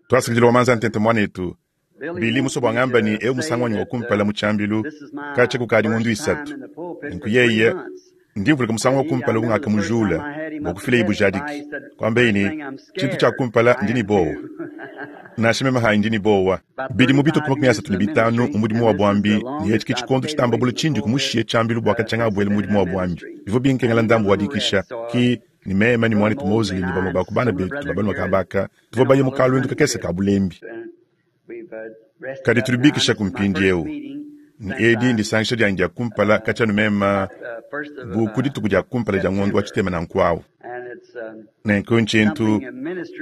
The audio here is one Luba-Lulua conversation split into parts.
Tuasakidila wa manza ntente muanetu. Billy musue bua ngamba ne eu musangu wanyi wa kumpala mu tshiambilu katshia kukadi ngondu isatu. Nunku yeye ndi mvuluka musangu wa kumpala ungakamujula bua kufilaye bujadiki, kuambaye ne, tshintu tshia kumpala ndi ne buowa. Nansha meme hanyi ndi ne buowa. Bidimu bitue ku 35 mu mudimu wa buambi, ne etshi ke tshikondo tshitamba bule tshindi kumushiye tshiambilu bua katshia ngabuela mu mudimu wa buambi. Bivua binkengela ndambu wa dikisha. Ki ne meme ne muanetu Mosley ne bamue ba ku bana betu ba balume kaba aka tuvua baye mu kaluendu kakese ka bulembi. Kadi tudi bikishaku mpindieu, ne edi ndisangisha dianyi dia kumpala katshia anu meme bu ku dituku dia kumpala dia ngondo wa tshitema nanku au. Nenku ntshintu,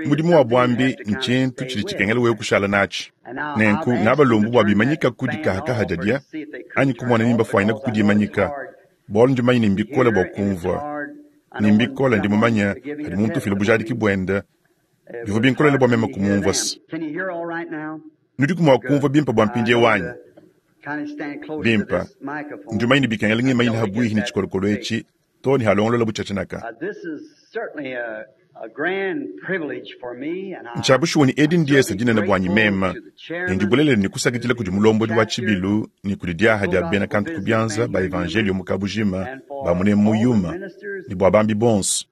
mudimu wa buambi ntshintu tshidi tshikengela wewe kushala natshi. Nenku ngabalombu bua bimanyikaku dikahakaha diadia anyi kumona ni mbafuanyinaku kudimanyika, bualu ndi mumanye ne mbikole bua kumvua, ne mbikole ndi mumanye padi muntu ufila bujadiki buende. Bivua binkolele bua meme kumumvua se. Nudiku mua kumvua bimpe bua mpindieu anyi? Bimpe. Ndi mumanye ne bikengela ngimanyine habuihi ne tshikolokolo etshi too ne halongolola butshiatshinaka. Ntshia bushuwa ne edi ndiesa dinene buanyi meme, ne ndi bulelela ne kusakidila kudi mulombodi wa tshibilu ne kudi diaha dia bena kantu ku bianza ba evanjelio mu kabujima ba munemu mu Yuma ne bua bambi bonso.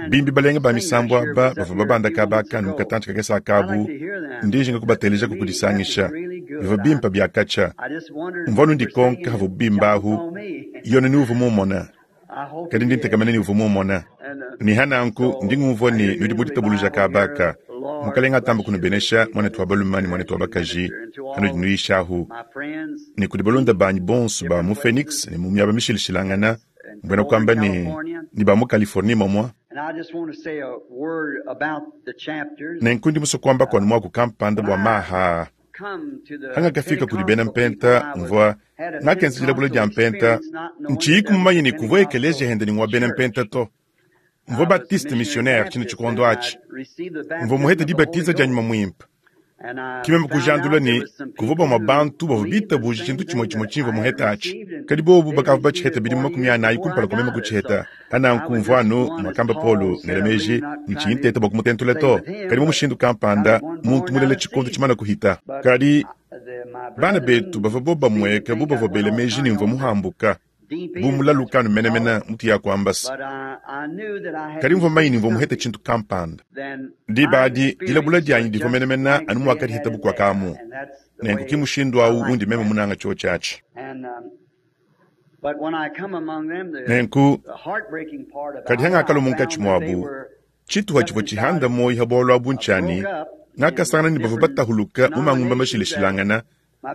Bimbi balenga ba misambu aba bavua babanda kaba aka ne mu katantshi kakese akabu, ndi njinga kubatelejaku kudisangisha. Bivua bimpe bia katshia. Mvua anu ndikonka havua bimba ahu, Yone ni uvua mumona. Kadi ndi ntekemena ne uvua mumona. Ne ha nanku ndi ngumvua ne nudi mu ditabuluja kaba aka. Mukalenga atambe kunubenesha, muanetu wa balume ne muanetu wa bakaji, hanudi nuyishahu. Ne kudi balunda banyi bonso ba mu Phoenix ne mu miaba mishilashilangana, mbuena kuamba ne, ne ba mu Californie momua. Nenku ndi musue kuambaku anu muaku kampanda bua maha aa. Hangakafika kudi bena mpenta, mvua ngakenza dilabula dia mpenta, ntshiyiku mumanye ne kuvua ekeleziya hende ne ngua bena mpenta to. Mvua Baptiste missionnaire tshine tshikondo atshi. Mvua muhete dibatiza dia Nyuma Muimpe. Ke meme kujandula ne kuvua bamue bantu bavua bitabuje tshintu tshimue tshimue tshimvua muhete atshi, kadi bobu bakavua batshihete bidimu 40 kumpala kua meme kutshiheta. Pa nanku mvua anu muakamba Paulo ngela meji, ntshiyi nteta bua kumutentula to, kadi mu mushindu kampanda muntu mulela tshikondo tshimane kuhita. Kadi bana betu bavua bobamueka bu bavua bela meji ne mvua muhambuka, bu mulaluka anu menemene mutu ya kuamba se. Kadi mvua mumanye ne mvua muhete tshintu kampanda. Diba adi dilabula dianyi divua menemene anu muakadiheta bukua kamu. Nenku ki mushindu au undi meme munanga tshiotshi atshi. Nenku, kadi hangakalua munkatshi muabu, tshituha tshivua tshihanda muoyo ha bualu abu ntshia ne, ngakasangana ne bavua batahuluka mu mangumba mashilashilangana,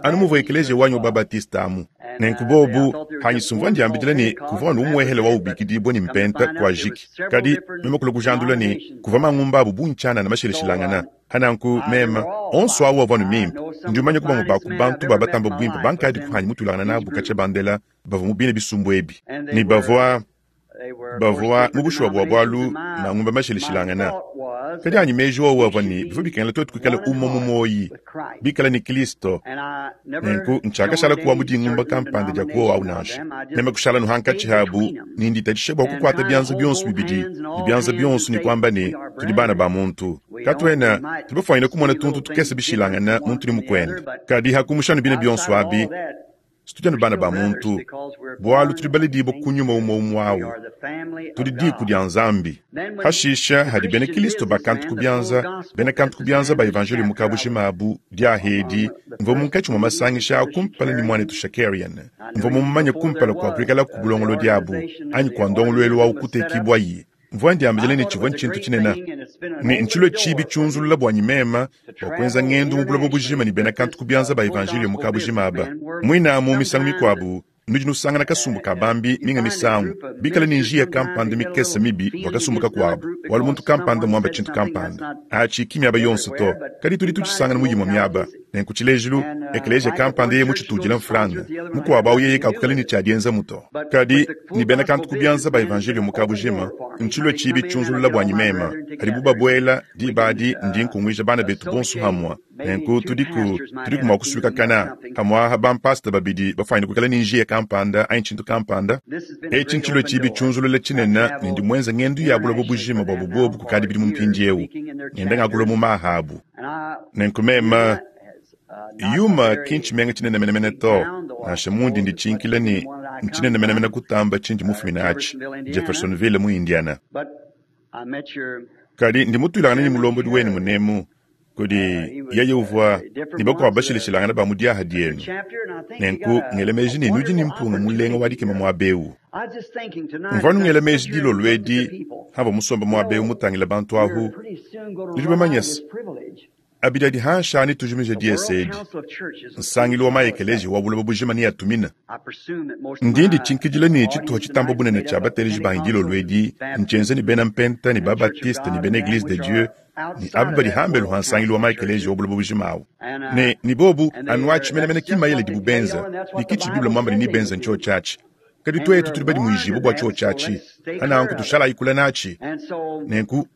anu muvua ekeleziya wanyi wa ba-Baptiste amu. Nenku bobu hanyi sumvua ndiambidila ne kuvua anu umuehele wa ubikidibua ne mpenta kuajiki, kadi meme kulua kujandula ne kuvua mangumba abu bungi tshianana mashilashilangana. Pa nanku meme, onso awu avua anu mimpe. Ndi mumanye ku bamue ba ku bantu ba batamba buimpe bankadi kuhanyi mutuilangana nabu katshia bandela bavua mu bine bisumbu ebi, ne bavua bavua mu bushuwa bua bualu mangumba mashilashilangana. Kadi anyi meji wowu avua ne bivua bikengela tuetu kuikala umue mu muoyi, bikala ne Kristo. Nenku ntshiakashala kuwa mu dingumba kampanda dia kuowa au nansha. Meme kushala anu hankatshi habu ne nditatshisha bua kukuata bianza bionso bibidi ne bianza bionso ne kuamba ne, tudi bana ba muntu. Katuena tubafuanyine kumona tuntu tukese bishilangane muntu ne mukuende. Kadi hakumusha anu bine bionso abi, tudi anu bana ba muntu, bualu tudi baledibue ku nyuma umue umue au. Tudi diku dia Nzambi. Hashisha hadi bena Kilisto ba kantu ku bianza, bena kantu ku bianza ba evanjelio mu kabujima abu, diaha edi, mvua munkatshi mua masangisha a kumpala ne muanetu Shakarian. Mvua mumumanye kumpala kua kuikalaku bulongolodi abu anyi kua ndongoluelu au kutekibuaye. Mvua ndiambila ne tshivua ntshintu tshinene ne ntshilue tshibi tshiunzulula buanyi meme bua kuenza ngendu mu buloba bujima ne bena kantu ku bianza ba evanjeliyo mu kabujima aba. Muine amu misangu mikuabu nudi nusangana kasumbu ka bambi, minga misangu bikale ne njiya kampanda mikese mibi bua kasumbu kakuabu, bualu muntu kampanda muamba tshintu kampanda. Atshi ki miaba yonso to, kadi tudi tutshisangana mu imue miaba. Nenku tshilejilu, ekeleziya kampanda yeye mutshitudila mfranga, mukuabu au yeye kakukala ne tshia dienzamu to. Kadi ne bena kantu ku bianza ba evanjeliyo mu kabujima, ntshilue tshibi tshiunzulula buanyi meme. Padibu babuela, diba adi ndi nkunguija bana betu bonso hamue. Nenku tudiku, tudiku mua kusuikakana hamue aha bampasita babidi bafuanyine kuikala ne njiya kampanda anyi tshintu kampanda. Etshi ntshilue tshibi tshiunzulula tshinene ne ndi muenze ngendu ya buloba bujima buabu buobu kukadi bidimu mpindieu, ngenda ngakula mu maha abu. Nenku mema, Yuma ki ntshimenga tshinene menemene to, nansha mundi nditshinkila ne ntshinene menemene kutamba tshindi mufumine atshi, Jeffersonville mu Indiana. Kadi ndi mutuilangane ne mulombodi wenu munemu, kudi yeye uvua ne bakuabu bashilashilangane ba mu diaha dienu. Nenku ngela meji ne nudi ne mpunga mulenga wa dikema muaba eu. Mvua nungela meji dilolo edi hamvua musombe muaba eu mutangile bantu ahu, nudi bamanye se, abidi adi hanshi aa netujimije diese edi, nsangilu wa ma-ekeleziya wa buloba bujima neatumina. Ndi nditshinkidila ne tshituha tshitamba bunene tshia bateleji banyi dilolo edi ntshienza ne bena Mpenta ne ba-Baptiste ne bena Eglise de Dieu ne aba badi hambelu ha nsangilu wa ma-ekeleziya wa buloba bujima awu. Ne, ne bobu anu atshi menemene ki mayele dibu benza, ne ki tshidi Bible muamba ne nebenza ntshiotshi atshi. Kadi tuetu tudi badimuijibue bua tshiotshi atshi, pa nanku tushalayi kule natshi. Nenku,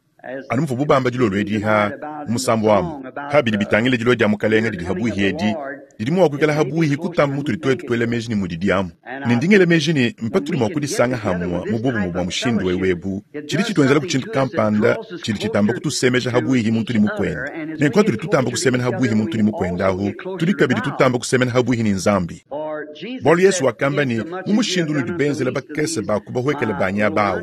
anu muvuabu bamba dilolo edi ha mu musambu amu, pa bidi bitangila dilua dia Mukalenge didi habuihi edi, didi mua kuikala habuihi kutamba mutudi tuetu tuela meji ne mudidi amu. Ne ndi ngela meji ne, mpatudi mua kudisanga hamue mu bobumue bua mushindu eu ebu, tshidi tshituenzelaku tshintu kampanda tshidi tshitamba kutusemeja habuihi muntu ne mukuende. Nenku hatudi tutamba kusemena habuihi muntu ne mukuende ahu, tudi kabidi tutamba kusemena habuihi ne Nzambi. Bualu Yesu wakamba ne, mu mushindu unudi benzela bakese ba ku bahuekele banyi aba awu,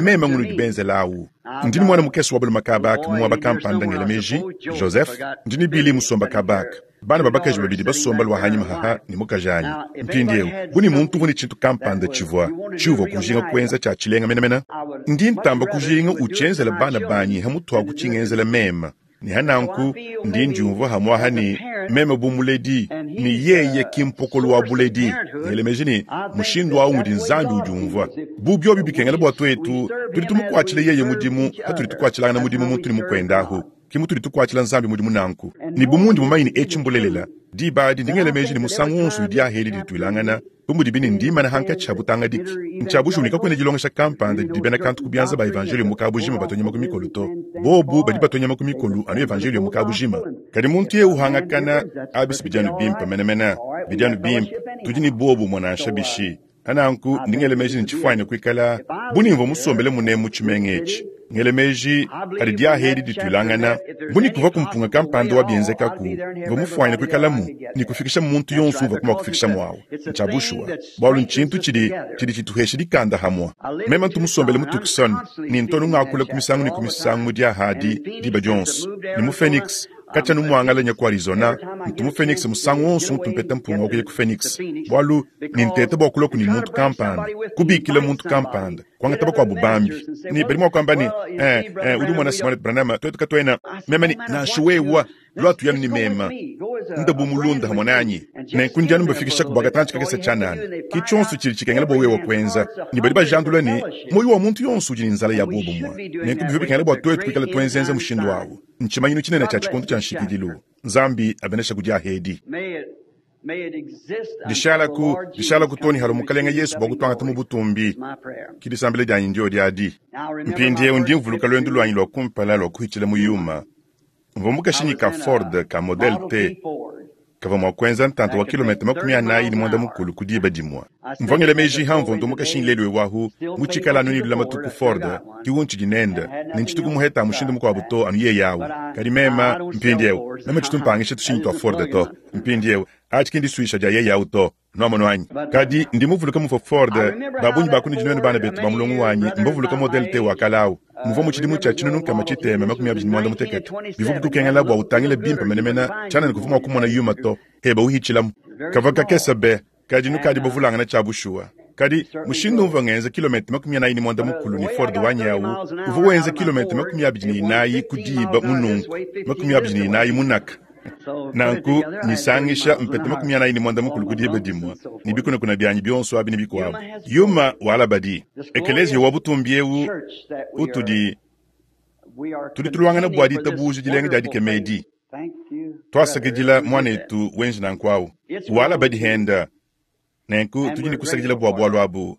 meme ngunudi benzela awu. Ndi ne muana mukese wa balume kaba aka mu muaba kampanda ngela meji, Joseph, ndi ne Billy musomba kaba aka, bana ba bakaji babidi basomba lua hanyima haha ne mukajanyi. Mpindieu, bu ne muntu uvua ne tshintu kampanda tshivua tshiuvua kujinga kuenza tshia tshilenga menemene, ndi ntamba kujinga utshienzela bana banyi ha mutuaku tshingenzela meme. Ne ha nanku ndi ndiumvua hamuaha ne meme bu muledi, ne yeye ki mpokolo wa buledi. Ngele meji ne mushindu au ngudi Nzambi udiumvua. Bu biobi bikengela bua tuetu, tudi tumukuatshila yeye mudimu patudi tukuatshilangana mudimu muntu ne mukuende ahu, ki mutudi tukuatshila Nzambi mudimu nanku. Ne bu mundi mumanye ne etshi mbulelela, diba adi ndi ngela meji ne musangu wonso udi diaha edi dituilangana, bu mudibi ne ndimana hankatshi ha butangadiki. Ntshia bushuwa ne kakuena dilongesha kampanda didi bena kantu ku bianza ba evanjeliyo mu kabujima batua nyama ku mikolo to. Bobu badi batua nyama ku mikolo anu evanjeliyo mu kabujima. Kadi muntu yeye uhangakana, abi si bidi anu bimpe menemene, bidi anu bimpe, tudi ne buobumue nansha bishi. Pa nanku ndi ngela meji ne tshifuanyine kuikala bu ne mvua musombele munemu mu tshimenga etshi. Ngela meji padi diaha edi dituilangana, bu ne kuvuaku mpunga kampanda wa bienzekaku, mvua mufuanyine kuikalamu ne kufikishamu muntu yonso uvuaku mua kufikishamu awu. Ntshia bushuwa, bualu ntshintu tshidi tshidi tshituhesha dikanda hamua. Meme ntu musombele mu Tucson ne ntu anu ngakula ku misangu ne ku misangu mu diaha adi diba dionso, ne mu Phoenix, Katshia numuangala nya ku Arizona, ntu mu Phoenix musangu wonso untu mpeta mpunga wa kuya ku Phoenix, bualu ne nteta bua kulua kuni muntu kampanda, kubikila muntu kampanda, kuangata bakuabu bambi. Ne badi mua kuamba ne, Eh, eh, udi umona se, Muanetu Branham, tuetu katuena. Meme ne, Nansha wewa, lua tuya anu ne mema. Nda bu mulunda hamue nanyi. Nenku ndi anu mbafikishaku bua katantshi kakese tshianana. Ki tshionso tshidi tshikengela bua wewa kuenza. Ne badi bajandula ne, muoyo wa muntu yonso udi ne nzala ya buobumue. Nenku bivua bikengela bua tuetu kuikala tuenzenza mushindu awu. Ntshimanyinu tshinene tshia tshikondo tshia nshikidilu. Nzambi abenesha ku diaha edi. Dishalaku, dishalaku too ne halua Mukalenge Yesu bua kutuangata mu butumbi. Ki disambila dianyi ndiodi adi. Mpindieu ndi mvuluka luendu luanyi lua kumpala lua kuhitshila mu Yuma. Mvua mu kashinyi ka Ford ka Model T kavua mua kuenza ntanta wa kilometa 45 ku diba dimue. Mvua ngela meji hamvua ntua mu kashinyi lelu eu ahu, mutshikale anu ne lulamatu ku Ford, ki untshidi nende, ne ntshitu kumuheta mushindu mukuabu to anu yeye au. Kadi mema, mpindieu, meme tshitu mpangisha tushinyi tua Ford to. Mpindieu, atshi ki ndisuisha dia yeye au to. Nuamonu anyi? Kadi ndi muvuluke muvua Ford, ba bungi ba kunudi nuenu bana betu ba mulongo wanyi mbavuluke Model T wa kale au, muvua mu tshidimu tshia 1777. Bivua bikukengela bua utangile bimpe menemene, tshianana kuvua mua kumona yuma to, heba uhitshilamu. Kavua kakese be, kadi nukadi bavulangana tshia bushuwa. Kadi mushindu umvua ngenza kilometa 45 ne Ford wanyi au, uvua wenza kilometa 24 ku diba mu nunku, 24 mu naka. Nanku nyisangisha mpeta 45 ku diba dimue ne bikunakuna bianyi bionso abi ne bikuabu. Yuma walabadi. Ekeleziya wa butumbi eu utudi tudi tuluangana bua ditabuja dilenga dia dikema edi. Tuasakidila muanetu wenji nanku au. Walabadi henda. Nenku tudi ne kusakidila bua bualu abu.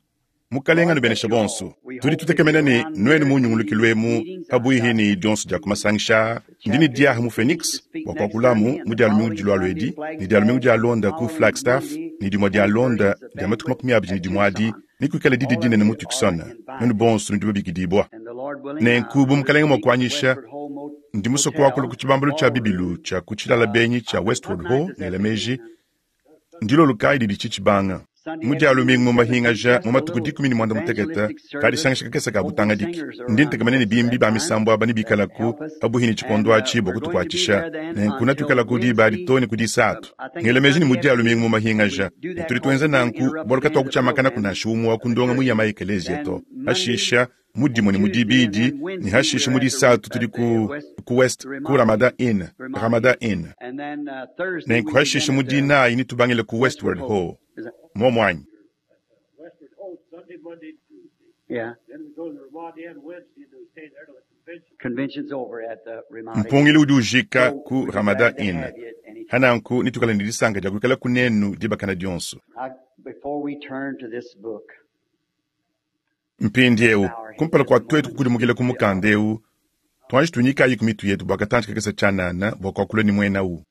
Mukalenge anubeneshe bonso. Tudi tutekemena ne nuenu mu nyungulukilu emu pabuihi ne dionso dia ku masangisha aa. Ndi ne diaha mu Phoenix bua kuakulamu mu dia lumingu dilualua edi, ne dia lumingu dialonda ku Flagstaff, ne dimue dialonda dia matuku 21 adi nekuikale didi dinene mu Tucson. Nuenu bonso nudi babikidibua. Nenku bu Mukalenge mua kuanyisha, Ndi musue kuakula ku tshibambalu tshia bibilu tshia ku tshilala benyi tshia Westward Ho, ngela meji, ndilolo kayi didi tshitshibanga? Mu Dia lumingu mu mahingaja mu matuku 18 kadisangisha kakese ka butangadiki. Ndi ntekemena ne bimbi ba misambu aba nebikalaku pabuihi ne tshikondo atshi bua kutukuatshisha. Nenku netuikalaku diba adi too ne ku disatu. Ngela meji ne mu Dia lumingu mu mahingaja, ne tudi tuenza nanku bualu katuakutshiamakanaku nansha umue wa ku ndongamu ya ma-ekeleziya to. Pashisha, mu dimue ne mu dibidi, ne hashishe mu disatu tudi ku, ku West, ku Ramada Inn, Ramada Inn. Nenku hashishe mu dinayi netubangile ku Westward Ho. Muomu anyi? Mpungilu udi ujika ku Ramada Inn. Hananku netuikale ne disanka dia kuikala kunenu dibakana dionso. Mpindieu, kumpala kua tuetu kukudimukila ku mukanda eu, tuanji tuinyikayi ku mitu yetu bua katantshi kakese tshianana bua kuakula ne muenawu.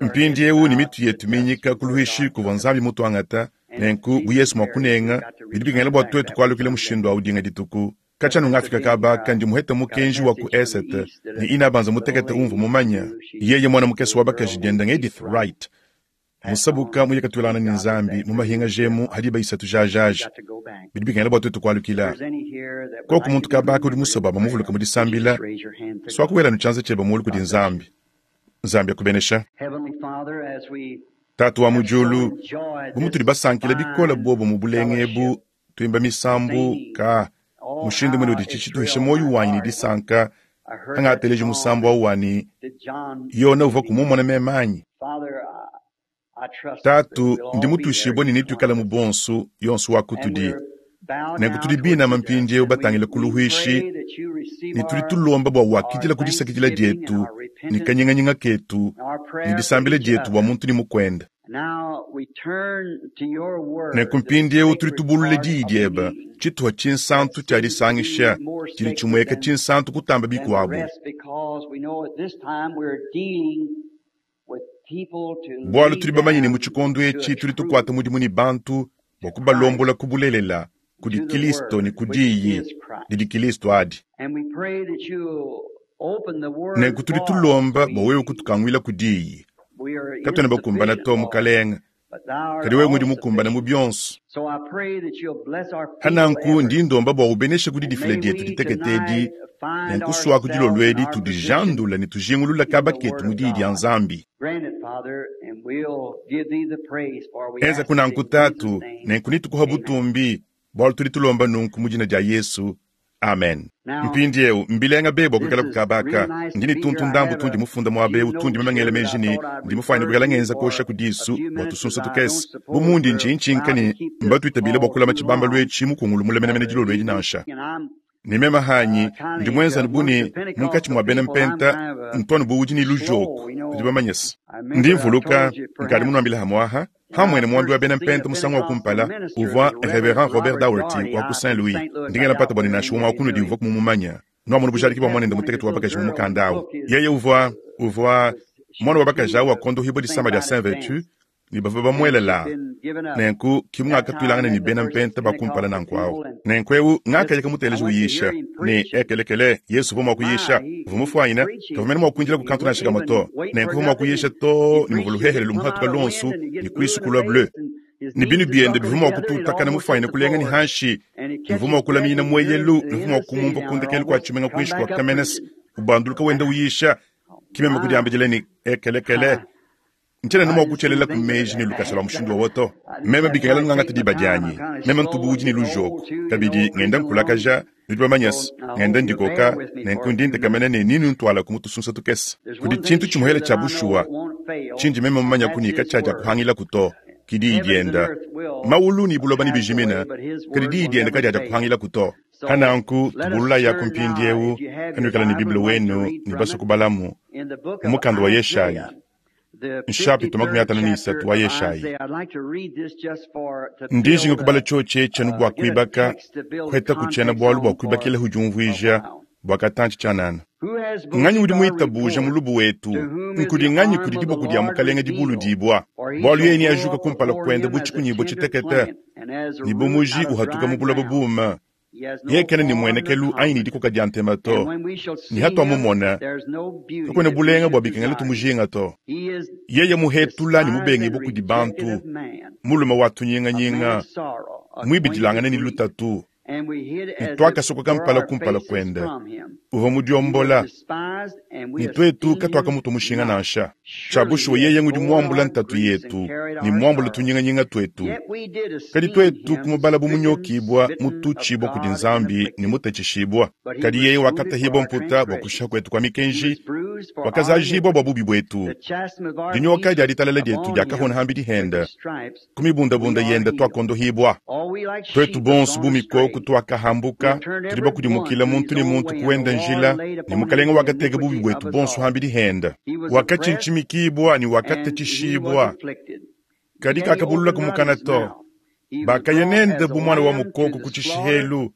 Mpindieu ne mitu yetu minyika ku luishi kuvua Nzambi mutuangata, nenku bu Yesu mua kunenga, bidi bikengela bua tuetu kualukila mushindu au dinga dituku. Katshia anu ngafika kaba aka, ndi muhete mukenji wa ku esete ne inabanza mutekete umvua mumanya, yeye muana mukese wa bakaji diende ng'Edith Wright, Musabuka muye katuelangana ne Nzambi mu mahingaja emu ha diba isatu jajaja. Bidi bikengela bua tuetu kualukila. Koku muntu kabaka udi musue bua bamuvuluke mu disambila, suaku wela anu tshianza tshiebe mulu kudi Nzambi. Nzambi akubenesha. Tatu wa mu diulu, bu mutudi basankile bikole buobo mu bulenga ebu, tuimba misambu ka mushindu mune udi tshituhisha muoyo wanyi ne disanka hangateleji musambu au wani Yona uvua kumumona meme anyi? Tatu, ndi mutuishibue ne netuikale mu bonso, yonso wa kutudi. Nenku tudi binama mpindieu batangile ku luhuishi, ne tudi tulomba bua wakidila ku disakidila dietu ne kanyinganyinga ketu ne disambila dietu bua muntu ne mukuende. Nenku mpindieu tudi tubulula diyi diebe, tshituha tshinsantu tshia disangisha tshidi tshimueka tshinsantu kutamba bikuabu. Bualu tudi bamanye ne mu tshikondo etshi tudi tukuata mudimu ne bantu bua kubalombola ku bulelela kudi Kilisto ne ku diyi didi Kilisto adi. Nenku tudi tulomba bua wewe kutukanguila ku diyi. Katuena bakumbana to, Mukalenge, kadi wewe ngudi mukumbane mu bionso. Hananku ndi ndomba bua ubeneshe ku didifila dietu ditekete edi, ne nkusuaku dilolo edi tudijandula ne tujingulula kaba ketu mu diyi dia Nzambi. Enza kunanku Tatu, nenku nitukuha butumbi, bualu tudi tulomba nunku mu dina dia Yesu. Amen. Mpindieu, mbilenga be bua kuikala ku kaba aka. Ndi ne tuntu ndambu tundi mufunda muaba eu tundi meme ngela meji ne, ndi mufuanyine kuikala ngenza kuosha ku disu bua tusunsa tukese. Bu mundi ntshintshinka ne, mbatuitabile bua kulama tshibambalu etshi mukungulu mule menemene dilolo edi nansha. Ne meme hanyi, ndi muenza anu bu ne, munkatshi mua bena mpenta, ntu anu bu udi ne lujoku, nudi bamanye se. Ndi mvuluka, nkadi munuambile hamuaha, Hamuene muambi wa bena mpenta musangu wa kumpala uvua Reverend Robert Daugherty wa ku Saint Louis. Ndi ngela mpata bua ne nansha umue wa kunudi uvua mumumanya. Nuamona bujadiki bua muanende mutekete wa bakaji mu mukanda au. Yeye uvua uvua muana wa bakaji au wakondohibua disama dia Saint Vertu ne bavua bamuela laa. Nenku ki mungakatuilangana ne bena mpenta ba kumpala nanku au. Nenku eu ngakaya kamuteleja uyisha ne ekelekele Yesu uvua mua kuyisha. Uvua mufuanyine kavua mene mua kuindila ku kantu nansha kamue to. Nenku uvua mua kuyisha too ne muvua luhehele lumuhatuka luonso ne kuisu kulua bleu. Ne binu biende bivua mua kututakana mufuanyine kulenga ne hanshi, ne uvua mua kulaminyina mueyelu, ne uvua mua kumumvua ku ndekelu kua tshimenga kuinshi kua Kamenes ubanduluka wenda uyisha. Ki meme kudiambidila ne, ekelekele. Ntshiena anu mua kutshielelaku meji ne lukasa lua mushindu wowo to. Meme bikengela ngangata diba dianyi. Meme ntu bu udi ne lujoku. Kabidi, ngenda nkulakaja, nudi bamanye se, ngenda ndikoka, nenku ndi ntekemena ne nenuntualaku mu tusunsa tukese. Kudi tshintu tshimuhele tshia bushuwa tshindi meme mumanyaku ne katshiadiakuhangilaku to, ki diyi dienda. Mawulu ne buloba nebijimine, kadi diyi diende kadiadiakuhangilaku to. Pananku, tubululayaku mpindieu, kanuikala ne Bible wenu ne basue kubalamu, mu mukanda wa Yeshayi. Nshapita 53 wa Yeshayi. Ndi njinga kubala tshiotshi etshi anu bua kuibaka, kuheta ku tshiena-bualu bua kuibakilahu diumvuija bua katantshi tshianana. Nganyi udi muitabuja mulubu wetu? Nkudi nganyi kudi diboko dia Mukalenge dibuludibua? Bualu yeye neajuka kumpala kuende bu tshikunyibua tshitekete, ne bu muji uhatuka mu buloba buume. Yeye kena ne mmuenekelu anyi ne dikoka dia ntema to, ne hatuamumona, kakuena bulenga bua bikengela tumujinga to. Yeye muhetula ne mubengibue kudi bantu, mulume wa tunyinganyinga, muibidilangane ne lutatu, ne tuakasokoka mpala kumpala kuende, uvua mudiombola, ne tuetu katuakamutua mushinga nansha. Tshia bushuwa yeye ngudi muambula ntatu yetu ne muambula tunyinganyinga tuetu, kadi tuetu kumubala bu munyokibua, mututshibua kudi Nzambi ne mutatshishibua. Kadi yeye wakatahibua mputa bua kushiha kuetu kua mikenji, wakazajibua bua bubi buetu. Dinyoka dia ditalala dietu diakahona hambidi hende, ku mibundabunda yende tuakondohibua. Tuetu bonso bu mikoko tuakahambuka, tudi bakudimukila muntu ne muntu kuenda njila, ne Mukelenge wakateka bubi buetu bonso hambidi hende. Wakatshintshimikibua ne wakatatshishibua, kadi kakabulula kumukana to. Bakaya nende bu muana wa mukoko ku tshishihelu,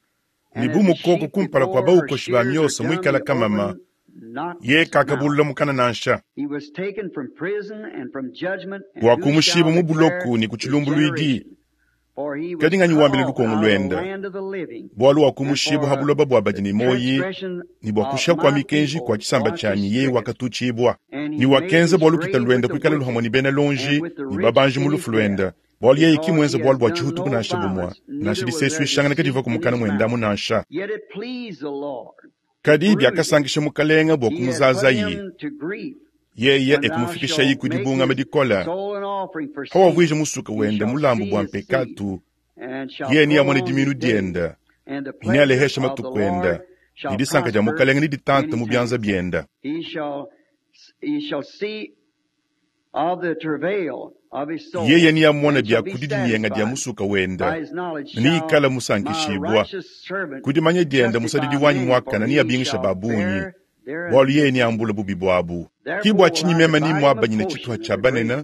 ne bu mukoko kumpala kua baukoshi ba miosa muikala kamama, ye kakabulula mukana nansha. Wakumushibua mu buloko ne ku tshilumbuluidi, kadi nganyi wambila lukongo luende? Bualu wakumushibua ha buloba bua badi ne muoyi, ne bua kushiha kua mikenji kua tshisamba tshianyi yeye wakatutshibua. Ne wakenza bua lukita luende kuikala luhamue ne bena lonji ne babanji mu lufu luende, bualu yeye ki muenze bualu bua tshihutuku nansha bumue, nansha disesuishangana kadivua ku mukana muendamu nansha. Kadi biakasankisha Mukelenge bua kumuzazaye, yeye ekumufikishayi ku dibungama dikole, hawavuija musuka wende mulambu bua mpekatu, yeye neamone diminu diende, ne nealeheshe matuku ende, ne disanka dia Mukelenge neditante mu bianza biende. Yeye neamone bia ku didinyenga dia musuka wende, ne neikale musankishibua. Ku dimanya diende musadidi wanyi muakane neabingishe ba bungi, bualu yeye neambule bubi buabu. Ki bua tshinyi meme nemuabanyine tshituha tshia banene,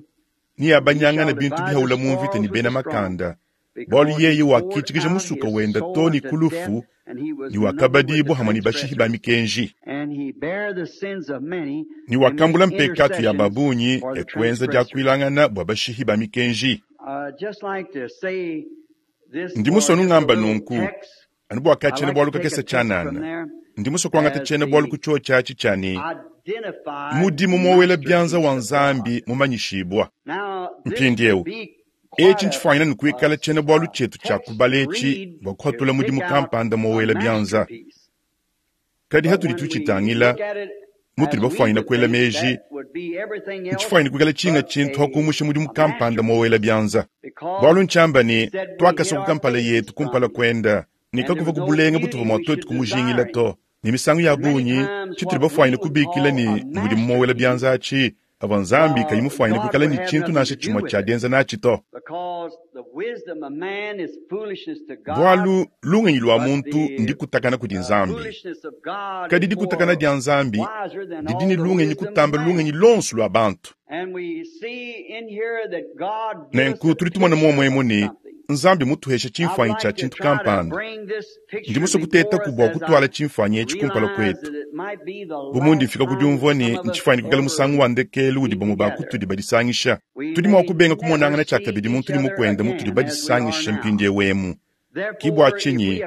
neabanyangane bintu bihaula mu mvita ne bena makanda, bualu yeye wakitshikija musuka wende to ne ku lufu, ne wakabadibua hamue ne bashihi ba mikenji, ne wakambula mpekatu ya babungi e kuenza diakuilangana bua bashihi ba mikenji. Ndi musue nungamba nunku, anu bua ka tshiena-bualu kakese tshianana. Ndi musue kuangata tshiena-bualu ku tshiotshi atshi tshia ne, mudimu mowela bianza wa Nzambi mumanyishibua. Mpindieu, etshi ntshifuanyine ne kuikala tshiena-bualu tshietu tshia kubala etshi bua kuhatula mudimu kampanda mowela bianza. Kadi hatudi tutshitangila, mutudi bafuanyine kuela meji, ntshifuanyine kuikala tshinga tshintu hakumusha mudimu kampanda mowela bianza. Bualu ntshiamba ne, tuakasokoka mpala yetu kumpala kuenda, ne kakuvua ku bulenga butuvua mua tuetu kumujingila to. Ne misangu ya bungi, tshitudi bafuanyine kubikila ne mudimu mowela bianza atshi, avua Nzambi kayi mufuanyine kuikala ne tshintu nansha tshimue tshia dienza natshi to. Bualu lungenyi lua muntu ndikutakana kudi Nzambi, kadi dikutakana dia Nzambi didi ne lungenyi kutamba lungenyi luonso lua bantu. Nenku tudi tumona muomue ne, Nzambi mutuheshe tshimfuanyi tshia tshintu kampanda. Ndi musue kutetaku bua kutuala tshimfuanyi etshi kumpala kuetu. Bu mundi mfika ku diumvua ne ntshifuanyi kuikala musangu wa ndekelu udi bamue ba kutudi badisangisha, tudi mua kubenga kumonangana tshiakabidi muntu ne mukuende mutudi badisangishe mpindieu emu. Ki bua tshinyi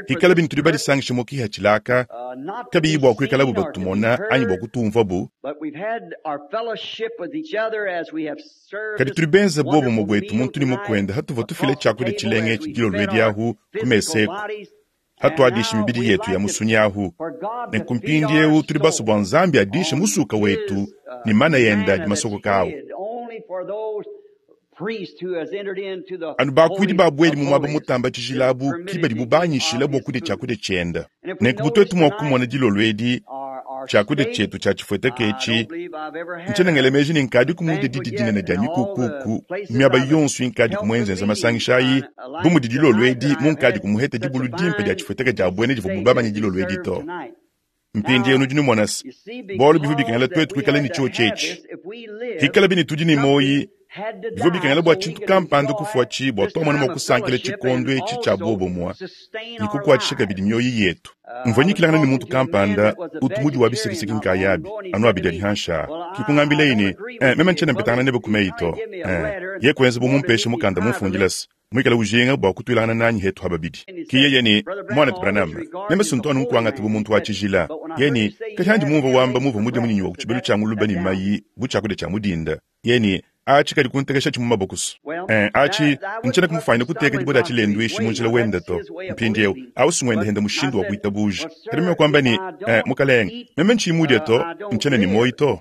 hikala bini tudi badisangishe mu kiha tshilaka, kabiyi bua kuikalabu batumona anyi bua kutumvuabu, kadi tudi benze buobumue buetu muntu ne mukuende hatuvua tufila tshiakudia tshilenga etshi dilolo edi ahu ku mesa eku, hatuadishi mibidi yetu ya musunyi ahu. Nenku mpindieu tudi basue bua Nzambi adishe musuka wetu ne mana ende adi masokoka awu. Anu bakuidi babuedi mu muaba mutamba tshijila abu ki badibu banyishila bua kudia tshiakudia tshiende. Nenku bu tuetu mua kumona dilolo edi tshiakudia tshietu tshia tshifueteka etshi, ntshiena ngela meji ne nkadiku mudia didi dinene dia mikukuku miaba yonso inkadiku muenzenza masangisha ayi, bu mudi dilolo edi munkadiku muhete dibulu dimpe dia tshifueteka dia buena divuabu babanye dilolo edi to. Mpindieu nudi numona se, bualu bivua bikengela tuetu kuikala ne tshiotshi etshi. Hikala bini tudi ne muoyi, Bivua bikengela bua tshintu kampanda kufuatshi bua tuamona mua kusankila tshikondo etshi tshia buobumue ne kukuatshisha kabidi mioyo yetu. Mvua nyikilangana ne muntu kampanda utu mudi wa bisekiseki nkayabi anu abidi adi hanshi aa. Ke kungambilaye ne, Eh, meme ntshiena mpetangana nebe ku meyi to. Eh, ye kuenza bu mumpeshe mukanda mumfundila se, muikale ujinga bua kutuilangana nanyi hetu ha babidi. Ke yeye ne, Muanetu Branham, meme si ntu anu nkuangata bu muntu wa tshijila. Yeye ne, Kadi handi mumvua wamba muvua mudie munyinyi wa ku tshibelu tshia ngulube ne mayi bu tshiakudia tshia mu dinda. Yeye ne, Atshi kadi kuntekeshatshi mu mabokusu. Eh, atshi, ntshiena kumufanyina kuteka dibue dia tshilenduishi mu njila wende to. Mpindieu, au si ngwende hende mushindu wa kuitabuja. Kadi meme kuamba ne, Eh, mukalenge, meme ntshiyi mudie to, ntshiena ne muoyo to.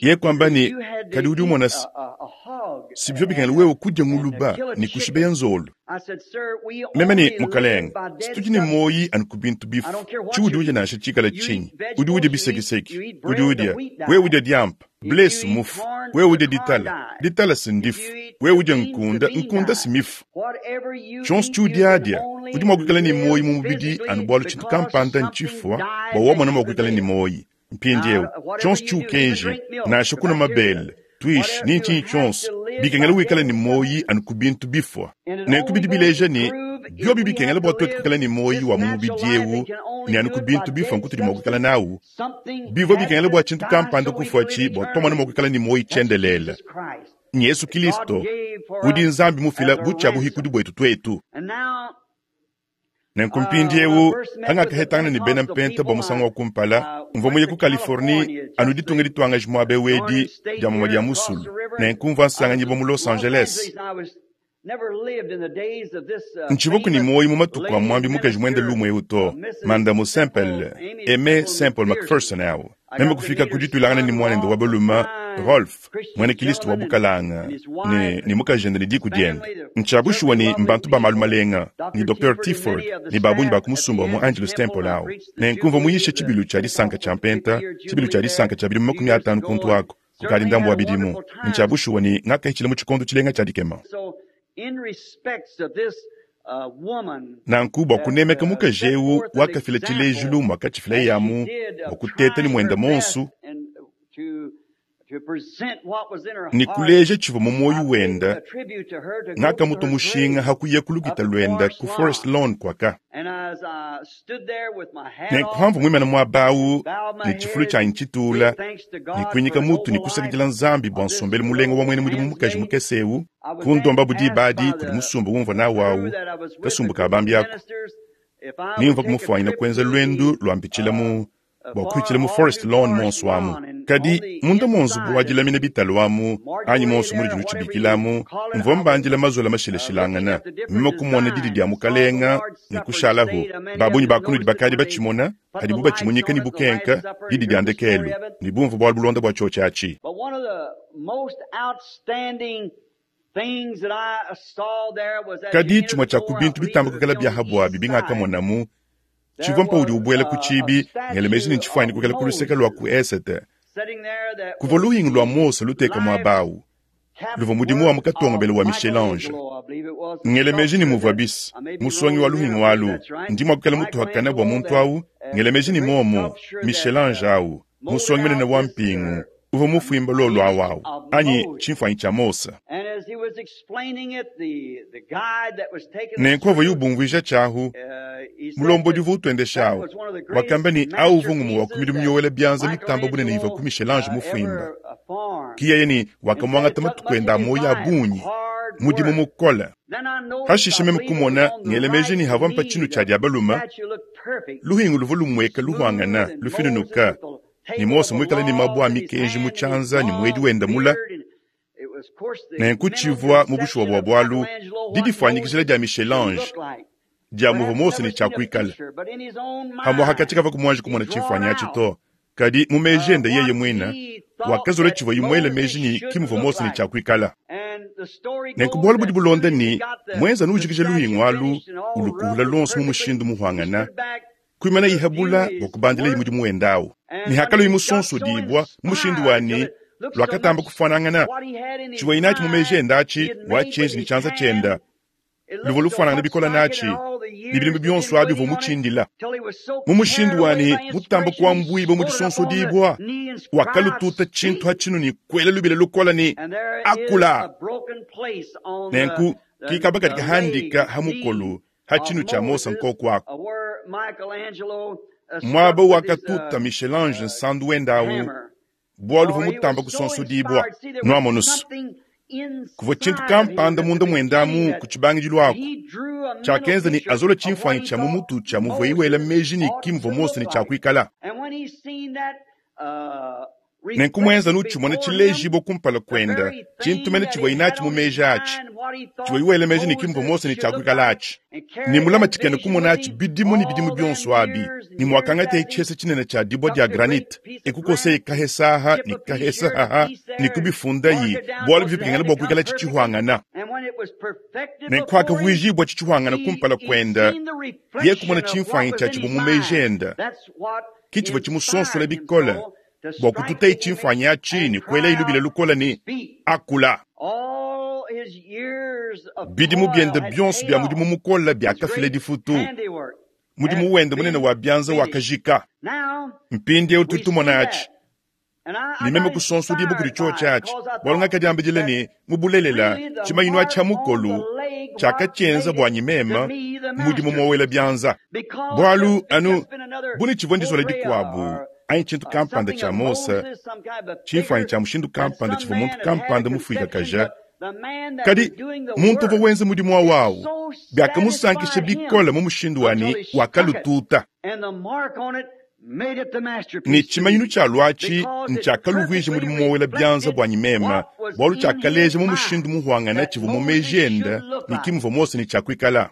Yeye kuamba ne, Kadi udi umona se, si bivua bikengela wewe kudia nguluba ne kushibeya nzolo. Meme ne, Mukalenge, si tudi ne muoyi anu ku bintu bifu. Tshiudi udia nansha tshikale tshinyi, udi udia bisekiseki, udi udia, wewe udia diampa, ble si mufu, wewe udia ditala, ditala si ndifu, wewe udia nkunda, nkunda si mifu. Tshionso tshiudiadia, udi mua kuikala ne muoyi mu mubidi anu bualu tshintu kampanda ntshifua bua wamona mua kuikala ne muoyi. Mpindieu, tshionso tshiukenji, nansha kunua mabele, tuishi, ni ntshinyi tshionso, bikengela wikale ne muoyi anu ku bintu bifua. Nenku bidi bileja ne, biobi bikengela bua tuetu kuikala ne muoyi wa mu mubidi eu ne anu ku bintu bifua nkutudi mua kuikala nawu, bivua bikengela bua tshintu kampanda kufuatshi bua tuamona mua kuikala ne muoyi tshiendelele. N'Yezu Kilisto, udi Nzambi mufila bu tshia-buhikudi buetu tuetu. Nenku mpindieu, pangakahetangana ne bena Mpenta bua musangu wa kumpala, mvua muye ku Californie, anu ditunga dituangaji muaba eu edi, dia mumue dia musulu. Nenku mvua nsanganyibua mu Los Angeles. Ntshivuaku ne muoyo mu matuku a muambi mukaji muende lumu eu to, Mandamu Semple, Aimee Semple McPherson au. Meme kufika ku dituilangana ne muanende wa balume Rolf, muena Kristo wa bukalanga, ne, ne mukajende ne diku diende. Ntshia bushuwa ne mbantu ba malu malenga, ne Docteur Tiford ne ba bungi ba ku musumba wa mu Angelus Temple au. Nenku mvua muyishe tshibilu tshia disanka tshia mpenta, tshibilu tshia disanka tshia bidimu 50 kuntu aku, kukadi ndambu wa bidimu. Ntshia bushuwa ne ngakahitshila mu tshikondo tshilenga tshia dikema. Nanku bua kunemeka mukaji eu wakafila tshilejilu muakatshifilaye amu bua kuteta ne muende muonso ne kuleja tshivua mu muoyo wende, ngakamutua mushinga ha kuya ku lukita luende ku Forest Lawn kuaka. Nenku pamvua muimane muaba au ne tshifulu tshianyi tshitula ne kuinyika mutu ne kusakidila Nzambi bua nsombelu mulenga wa muena mudimu mukaji mukese eu, kundombabu diba adi kudi musumba umvua nawu au, kasumbu ka bambi aku, ne mvua kumufuanyina kuenza luendu lua mpitshila mu bua kuhitshila mu Forest Lawn muonso amu. Kadi munda mua nzubu wa dilamina bitalu amu, anyi muonso munudi nutshibikila amu, mvua mbandila mazola mashilashilangana, meme kumona didi dia Mukalenga ne kushalahu. Ba bungi ba kunudi bakadi batshimona, padibu batshimunyika ne bukenka, didi dia ndekelu, ne bumvua bualu bulonda bua tshiotshi atshi. Kadi tshimue tshia ku bintu bitamba kuikala bia ha buabi bingakamonamu tshivua mpaudi ubuela ku tshibi, ngela meji ne ntshifuanyine kuikala ku luseke lua ku esete. Kuvua luhingu lua Mose luteka muaba au, luvua mudimu wa mu katongobela wa Michel-Ange. Ngela meji ne muvua bis musongi wa luhingu alu, ndi mua kuikala mutuhakane bua muntu au, ngela meji ne momu Michel-Ange au, musongi munene wa mpingu, uvua mufuimba lolu au au, anyi tshimfuanyi tshia Mose. Nenku avuaye ubumvuija tshiahu, mulombodi uvua utuendesha au wakamba ne, au uvua ngumue wa ku midimu miowela bianza mitamba bunene ivua ku Michel-Ange mufuimba. Ki yeye ne wakamuangata matuku ende a muoyo a bungi, mudimu mukole. Pashishe meme kumona, ngela meji ne havua mpa tshinu tshia dia balume, luhingu luvua lumueka luhuangana, lufinunuka, ne Mose muikale ne mabue a mikenji mu tshianza ne muedi wende mula. Nenku tshivua mu bushuwa bua bualu didifuanyikijila dia Michel-Ange dia muvua Mose ne tshia kuikala. Pamuapa katshikavua muanji kumona tshimfuanyi atshi to, kadi mu meji ende yeye muine wakazola tshivuaye muele meji ne ki muvua Mose ne tshia kuikala. Nenku bualu budi bulonda ne, muenza anu ujikija luhingu alu ulukuhula luonso mu mushindu muhuangana, kuimana ihabula bua kubandilaye mudimu wende au. Ne hakaluyi musonsodibua mu mushindu wa ne luakatamba kufuanangana tshivuaye natshi mu meji ende atshi, watshienji ne tshianza tshiende. Luvua lufuanangana bikole natshi, ne bidimu bionso abi uvua mutshindila. Mu mushindu wa ne, mutamba kuambuibua mu disonsodibua, wakalututa tshintu ha tshinu ne kuela lubila lukole ne, Akula! Nenku, ki kaba kadi kahandika ha mukolu ha tshinu tshia Mose nkoku aku. Muaba wakatuta Michel-Ange nsandu wende au, bualu uvua mutamba kusonsodibua. Nuamonu's, kuvua tshintu kampanda munda muende amu ku tshibangidilu aku tshiakenza ne azola tshimfuanyi tshia mu mutu tshia muvuaye wela meji ne ki muvua Mose ne tshia kuikala. Nenku muenza nutshimona tshilejibua kumpala kuenda, tshintu mene tshivuaye natshi mu meji atshi, tshivuaye wela meji ne ki muvua Mose ne tshia kuikala atshi, ne mulama tshikena kumona atshi bidimu ne bidimu bionso abi, ne muakangataye tshihesa tshinene tshia dibua dia granite, e kukoseye kahesa aha ne kahesa aha ne kubifundayi, bualu bivua bikengela bua kuikalatshi tshihuangana. Nenku akavuijibua tshitshihuangana kumpala kuenda, yeye kumona tshimfuanyi tshia tshivua mu meji enda, ke tshivua tshimusonsola bikole bua kututaye tshimfuanyi atshi ne kuelaye lubila lukole ne, Akula! Bidimu biende bionso bia mudimu mukole biakafila difutu. Mudimu wende munene wa bianza wakajika. Mpindieu tudi tumona atshi, ne meme kusonsodibua kudi tshiotshi atshi, bualu ngakadiambidila ne, mu bulelela, tshimanyinu atshi tshiha mukolu tshiakatshienza buanyi meme mudimu muowela bianza. Bualu anu bu ne tshivua ndizola dikuabu anyi tshintu kampanda tshia Mose, tshimfuanyi tshia mushindu kampanda tshivua muntu kampanda mufuikakaja, kadi muntu uvua wenza mudimu au au biakamusankisha bikole mu mushindu wa ne wakalututa. Ne tshimanyinu tshia luatshi ntshiakaluvuija mudimu muowela bianza buanyi meme, bualu tshiakaleja mu mushindu muhuangane tshivua mu meji ende ne ki muvua Mose ne tshia kuikala.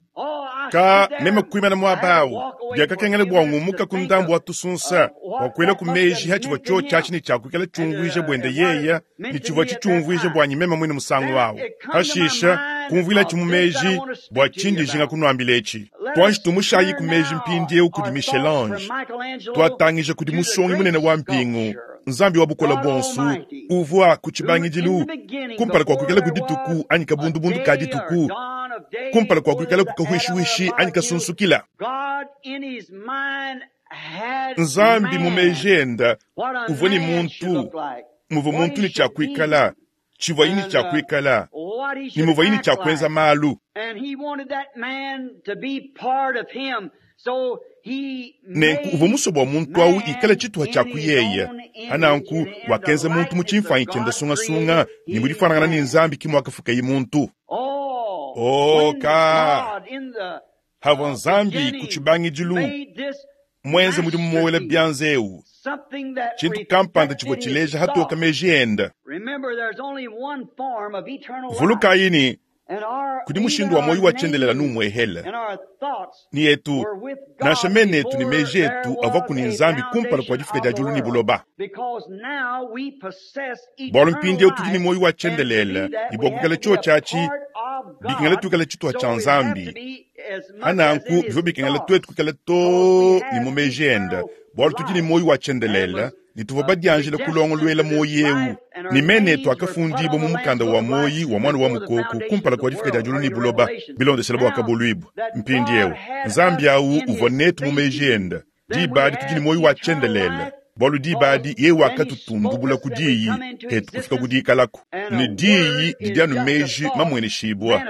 Ka meme kuimana muaba au, biakakengela bua ngumuka ku ndambu wa tusunsa bua kuela ku meji ha tshivua tshiotshi atshi ne tshia kuikala tshiumvuija buende yeye ne tshivua tshitshiumvuija buanyi meme muine musangu au. Pashishe kumvuilatshi mu meji bua tshindi njinga kunuambila etshi. Tuanji tumushayi ku meji mpindieu kudi Michel-Ange, tuatangija kudi musongi munene wa mpingu, Nzambi wa Bukole Buonso, uvua ku tshibangidilu, kumpala kua kuikalaku dituku anyi kabundubundu ka dituku, kumpala kua kuikalaku kahuishihuishi anyi kasunsukila. Nzambi mu meji ende uvua ne muntu, muvua muntu ne tshia kuikala, tshivuaye ne tshia kuikala, ne muvuaye ne tshia kuenza malu. Nenku uvua musue bua muntu au ikale tshituha tshia ku yeye. Hananku wakenza muntu mu tshimfuanyi tshiende sungasunga, ne mu difuanangana ne Nzambi ke muakafukaye muntu. Oh, ka! Havua Nzambi ku tshibangidilu muenze mudimu muowela bianza eu, tshintu kampanda tshivua tshileja hatoka meji ende. Vulukayi ne, kudi mushindu wa muoyo wa tshiendelele anu umuehele. Ne etu, nansha mena etu ne meji etu avuaku ne Nzambi kumpala kua difuka dia diulu ne buloba. Bualu mpindieu tudi ne muoyo wa tshiendelele, ne bua kuikala tshiotshi atshi, bikengela tuikale tshituha tshia Nzambi. Hananku bivua bikengela tuetu kuikala too ne mu meji ende, bualu tudi ne muoyo wa tshiendelele ne tuvua badianjile kulongoluela muoyo eu, ne mena etu akafundibua mu mukanda wa muoyo wa Muana wa Mukoko kumpala kua difuka dia diulu ne buloba, bilondeshile Buakabuluibua. Mpindieu, Nzambi au uvua netu mu meji ende. Diba adi tudi ne muoyo wa tshiendelele, bualu diba adi yeye wakatutundubula ku diyi, hetu kufika ku diikalaku. Ne diyi didi anu meji mamueneshibua.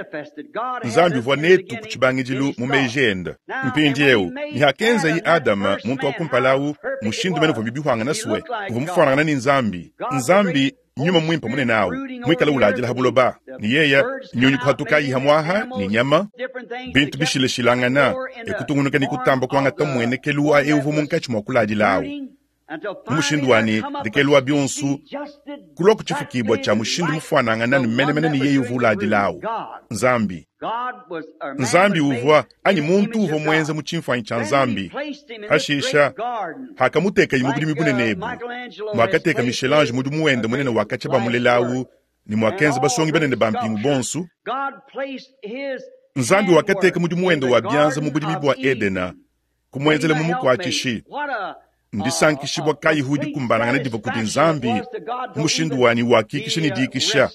Nzambi uvua netu ku tshibangidilu mu meji ende. Mpindieu, ne hakenzaye Adama, muntu wa kumpala au, mushindu mene uvua bibihuangana sue, uvua mufuanangana ne Nzambi. Nzambi, Nyuma Muimpe munene au, muikale uladila ha buloba, ne yeye nyunyi kuhatukayi hamuaha ne nyama, bintu bishilashilangana, e kutungunuka ne kutamba kuangata mmuenekelu wa eu uvua munkatshi mua kuladila au, mu mushindu wa ne, ndekelu wa bionso, kulua ku tshifukibua tshia mushindu mufuanangana ne menemene ne yeye uvua uladila au, Nzambi. Nzambi uvua, anyi muntu uvua muenza mu tshimfuanyi tshia Nzambi. Pashisha, hakamutekaye mu budimi bunene ebu, muakateka Michel-Ange mudimu wende munene wa katshia bamulela au, ne muakenza basongi banene ba mpingu bonso, Nzambi wakateka mudimu wende wa bianza mu budimi bua Edena, kumuenzela mumukuatshishi. Ndisankishibua kayihu dikumbanangana divua kudi Nzambi mu mushindu wanyi wakikisha ne dikisha.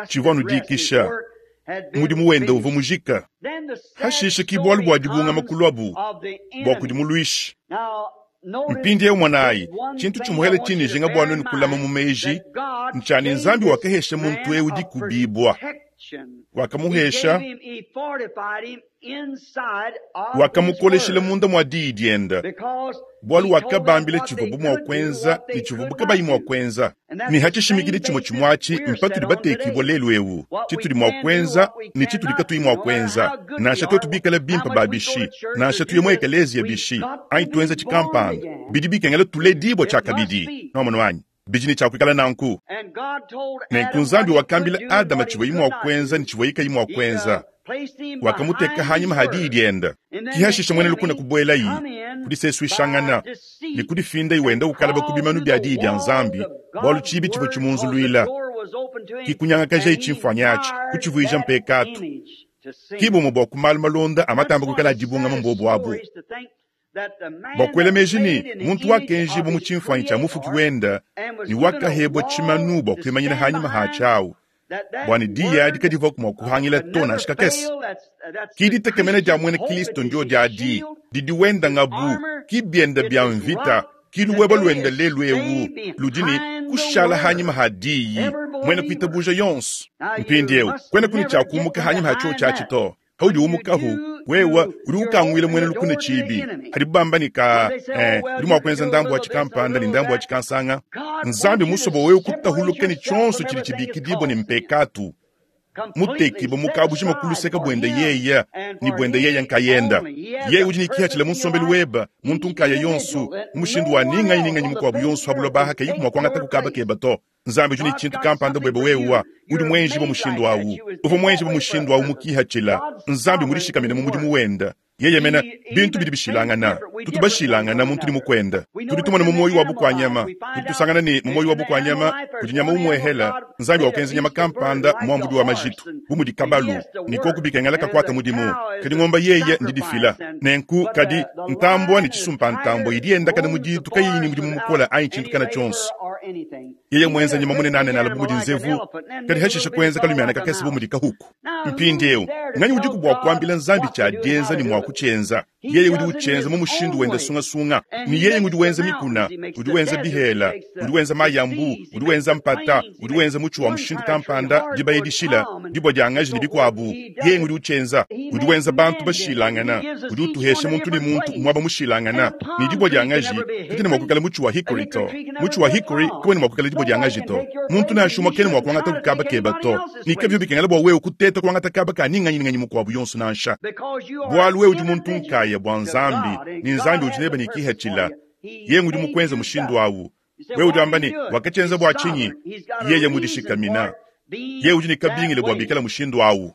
Tshivua anu dikisha. Mudimu wende uvua mujika. Hashishe ki bualu bua dibungama kuluabu bua kudi muluishi. Mpindieu monayi, tshintu tshimuhele tshindi njinga bua nuenu kulama mu meji ntshia ne Nzambi wakahesha muntu eu dikubibua, wakamuhesha, wakamukoleshila munda mua diyi diende, bualu wakabambila tshivuabu mua kuenza ne tshivuabu kabayi mua kuenza. Ne ha tshishimikidi tshimue tshimue atshi mpatudi batekibua lelu eu, tshitudi mua kuenza ne tshitudi katuyi mua kuenza, nansha tuetu bikale bimpe ba bishi, nansha tuye mu ekeleziya bishi, anyi tuenza tshikampanda, bidi bikengela tuledibua tshiakabidi. Nwamonu anyi? Bidi ne tshia kuikala nanku. Nenku Nzambi wakambila Adama tshivuaye mua kuenza ne tshivuaye kayi mua kuenza. Wakamuteka hanyima ha diyi diende. Ki hashisha muena lukuna kubuelayi, kudisesuishangana, ne kudifindayi wenda ukalaba ku bimanu bia diyi dia Nzambi, bualu tshibi tshivua tshimunzuluila. Ki kunyangakajayi tshimfuanyi atshi, kutshivuija mpekatu. Ki bumue bua ku malu malonda a matamba kuikala a dibungama mbuobu abu. Bua kuela meji ne, muntu wakenjibua mu tshimfuanyi tshia Mufuki wende ne wakahebua tshimanu bua kuimanyina hanyima hatshi awu, bua ne diyi adi kadivuaku mua kuhangila to nansha kakese. Ki ditekemena dia muena Kilisto ndio diadi, didi wenda ngabu, ki bienda bia mvita, ki luweba luenda lelu eu ludi ne kushala hanyima ha diyi, muena kuitabuja yonso. Mpindieu kuena kuni tshia kumuka hanyima ha tshiotshi atshi to. Paudi umukahu, wewe udi ukanguila muena lukuna tshibi. Padibu bamba ne ka, eh, udi mua kuenza ndambu wa tshikampanda ne ndambu wa tshikansanga. Nzambi musue bua wewe kutahuluka ne tshionso tshidi tshibikidibua ne mpekatu, mutekibue mu kabujima ku luseke buende yeye ne buende yeye nkayenda. Yeye udi ne kihatshila mu nsombelu webe, muntu nkaya yonso, mu mushindu wa ni nganyi ni nganyi mukuabu yonso ha buloba aha kayiku mua kuangataku kaba keba to. Nzambi udi ne tshintu kampanda buebe wewe, udi muenjibue mushindu awu. Uvua muenjibue mushindu awu mu kihatshila. Nzambi mudishikamine mu mudimu wende. Yeye mene, bintu bidi bishilangana. Tutu bashilangana muntu ne mukuende. Tudi tumona mu muoyo wa bukua-nyama. Tudi tusangana ne, mu muoyo wa bukua-nyama kudi nyama umuehela. Nzambi wakenza nyama kampanda muambudi wa majitu, bu mudi kabalu, ne koku bikengela kakuata mudimu. Kadi ngomba yeye ndidifila. Nenku, kadi ntambua ne tshisumpa-ntambua idi yendakana mu ditu kayiyi ne mudimu mukole anyi tshintu kana tshionso. Yeye muenza nyama munenanenala bu mudi nzevu, kadi hashishe kuenza kalumiana kakese bu mudi kahuku. Mpindieu, nganyi udiku bua kuambila Nzambi tshia dienza ne mua kutshienza? Yeye udi utshienza mu mushindu wende sungasunga. Ne yeye ngudi wenza mikuna, udi wenza bihela, udi wenza mayi a mbu, udi wenza mpata, udi wenza mutshi wa mushindu kampanda, dibaya dishila, dibua dia ngaji ne bikuabu. Yeye ngudi utshienza. Udi wenza bantu bashilangana, udi utuhesha muntu ne muntu muaba mushilangana. Ne dibua dia ngaji kadiena mua kuikala mutshi wa hickory to. Mutshi wa hickory kawena mua kuikala dibua dia ngaji to. Muntu nansha umue kena mua kuangata ku kaba keba to. Ne kabivua bikengela bua wewe kuteta kuangata kaba ka ni nganyi ni nganyi mukuabu yonso nansha. Bualu wewe udi muntu nkaya bua Nzambi, ne Nzambi udi nebe ne kihatshila. Yeye ngudi mukuenze mushindu awu. Wewe udi wamba ne, wakatshienza bua tshinyi? Yeye mudishikamina. Yeye udi ne kabingila bua bikala mushindu awu.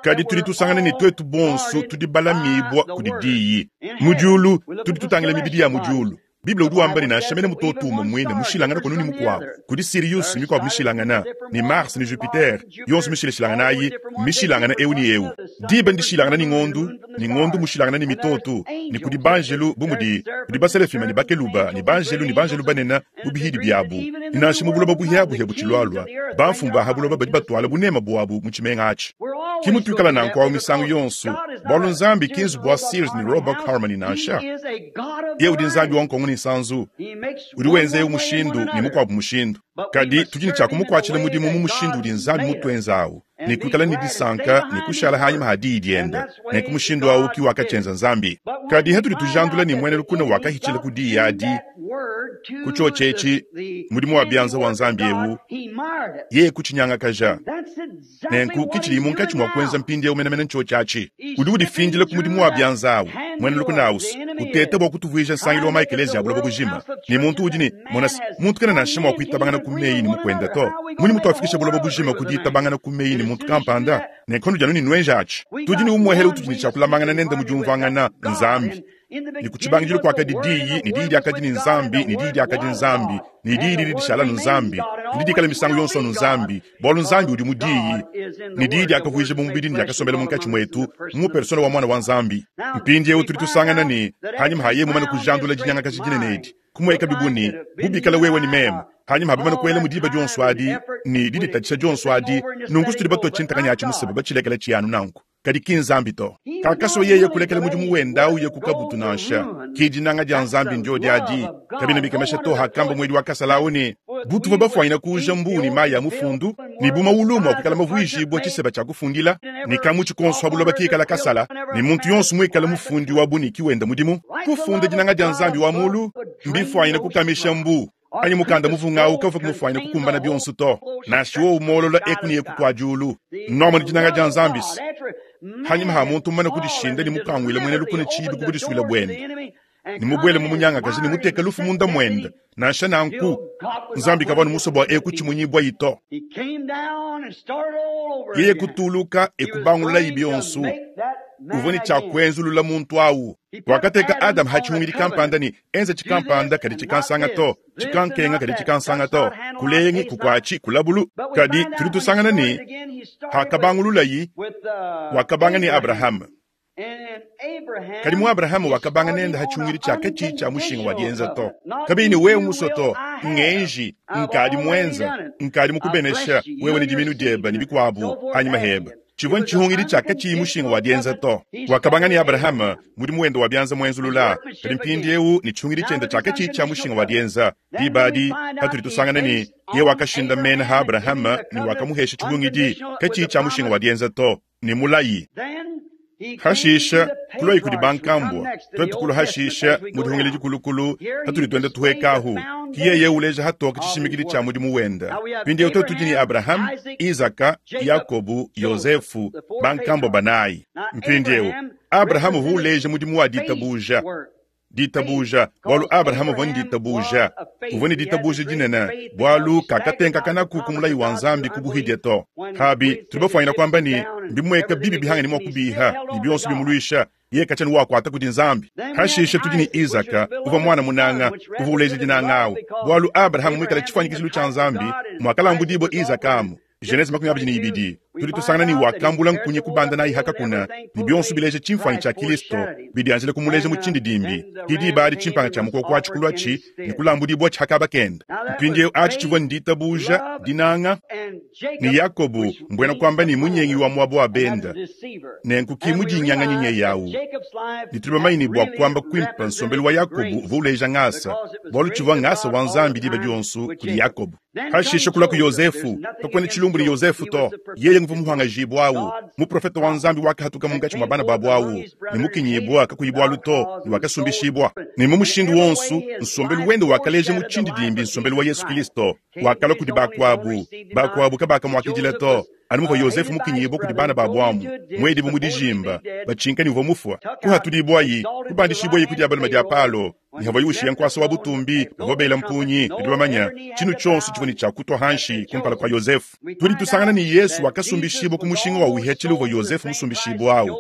Kadi tudi tusangana ne tuetu bonso tudi balamibua kudi Diyi. Mu diulu, tudi tutangila mibidi ya mu diulu. Bible udi wamba ne, nansha mene mutoto umue muine mushilangane kunu ne mukuabu, kudi Sirius ne mikuabu mishilangane, ne Mars ne Jupiter, yonso mishilashilangane ayi mmishilangane eu ne eu. Diba ndishilangane ne ngondu, ne ngondu mmushilangane ne mitoto, ne kudi banjelu bu mudi kudi baselafima ne bakeluba ne banjelu ne banjelu banene mu bihidi biabu. Ne nansha mu buloba buhiabuhia butshilualua, bamfumu ba ha buloba badi batuala buneme buabu mu tshimenga atshi. Ki mutuikala nanku awu misangu yonso, bualu Nzambi ki nzubu wa Sears ne Roebuck Harmony nansha. Yeye udi Nzambi wa nkongo ne nsanzu, udi wenza eu mushindu ne mukuabu mushindu. Kadi tudi ne tshia kumukuatshila mudimu mu mushindu udi Nzambi mutuenza awu, ne kuikala ne disanka ne kushala hanyima ha diyi diende. Nenku mushindu awu ki wakatshienza Nzambi. Kadi hatudi tujandula ne muena lukuna wakahitshila ku diyi adi, ku tshiotshi etshi, mudimu wa bianza wa Nzambi eu, yeye kutshinyangakaja. Nenku ki tshidiye munkatshi mua kuenza mpindieu menemene ntshiotshi atshi. Udi udifindila ku mudimu wa bianza awu, muena lukuna awu's, uteta bua kutuvuija nsangilu wa maekeleziya a buloba bujima. Ne muntu udi ne, mona se, muntu kena nansha mua kuitabangana ku meyi ne mukuende to. Mmunyi mutuafikisha buloba bujima ku diitabangana ku meyi ne muntu kampanda? Nenku nudi anu ne nuenja atshi. Tudi ne umuehele utudi ne tshia kulamangana nende mu diumvuangana, Nzambi. Ne ku tshibangidilu kuakadi Diyi, ne Diyi diakadi ne Nzambi, ne Diyi diakadi Nzambi, ne Diyi didi dishala anu Nzambi, ne didi dikala misangu yonso anu Nzambi, bualu Nzambi udi mu Diyi. Ne Diyi diakavuija mubidi ne diakasombela munkatshi muetu, mu persona wa Muana wa Nzambi. Mpindieu tudi tusangana ne, panyima ha yeye mumane kujandula dinyangakaja dinene edi, kumuekabi bu ne, bu bikala wewe ne meme. Hanyima ha bamane kuelamu diba dionso adi ne diditatshisha dionso adi, nunku tudi batua tshintakanya atshi museba batshilekela tshiya anu nanku. Kadi ki Nzambi to. Kakasua yeye kulekela mudimu wende au uya ku kabutu nansha. Ki dinanga dia Nzambi ndiodi adi. Kabiena bikemesha to hakamba muedi wa kasala au ne, Bu tuvua bafuanyina kuuja mbuu ne mayi a mufundu, ne bu mawulu mua kuikala mavuijibue tshiseba tshia kufundila, ne kamutshi konso ha buloba kikala kasala, ne muntu yonso muikale mufundi wa buniki wenda mudimu. Kufunda dinanga dia Nzambi wa mulu mbifuanyine kukamisha mbuu anyi mukanda muvunga au kavua kumufuanyine kukumbana bionso to, nansha wowu muolola eku ne eku kua diulu. Nuamona dinanga dia Nzambi se, hanyima ha muntu mumane kudishinda ne mukanguile muena lukuna tshiibi ku budisuile buende, ne mubuele mu munyangakaji ne muteke lufu munda muende, nansha nanku Nzambi kavua anu musue bua eku tshimunyibuayi to. Yeye kutuluka e kubangululayi bionso. Uvua ne tshia kuenzulula muntu au. Wakateka Adama ha tshihungidi kampanda ne enza tshikampanda kadi tshikansanga to, tshikankenga kadi tshikansanga to, kulengi, kukuatshi, kulabulu. Kadi tudi tusangana ne, hakabangululayi, wakabanga ne Abrahama. Kadi mu Abrahama wakabanga nende ha tshihungidi tshia katshiyi tshia mushinga wa dienza to. Kabiyi ne wewe musue to, ngenji, nkadi muenza, nkadi mukubenesha wewe ne diminu diebe ne bikuabu hanyima hebe. Tshivua ntshihungidi tshia katshiyi mushinga wa dienza to. Wakabanga ne Abrahama mudimu wende wa bianza muenzulula, kadi mpindieu ne tshihungidi tshiende tshia katshiyi tshia mushinga wa dienza. Diba adi patudi tusangana ne, yeye wakashindamena ha Abrahama ne wakamuhesha tshihungidi katshiyi tshia mushinga wa dienza to, ne mulayi. Hashisha kuluayi kudi bankambua, tuetu kulua hashisha mu dihungila dikulukulu hatudi tuenda tuhuekahu. Ki yeye uleja hatoke tshishimikidi tshia mudimu wenda. Mpindieu tuetu tudi ne Abrahama, Isaka, Yakobu, Yosefu, bankambua banayi. Mpindieu Abrahama uvua uleja mudimu wa ditabuja. Ditabuja, bualu Abrahama uvua ne ditabuja. Uvua ne ditabuja dinene, bualu kakatenkakanaku ku mulayi wa Nzambi ku buhidia to. Habi, tudi bafuanyina kuamba ne, mbimueka bibi bihangane mua kubiha, ne bionso bimuluisha, yeye katshiena wakuata kudi Nzambi. Hashishe tudi ne Isaka, uvua muana munanga, uvua uleja dinanga awu, bualu Abrahama muikale tshifuanyikijilu tshia Nzambi, muakalambudibua Isaka amu. Genese 22, tudi tusangana ne wakambula nkunyi kubanda nayi ha kakuna, ne bionso bileja tshimfuanyi tshia Kilisto, bidianjila kumuleja mu tshindidimbi. Ki diba adi tshimpanga tshia mukoko atshi kuluatshi ne kulambudibuatshi ha kaba kende. Mpindieu atshi tshivua ne ditabuja, dinanga, ne Yakobo, mbuena kuamba ne munyengi wa muaba wa benda. Nenku ki mudingianganyi nyeye au. Ne tudi bamanye ne bua kuamba kuimpe nsombelu wa Yakobo uvua uleja ngasa, bualu tshivua ngasa wa Nzambi diba dionso kudi Yakobo. Hashishe kulua ku Yosefu, kakuena tshilumbu ne Yosefu to. Yeye nguvua muhuangajibua au, muprofete wa Nzambi wakahatuka munkatshi mua bana babu au, ne mukinyibua kakuyi bualu to, ne wakasumbishibua. Ne mu mushindu wonso, nsombelu wende wakaleja mu tshindidimbi nsombelu wa Yesu Kilisto. Wakalua kudi bakuabu, bakuabu kabakamuakidila to. Anu muvua Yosefu mukinyibua kudi bana babu amu, muedibue mu dijimba, batshinka ne uvua mufua. Kuhatudibuayi, kubandishibuayi ku dia balume dia Palo, ne havuaye ushiya nkuasa wa butumbi, bavua bela mpungi, ne bamanya tshinu tshionso tshivua ne tshia kutua hanshi kumpala kua Yosefu. Tudi tusangana ne Yesu wakasumbishibua ku mushinga wa uhiatshila uvua Yosefu musumbishibua au,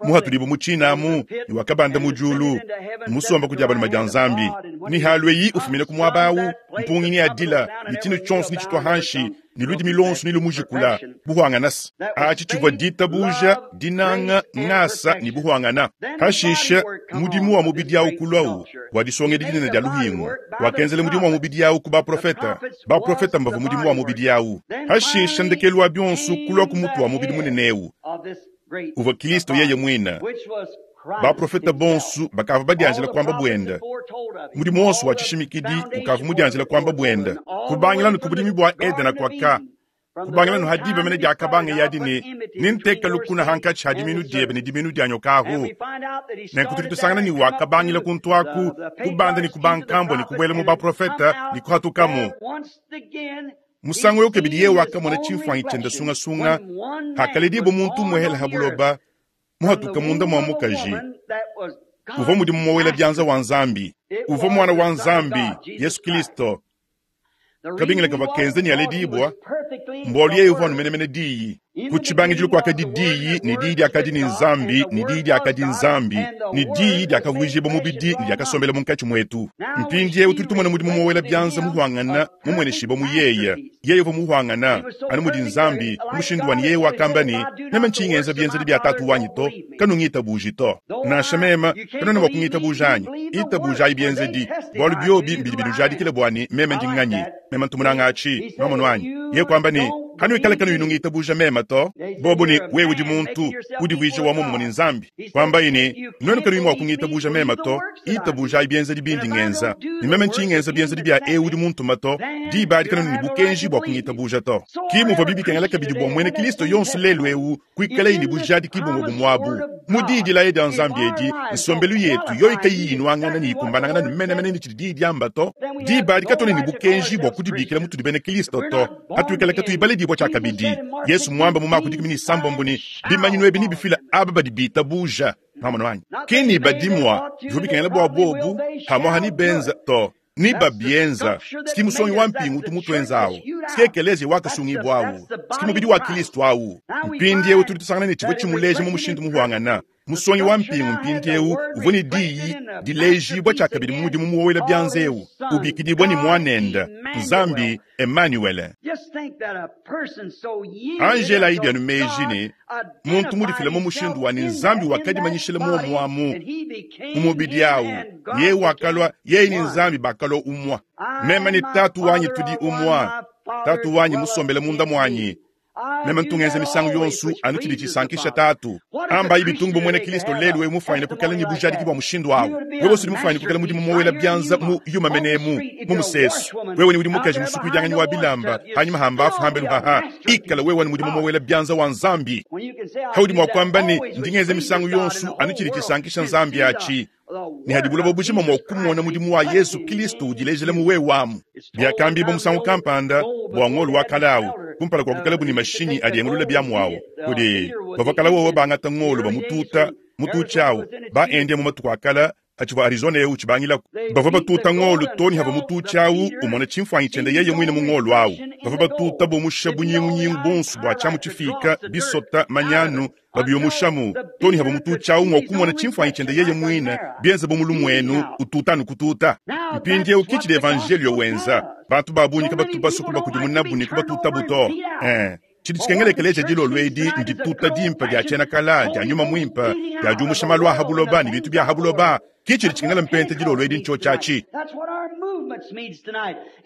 muhatudibue mu tshina amu, ne wakabanda mu diulu, musomba ku dia balume dia Nzambi. Ne halueyi ufumina ku muaba au, mpungi neadila, ne tshinu tshionso netshitua hanshi, ne ludimi luonso ne lumujikula buhuangana. Atshi tshivua ditabuja, dinanga, ngasa ne buhuangana. Hashishe mudimu wa mubidi au kuluawu wa disongedi dinene dia luhingu. Wakenzela mudimu wa mubidi au ku baprofeta. Baprofeta mbavua mudimu wa mubidi au. Hashishe ndekelu wa bionso kulua ku mutu wa mubidi munene eu uvua Kilisto yeye muine. Baprofeta bonso bakavua badianjila kuamba buende. Mudimu wonso wa tshishimikidi ukavua mudianjila kuamba buende. Kubangila nu ku budimi bua Edena kuaka, kubangila nu ha diba mene diakabanga yadi ne, nenteke lukuna hankatshi ha diminu diebe ne diminu dia nyoka ahu. Nenku tudi tusangana ne wakabangila kuntu aku, kubanda ne kubankambua ne kubuela mu baprofeta ne kuhatukamu. Musangu eu kabidi yeye wakamona tshimfuanyi tshiende sungasunga hakaledibua muntu umuehele ha buloba, muhatuka munda mua mukaji. Uvua mudimu muowela bianza wa Nzambi. Uvua muana wa Nzambi, Yesu Kilisto. Kabingila kavua kenza ne aledibua. Mbualu yeye uvua anu menemene Diyi. Ku tshibangidilu kuakadi Diyi, ne Diyi diakadi ne Nzambi, ne Diyi diakadi Nzambi, ne Diyi diakavuijibua mubidi ne diakasombela munkatshi muetu. Mpindieu tudi tumona mudimu muowela bianza muhuangana mumueneshibua mu yeye. Yeye uvua muhuangana, anu mudi Nzambi, mu mushindu wa ne yeye wakamba ne, Meme ntshiyi ngenza bienzedi bia Tatu wanyi to, kanungitabuji to. Nansha meme, kanuena mua kungitabuja anyi? Itabujayi bienzedi, bualu biobi mbidi binujadikila bua ne meme ndi nganyi. Meme ntu munanga atshi, nwamonu anyi? Yeye kuamba ne, Kanuikale kanuyi nungitabuja meme to. Bobo ne, Wewe udi muntu, udivuija wa muomumue ne Nzambi. Kuambaye ne, Nuenu kanuyi mua kungitabuja meme to, itabujayi bienzedi bindi ngenza. Ne meme ntshiyi ngenza bienzedi bia eu udi muntuma to, diba adi kanuena ne bukenji bua kungitabuja to. Ki muvuabi bikengela kabidi bua muena Kristo yonso lelu eu kuikalaye ne bujadiki bumue bumue abu. Mu diyi dilaya dia Nzambi edi, nsombelu yetu yoyi kayiyi inuangana ne ikumbanangana ne menemene ne tshidi diyi diamba to, diba adi katuena ne bukenji bua kudibikila mutudi bena Kristo to, patuikala katuyi baledibua tshiakabidi. Yesu muambe mu Mako 16 ne, bimanyinu ebi nebifile aba badi bitabuja. Nwamonu anyi? Ki ne badi mua, bivua bikengela bua bobu, pamuaha ne benza to. Ne babienza, ski musongi wa mpingu utu mutuenza awu, ski ekeleziya wakasungibua awu, ski mubidi wa Kilisto awu. Mpindiewu tudi tusangana ne tshivua tshimuleja mu mushindu muhuangana. Musongi wa mpingu mpindiewu uvua ne diyi dilejibua tshiakabidi mu mudimu muowela bianza ewu, ubikidibua ne Muanenda, Nzambi, Emanuele. Anji elayi bienu meji ne muntu mudifile mu mushindu wa ne Nzambi wakadimanyishila muomu amu mu mubidi awu, yeye wakalua, yeye ne Nzambi bakalua umua. Meme ne Tatu wanyi tudi umua, Tatu wanyi musombele munda muanyi. Meme ntu ngenza misangu yonso anu tshidi tshisankisha Tatu. Ambayi bitungu bu muena Kristo lelu eu mufuanyine kuikala ne bujadiki bua mushindu au. Wewe udi mufuanyine kuikala mudimu muowela bianza mu yuma mene emu mu musesu. Wewe ne udi mukaji musukuidianganyi wa bilamba hanyima ha mbafu hambelu haha. Ikala wewe ne mudimu muowela bianza wa Nzambi. Haudi mua kuamba ne, ndi ngenza misangu yonso anu tshidi tshisankisha Nzambi atshi. Ne hadi buloba bujima mua kumona mudimu wa Yesu Kristo udilejela mu wewe amu. Biakambibua musangu kampanda bua ngolo wa kale au, kumpala kua kuikalabu ne mashinyi adi engulula biamu au, kudi bavua kale wowo bangata ngolo bamututa mututshi au ba India mu matuku a kale atshivua Arizona eu utshibangilaku. Bavua batuta ngolo too ne havua mututshi au umona tshimfuanyi tshiende yeye muine mu ngolo au. Bavua batuta bumusha bunyingunyingu buonso bua tshiamu tshifiika, bisota, manyanu, babiumushamu too ne havua mututshi au mua kumona tshimfuanyi tshiende yeye muine, bienze bu mulumuenu ututa anu kututa. Mpindieu ki tshidi evanjeliyo wenza. Bantu ba bungi kabatu basue kubakudimunabu ne kubatutabu to. Ee, tshidi tshikengela ekeleziya dilolo edi ndituta dimpe dia tshiena kala dia nyuma muimpe dia diumusha malu a ha buloba ne bintu bia ha buloba. Ki tshidi tshikengela mpenta dilolo edi ntshiotshi atshi.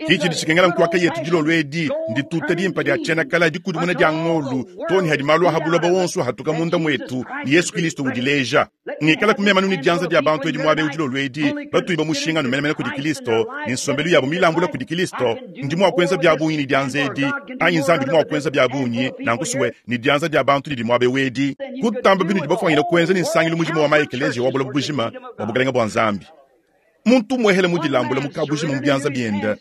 Ki tshidi tshikengela nkuaka yetu dilolo edi ndituta dimpe dia tshiena kala dikudimuna dia ngolu too ne hadi malu a ha buloba wonso ahatuka munda muetu ne Yesu Kilisto udileja. Ngikala ku mema ne dianza dia bantu edi muaba eu dilolo edi batuyi ba mushinga anu menemene kudi Kilisto ne nsombelu yabu milambula kudi Kilisto. Ndi mua kuenza bia bungi ne dianza edi anyi Nzambi udi mua kuenza bia bungi nanku sue ne dianza dia bantu didi muaba eu edi kutamba binudi bafuanyine kuenza ne nsangilu mujima wa maekeleziya wa buloba bujima bua Bukalenge bua Nzambi. Muntu muehele mudilambule mu kabujima mu bianza biende,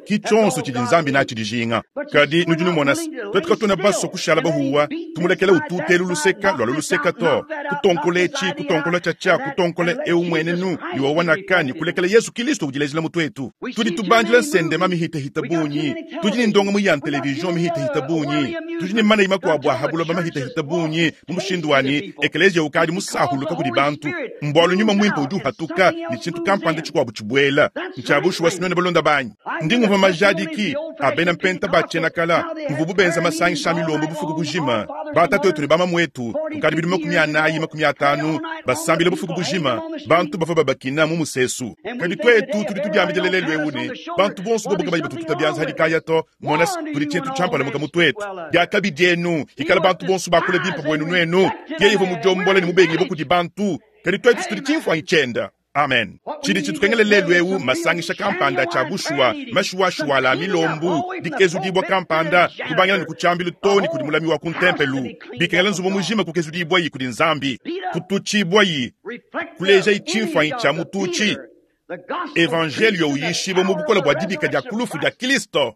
ki tshionso tshidi Nzambi natshi dijinga. Kadi nudi numona se, tuetu katuena basue kushala bahuwa, tumulekela ututelu luseka lualu luseka to, kutonkola etshi, kutonkola tshiatshia, kutonkola eu muenenu ne wawa naka, ne kulekela Yesu Kilisto udilejela mu tuetu. Tudi tubandila nsendema mihitahita bungi, tudi ne ndongamu ya ntelevizion mihitahita bungi, tudi ne manayi makuabu a ha buloba mahitahita bungi, mu mushindu wa ne ekeleziya ukadi musahuluka kudi bantu. Mbualu nyuma muimpe udi uhatuka ne tshintu kampanda tshikuabu tshibuela. Ntshia bushuwa se nuenu balunda banyi, ndi ngumvua majadiki a bena mpenta ba tshiena-kala muvubu benza masangisha a milombo bufuku bujima. Batatuetu ne bamamuetu kukadi bidimu 40, 50 basambila bufuku bujima, bantu bavua babakina mu musesu. Kadi tuetu tudi tudiambidila lelu eu ne, bantu bonso bobu kabayi batututa bianza hadi kaya to, mona se, tudi tshintu tshiampalamuka mu tuetu. Diakabi dienu, ikala bantu bonso bakula bimpe buenu nuenu. Yeye uvua mudiombola ne mubengibue kudi bantu, kadi tuetu tudi tshimfuanyi tshiende. Amen. Tshidi tshitukengela lelu eu masangisha kampanda tshia bushuwa, mashuwashuwala a milombu, dikezudibua kampanda, kubangila ne ku tshiambilu too ne kudi mulami wa ku ntempelu. Bikengela nzubu mujima kukezudibuayi kudi Nzambi, kututshibuayi, kulejayi tshimfuanyi tshia mututshi, evanjeliyo uyishibua mu bukole bua dibika dia ku lufu dia Kristo.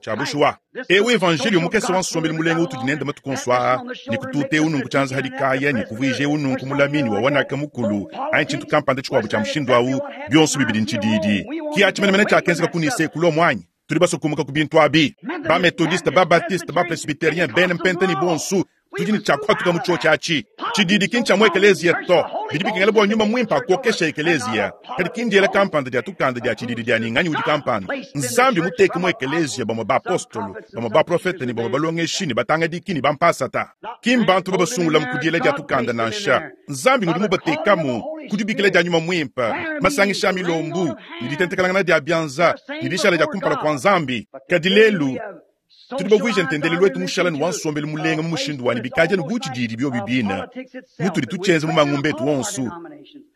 Tshia bushuwa, eu evanjeliyo mukese wa nsombelu mulenga utudi nende matuku onso aa, ne kututa eu nunku tshianza hadi kaya, ne kuvuija eu nunku mulami ne wawanaka mukulu, anyi tshintu kampanda tshikuabu tshia mushindu au, bionso bibidi ntshididi. Ki atshi menemene tshiakenzeka ku Nise ku Lomo anyi? Tudi basue kumuka ku bintu abi. Ba-Methodiste, ba-Baptiste, ba-Presbyterien, bena Mpenta ne bonsu, tudi ne tshia kuhatuka mu tshiotshi atshi. Tshididi ki ntshia mu ekeleziya to. Bidi bikengela bua Nyuma Muimpe akokeshe ekeleziya, kadi ki ndiela kampanda dia tukanda dia tshididi dia ne nganyi udi kampanda. Nzambi muteke mu ekeleziya bamue bapostolo, bamue baprofete ne bamue balongeshi ne batangadiki ne bampasata. Ki mbantu babasungulamu ku diela dia tukanda nansha. Nzambi ngudi mubatekamu ku dibikila dia Nyuma Muimpe, masangisha a milombu, ne ditentekelangana dia bianza, ne dishala dia kumpala kua Nzambi. Kadi lelu, tudi bavuije ntendelelu wetu mushala ne wa nsombelu mulenga mu mushindu wa ne bikadi anu bu tshididi biobi bine mutudi tutshienza mu mangumba etu onso.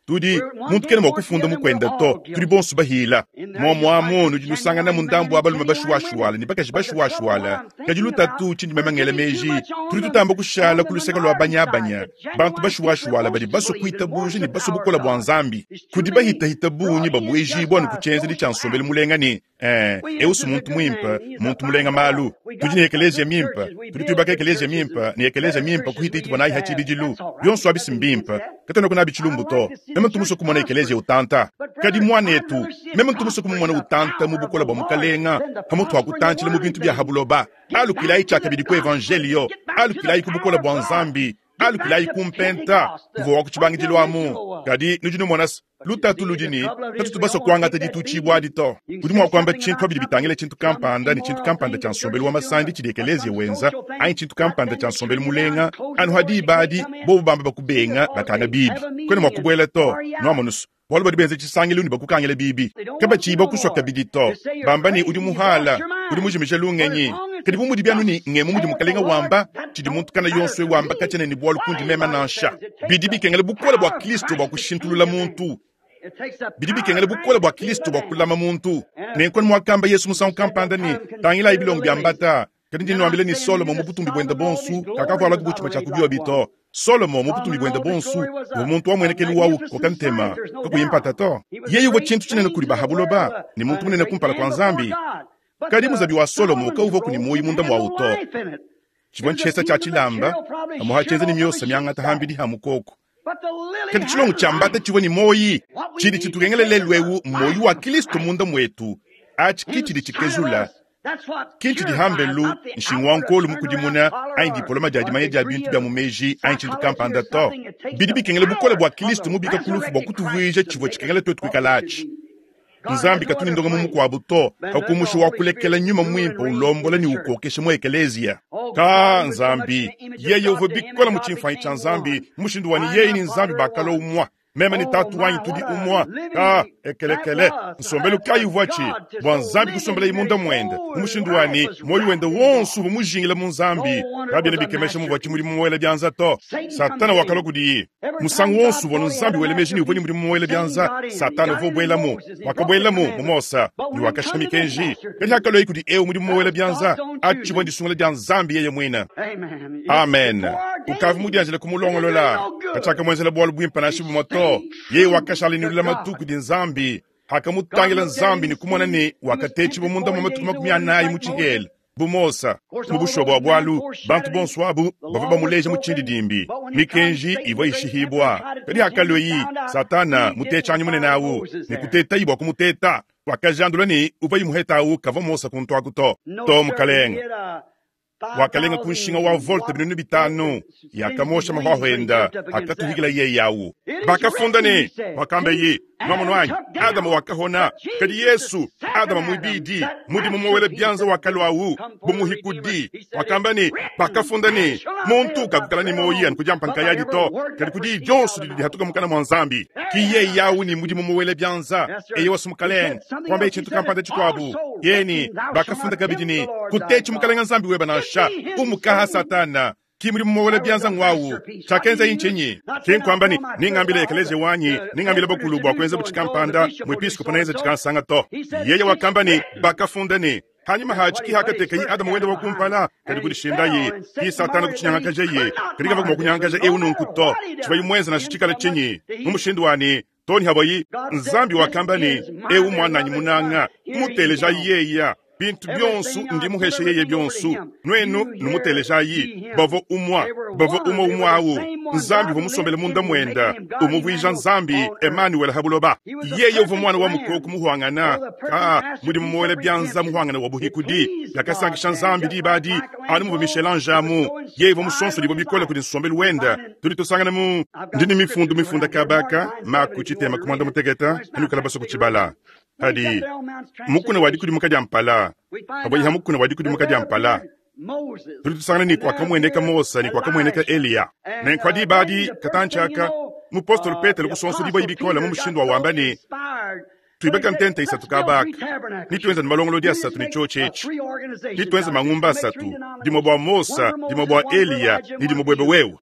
Tudi, muntu kena mua kufunda mukuende to, tudi bonso bahila. Muomu amu nudi nusanganamu ndambu wa balume bashuwashuwala ne bakaji bashuwashuwala. Kadi lutatu tshindi meme ngela meji, tudi tutamba kushala ku luseke lua banyabanya, bantu bashuwashuwala badi basue kuitabuja ne basue bukole bua Nzambi. Kudi bahitahita bungi babuejibua anu ku tshienzedi tshia nsombelu mulenga ne Eh, eu si muntu muimpe, muntu mulenga malu. Tudi ne ekeleziya mimpe, tudi tuibaka ekeleziya mimpe ne ekeleziya mimpe kuhita ituvua nayi ha tshibidilu. Bionso abi si mbimpe, katuenaku nabi tshilumbu to. Meme ntu musue kumona ekeleziya utanta. Kadi muanetu, meme ntu musue kumumona utanta mu bukole bua Mukalenga, pamutu ha kutantshila mu bintu bia ha buloba. Alukilayi tshiakabidi ku evanjeliyo, alukilayi ku bukole bua Nzambi, alukilayi ku mpenta uvua wa ku tshibangidilu amu. Kadi nudi numona se, lutatu ludi ne, katutu basue kuangata ditutshibua adi to. Udi mua kuamba tshintu pa bidi bitangila tshintu kampanda ne tshintu kampanda tshia nsombelu wa masandi tshidi ekeleziya wenza, anyi tshintu kampanda tshia nsombelu mulenga, anu ha diba adi bobu bamba bakubenga, bakanga bibi. Kuena mua kubuela to. Nuamonu's, bualu badi benza tshisangilu ne bakukangila bibi. Kabatshiyi bakusua kabidi to, bamba ne, udi muhala, udi mujimije lungenyi. Kadi bu mudibi anu ne ngemu mudi Mukalenga wamba, tshidi muntu kana yonso eu wamba katshiena ne bualu kundi meme nansha. Bidi bikengela bukole bua Kristo bua kushintulula muntu. Bidi bikengela bukole bua Kristo bua kulama muntu. Nenku anu muakamba Yesu musangu kampanda ne, Tangilayi bilongo bia mbata, kadi ndi nnuambila ne, Solomo mu butumbi buende buonso kakavualaku bu tshimue tshia ku biobi to. Solomo mu butumbi buende buonso uvua muntu wa muenekelu wa ukoka ntema, kakuyi mpata to. Yeye uvua tshintu tshinene kudi ba ha buloba ne muntu munene kumpala kua Nzambi. Kadi muzabi wa Solomo kauvuaku ne muoyo munda muawu to. Tshivua ntshihesa tshia tshilamba, pamuapa tshienza ne miosa miangata hambidi ha mukoko. Kadi tshilongo tshia mbata tshivua ne muoyi. Tshidi tshitukengela lelu eu mmuoyi wa Kristo munda muetu. Atshi ki tshidi tshikezula, ki ntshidi hambelu, nshingu wa nkolu mukudimuna, anyi dipoloma dia dimanya dia bintu bia mu meji, anyi tshintu kampanda to. Bidi bikengela bukole bua Kristo mubika ku lufu bua kutuvuija tshivua tshikengela tuetu kuikala atshi. Nzambi katu ne ndongamu mukuabu to, pa kumusha wa kulekela Nyuma Muimpe ulombola ne ukokesha mu ekeleziya. Ka Nzambi, yeye uvua bikole mu tshimfuanyi tshia Nzambi, mu mushindu wa ne yeye ne Nzambi bakalua umua. Meme ne Tatu wanyi tudi umua. Ka ekelekele, nsombelu kayi uvuatshi bua Nzambi kusombelaye munda muende, mu mushindu wa ne muoyo wende wonso uvua mujingila mu Nzambi. Kabiena bikemesha muvuatshi mudimu muela bianza to. Satana wakalua kudiye. Musangu wonso uvua Nzambi wela meji ne uvua ne mudimu muela bianza, Satana uvua ubuelamu. Wakabuelamu mu Mose ne wakashipa mikenji. Kadi hakaluaye kudi eu mudimu muela bianza, atshi tshivua ndisungula dia Nzambi yeye muine. Amen. Ukavua mudianjile kumulongolola. Katshiakamuenzela bualu buimpe nansha bumue to. Yeye wakashala ne lulamatu kudi Nzambi. Hakamutangila Nzambi ne kumona ne wakatetshibua munda mua matuku 40 mu tshihela, bu Mose. Mu bushuwa bua bualu, bantu bonso abu bavua bamuleja mu tshindidimbi mikenji ivua ishihibua. Kadi hakalueyi, Satana mutetshanyi munene au ne kutetayi bua kumuteta, wakajandula ne uvua imuheta au kavua Mose kuntu aku to. To, mukalenge. Wakalenga ku nshinga wa volte 5000 yakamosha mahuahua enda akatuhikila yeye au. Bakafunda ne, wakamba ye, nuamono anyi, Adama wakahona, kadi Yesu, Adama muibidi, mudimu muwela bianza wakalua bu muhikudi. Wakamba ne, bakafunda ne, muntu kakukala ne muoyi anu ku diampa nkayadi to, kadi ku diyi dionso didi dihatuka mukana mua Nzambi. Ki yeye au ne mudimu muwela bianza, eyowa su mukalenge, kuambaye tshintu kampanda tshikuabu. Yeye ne, bakafunda kabidi ne, kutetshi mukalenge Nzambi webe nansha, umukaha Satana. Ki mudimu muwela bianza ngwawu. Tshiakenzaye ntshinyi? Ki nkuamba ne, ningambile ekeleziya wanyi, ningambile bakulu bua kuenza bu tshikampanda, muepiskopo neenze tshikansanga to. Yeye wakamba ne, bakafunda ne, hanyima hatshi ki hakatekaye Adama wende wa kumpala, kadi kudishindaye, ki Satana kutshinyangakajaye, kadi kavua mua kunyangakaja eu nunku to. Tshivuaye muenze nansha tshikala tshinyi, mu mushindu wa ne, too ne havuaye, Nzambi wakamba ne, eu muananyi munanga, kumutelejayi yeya. Bintu bionsu ndi muheshe yeye bionsu. Nuenu numutelejayi. Bavua umua, bavua umue umue awu. Nzambi uvua musombele munda muenda, umuvuija Nzambi Emmanuel ha buloba. Yeye uvua muana wa mukoko muhuangana, ka mudimu muwele bianza muhuangana wa buhikudi. Biakasankisha Nzambi diba adi, anu muvua Michel-Ange amu. Yeye uvua musonsodibue bikole kudi nsombelu wenda. Tudi tusangana mu ndi ne mifundu mifunda kabaka Mako tshitema ku muanda mutekete, anukala basue kutshibala. Hadi mukuna wa dikudimuka dia mpala, pavua mukuna wa dikudimuka dia mpala, tudi tusangana ne kuakamueneka Mose ne kuakamueneka Eliya. Nenku diba adi katantshi aka, mupostolo Petelo kusonsodibua bikole mu mushindu wa wamba ne, tuibaka ntenta isatu kabaka, ne tuenza ne malongolodi asatu ne tshiotshi etshi, ne tuenza mangumba asatu, dimue bua Mose, dimue bua Eliya ne dimue buebe wewe.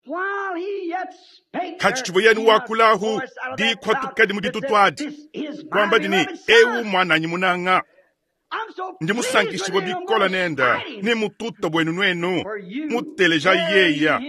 Hatshitshivua yenu wakulahu dikwatuka dimue ditutu adi, kuamba di ne, ewu muananyi munanga, ndi musankishibue bikole nenda ne mututa buenu nuenu, muteleja yeya,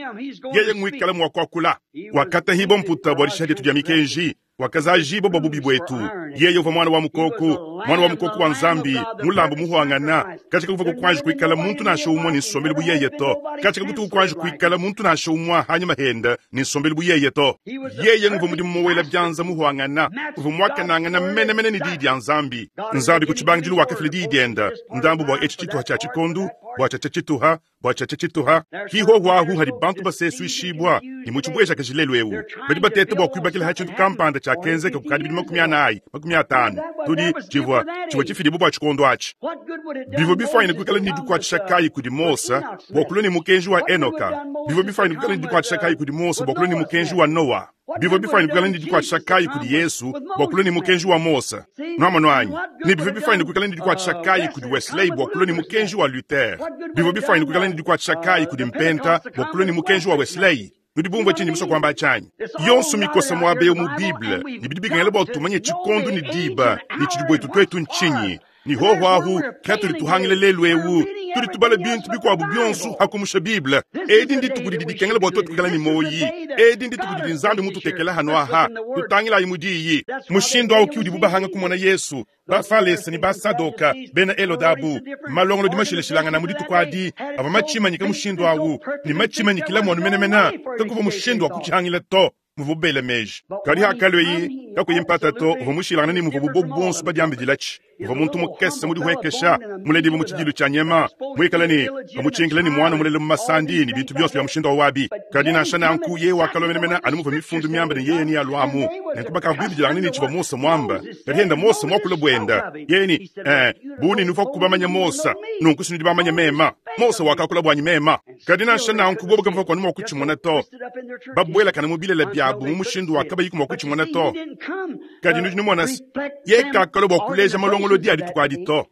yeye ngwikala mua kuakula. Wakatahibua mputa bua dishiha dietu dia mikenji, wakazajibua bua bubi buetu. Yeye uvua muana wa mukoko, muana wa mukoko wa Nzambi, mulambu muhuangana. Katshika kuvua kuanji kuikala muntu nansha umue ne nsombelu bu yeye to. Katshika kutu kuanji kuikala muntu nansha umue hanyima henda ne nsombelu bu yeye to. Yeye nguvua mudimu muwela bianza muhuangana, uvua muakanangana menemene ne diyi dia Nzambi. Nzambi ku tshibangidilu wakafila diyi dienda ndambu bua etshi tshituha tshia tshikondu, bua tshiatshia tshituha, bua tshiatshia tshituha. Hihohu ahu hadi bantu basesuishibua ne mu tshibuejakaji lelu eu. Badi bateta bua kuibakila ha tshintu kampanda tshiakenzeka kukadi bidimu 40, 50. Tudi tshivua tshivua tshifidibua bua tshikondo atshi. Bivua bifanyine kuikala ne dikuatshisha kayi kudi Mose bua kulua ne mukenji wa Enoka? Bivua bifanyine kuikala ne dikuatshisha kayi kudi Mose bua kulua ne mukenji wa Noa? Bivua bifanyine kuikala ne dikuatshisha kayi kudi Yesu bua kulua ne mukenji wa Mose? Nuamonu anyi? Ne bivua bifanyine kuikala ne dikuatshisha kayi kudi Wesley bua kulua ne mukenji wa Luther? Bivua bifanyine kuikala ne dikuatshisha kayi kudi Mpenta bua kulua ne mukenji wa Wesley? Nudi bumvua tshinyi musue kuamba tshianyi? Yonso mikosa muaba eu mu Bible ne bidi bikengela bua tumanye tshikondo ne diba ne tshidi buetu tuetu ntshinyi. Ne hoho ahu katudi tuhangila lelu eu, tudi tubala bintu bikuabu bionso hakumusha Bible. Edi ndituku didi dikengela bua tuetu kuikala ne muoyi. Edi ndituku didi Nzambi mututekela hano aha. Tutangilayi mu diyi. Mushindu awu ki udibu bahanga kumona Yesu, Bafalese ne Basadoka, bena Helodabu, malongolodi mashilashilangana mu dituku adi avua matshimanyika mushindu awu ne matshimanyikila muanu menemene, kakuvua mushindu wa kutshihangila to. Muvua bela meji. Kadi hakalue kakuyi mpata to, uvua mushilangana ne muvua bobu bonso badiambidilatshi. Uvua muntu mukese mudihuekesha, muledibue mu tshidilu tshia nyama, muikale ne bamutshinkile ne muana mulele mu masandi ne bintu bionso bia mushindu wa wabi. Kadi nansha nanku yeye wakalua menemene anu muvua mifundu miamba ne yeye nealuamu. Nenku bakabuibidilangana ne tshivua Mose muamba. Kadi henda Mose muakule buenda, yeye ne bu ne nuvua kubamanya Mose, nunku sinudi bamanya mema. Mose wakakula buanyi mema. Kadi nansha nanku bobu kabavua kuanu mua kutshimona to. Babuelakana mu bilele biabu mu mushindu wa kabayi mua kutshimona to. Kadi nudi numona se, ye kakalua bua kuleja malongolodi a dituku adi to.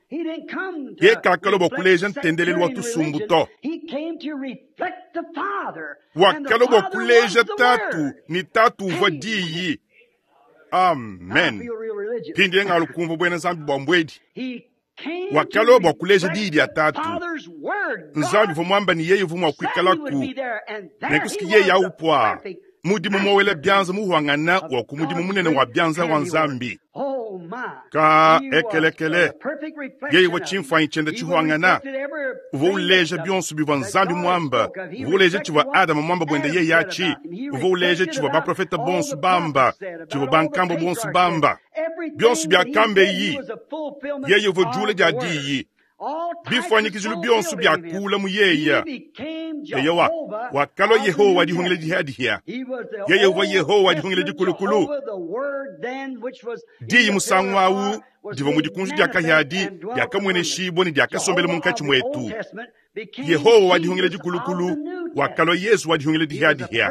Ye kakalua bua kuleja ntendelelu wa tusumbu to. Wakalua bua kuleja Tatu, ne Tatu uvua Diyi. Amen. Mpindieu ngalu kumvua buena Nzambi bua mbuedi. Wakalua bua kuleja diyi dia Tatu. Nzambi uvua muamba ne yeye uvua mua kuikalaku, nenku yeye awu pua mudimu muowela bianza muhuangana wa ku mudimu munene wa bianza wa Nzambi. Ka ekelekele, yeye uvua tshimfuanyi tshiende tshihuangana, uvua uleja bionso bivua Nzambi muamba, uvua uleja tshivua Adama muamba buende yeye atshi, uvua uleja tshivua baprofeta bonso bamba, tshivua bankambua bonso bamba. Bionso biakambeyi, yeye uvua jula dia diyi. Bifuanyikijilu bionso biakula mu yeye. Eyowa, wakalua Yehowa wa dihungila dihia-dihia. Yeye uvua Yehowa wa dihungila dikulukulu. Diyi musangu awu divua mu dikunji dia kahiadi diakamueneshibua ne diakasombela munkatshi muetu. Yehowa wa dihungila dikulukulu wakalua Yesu wa dihungila dihia-dihia.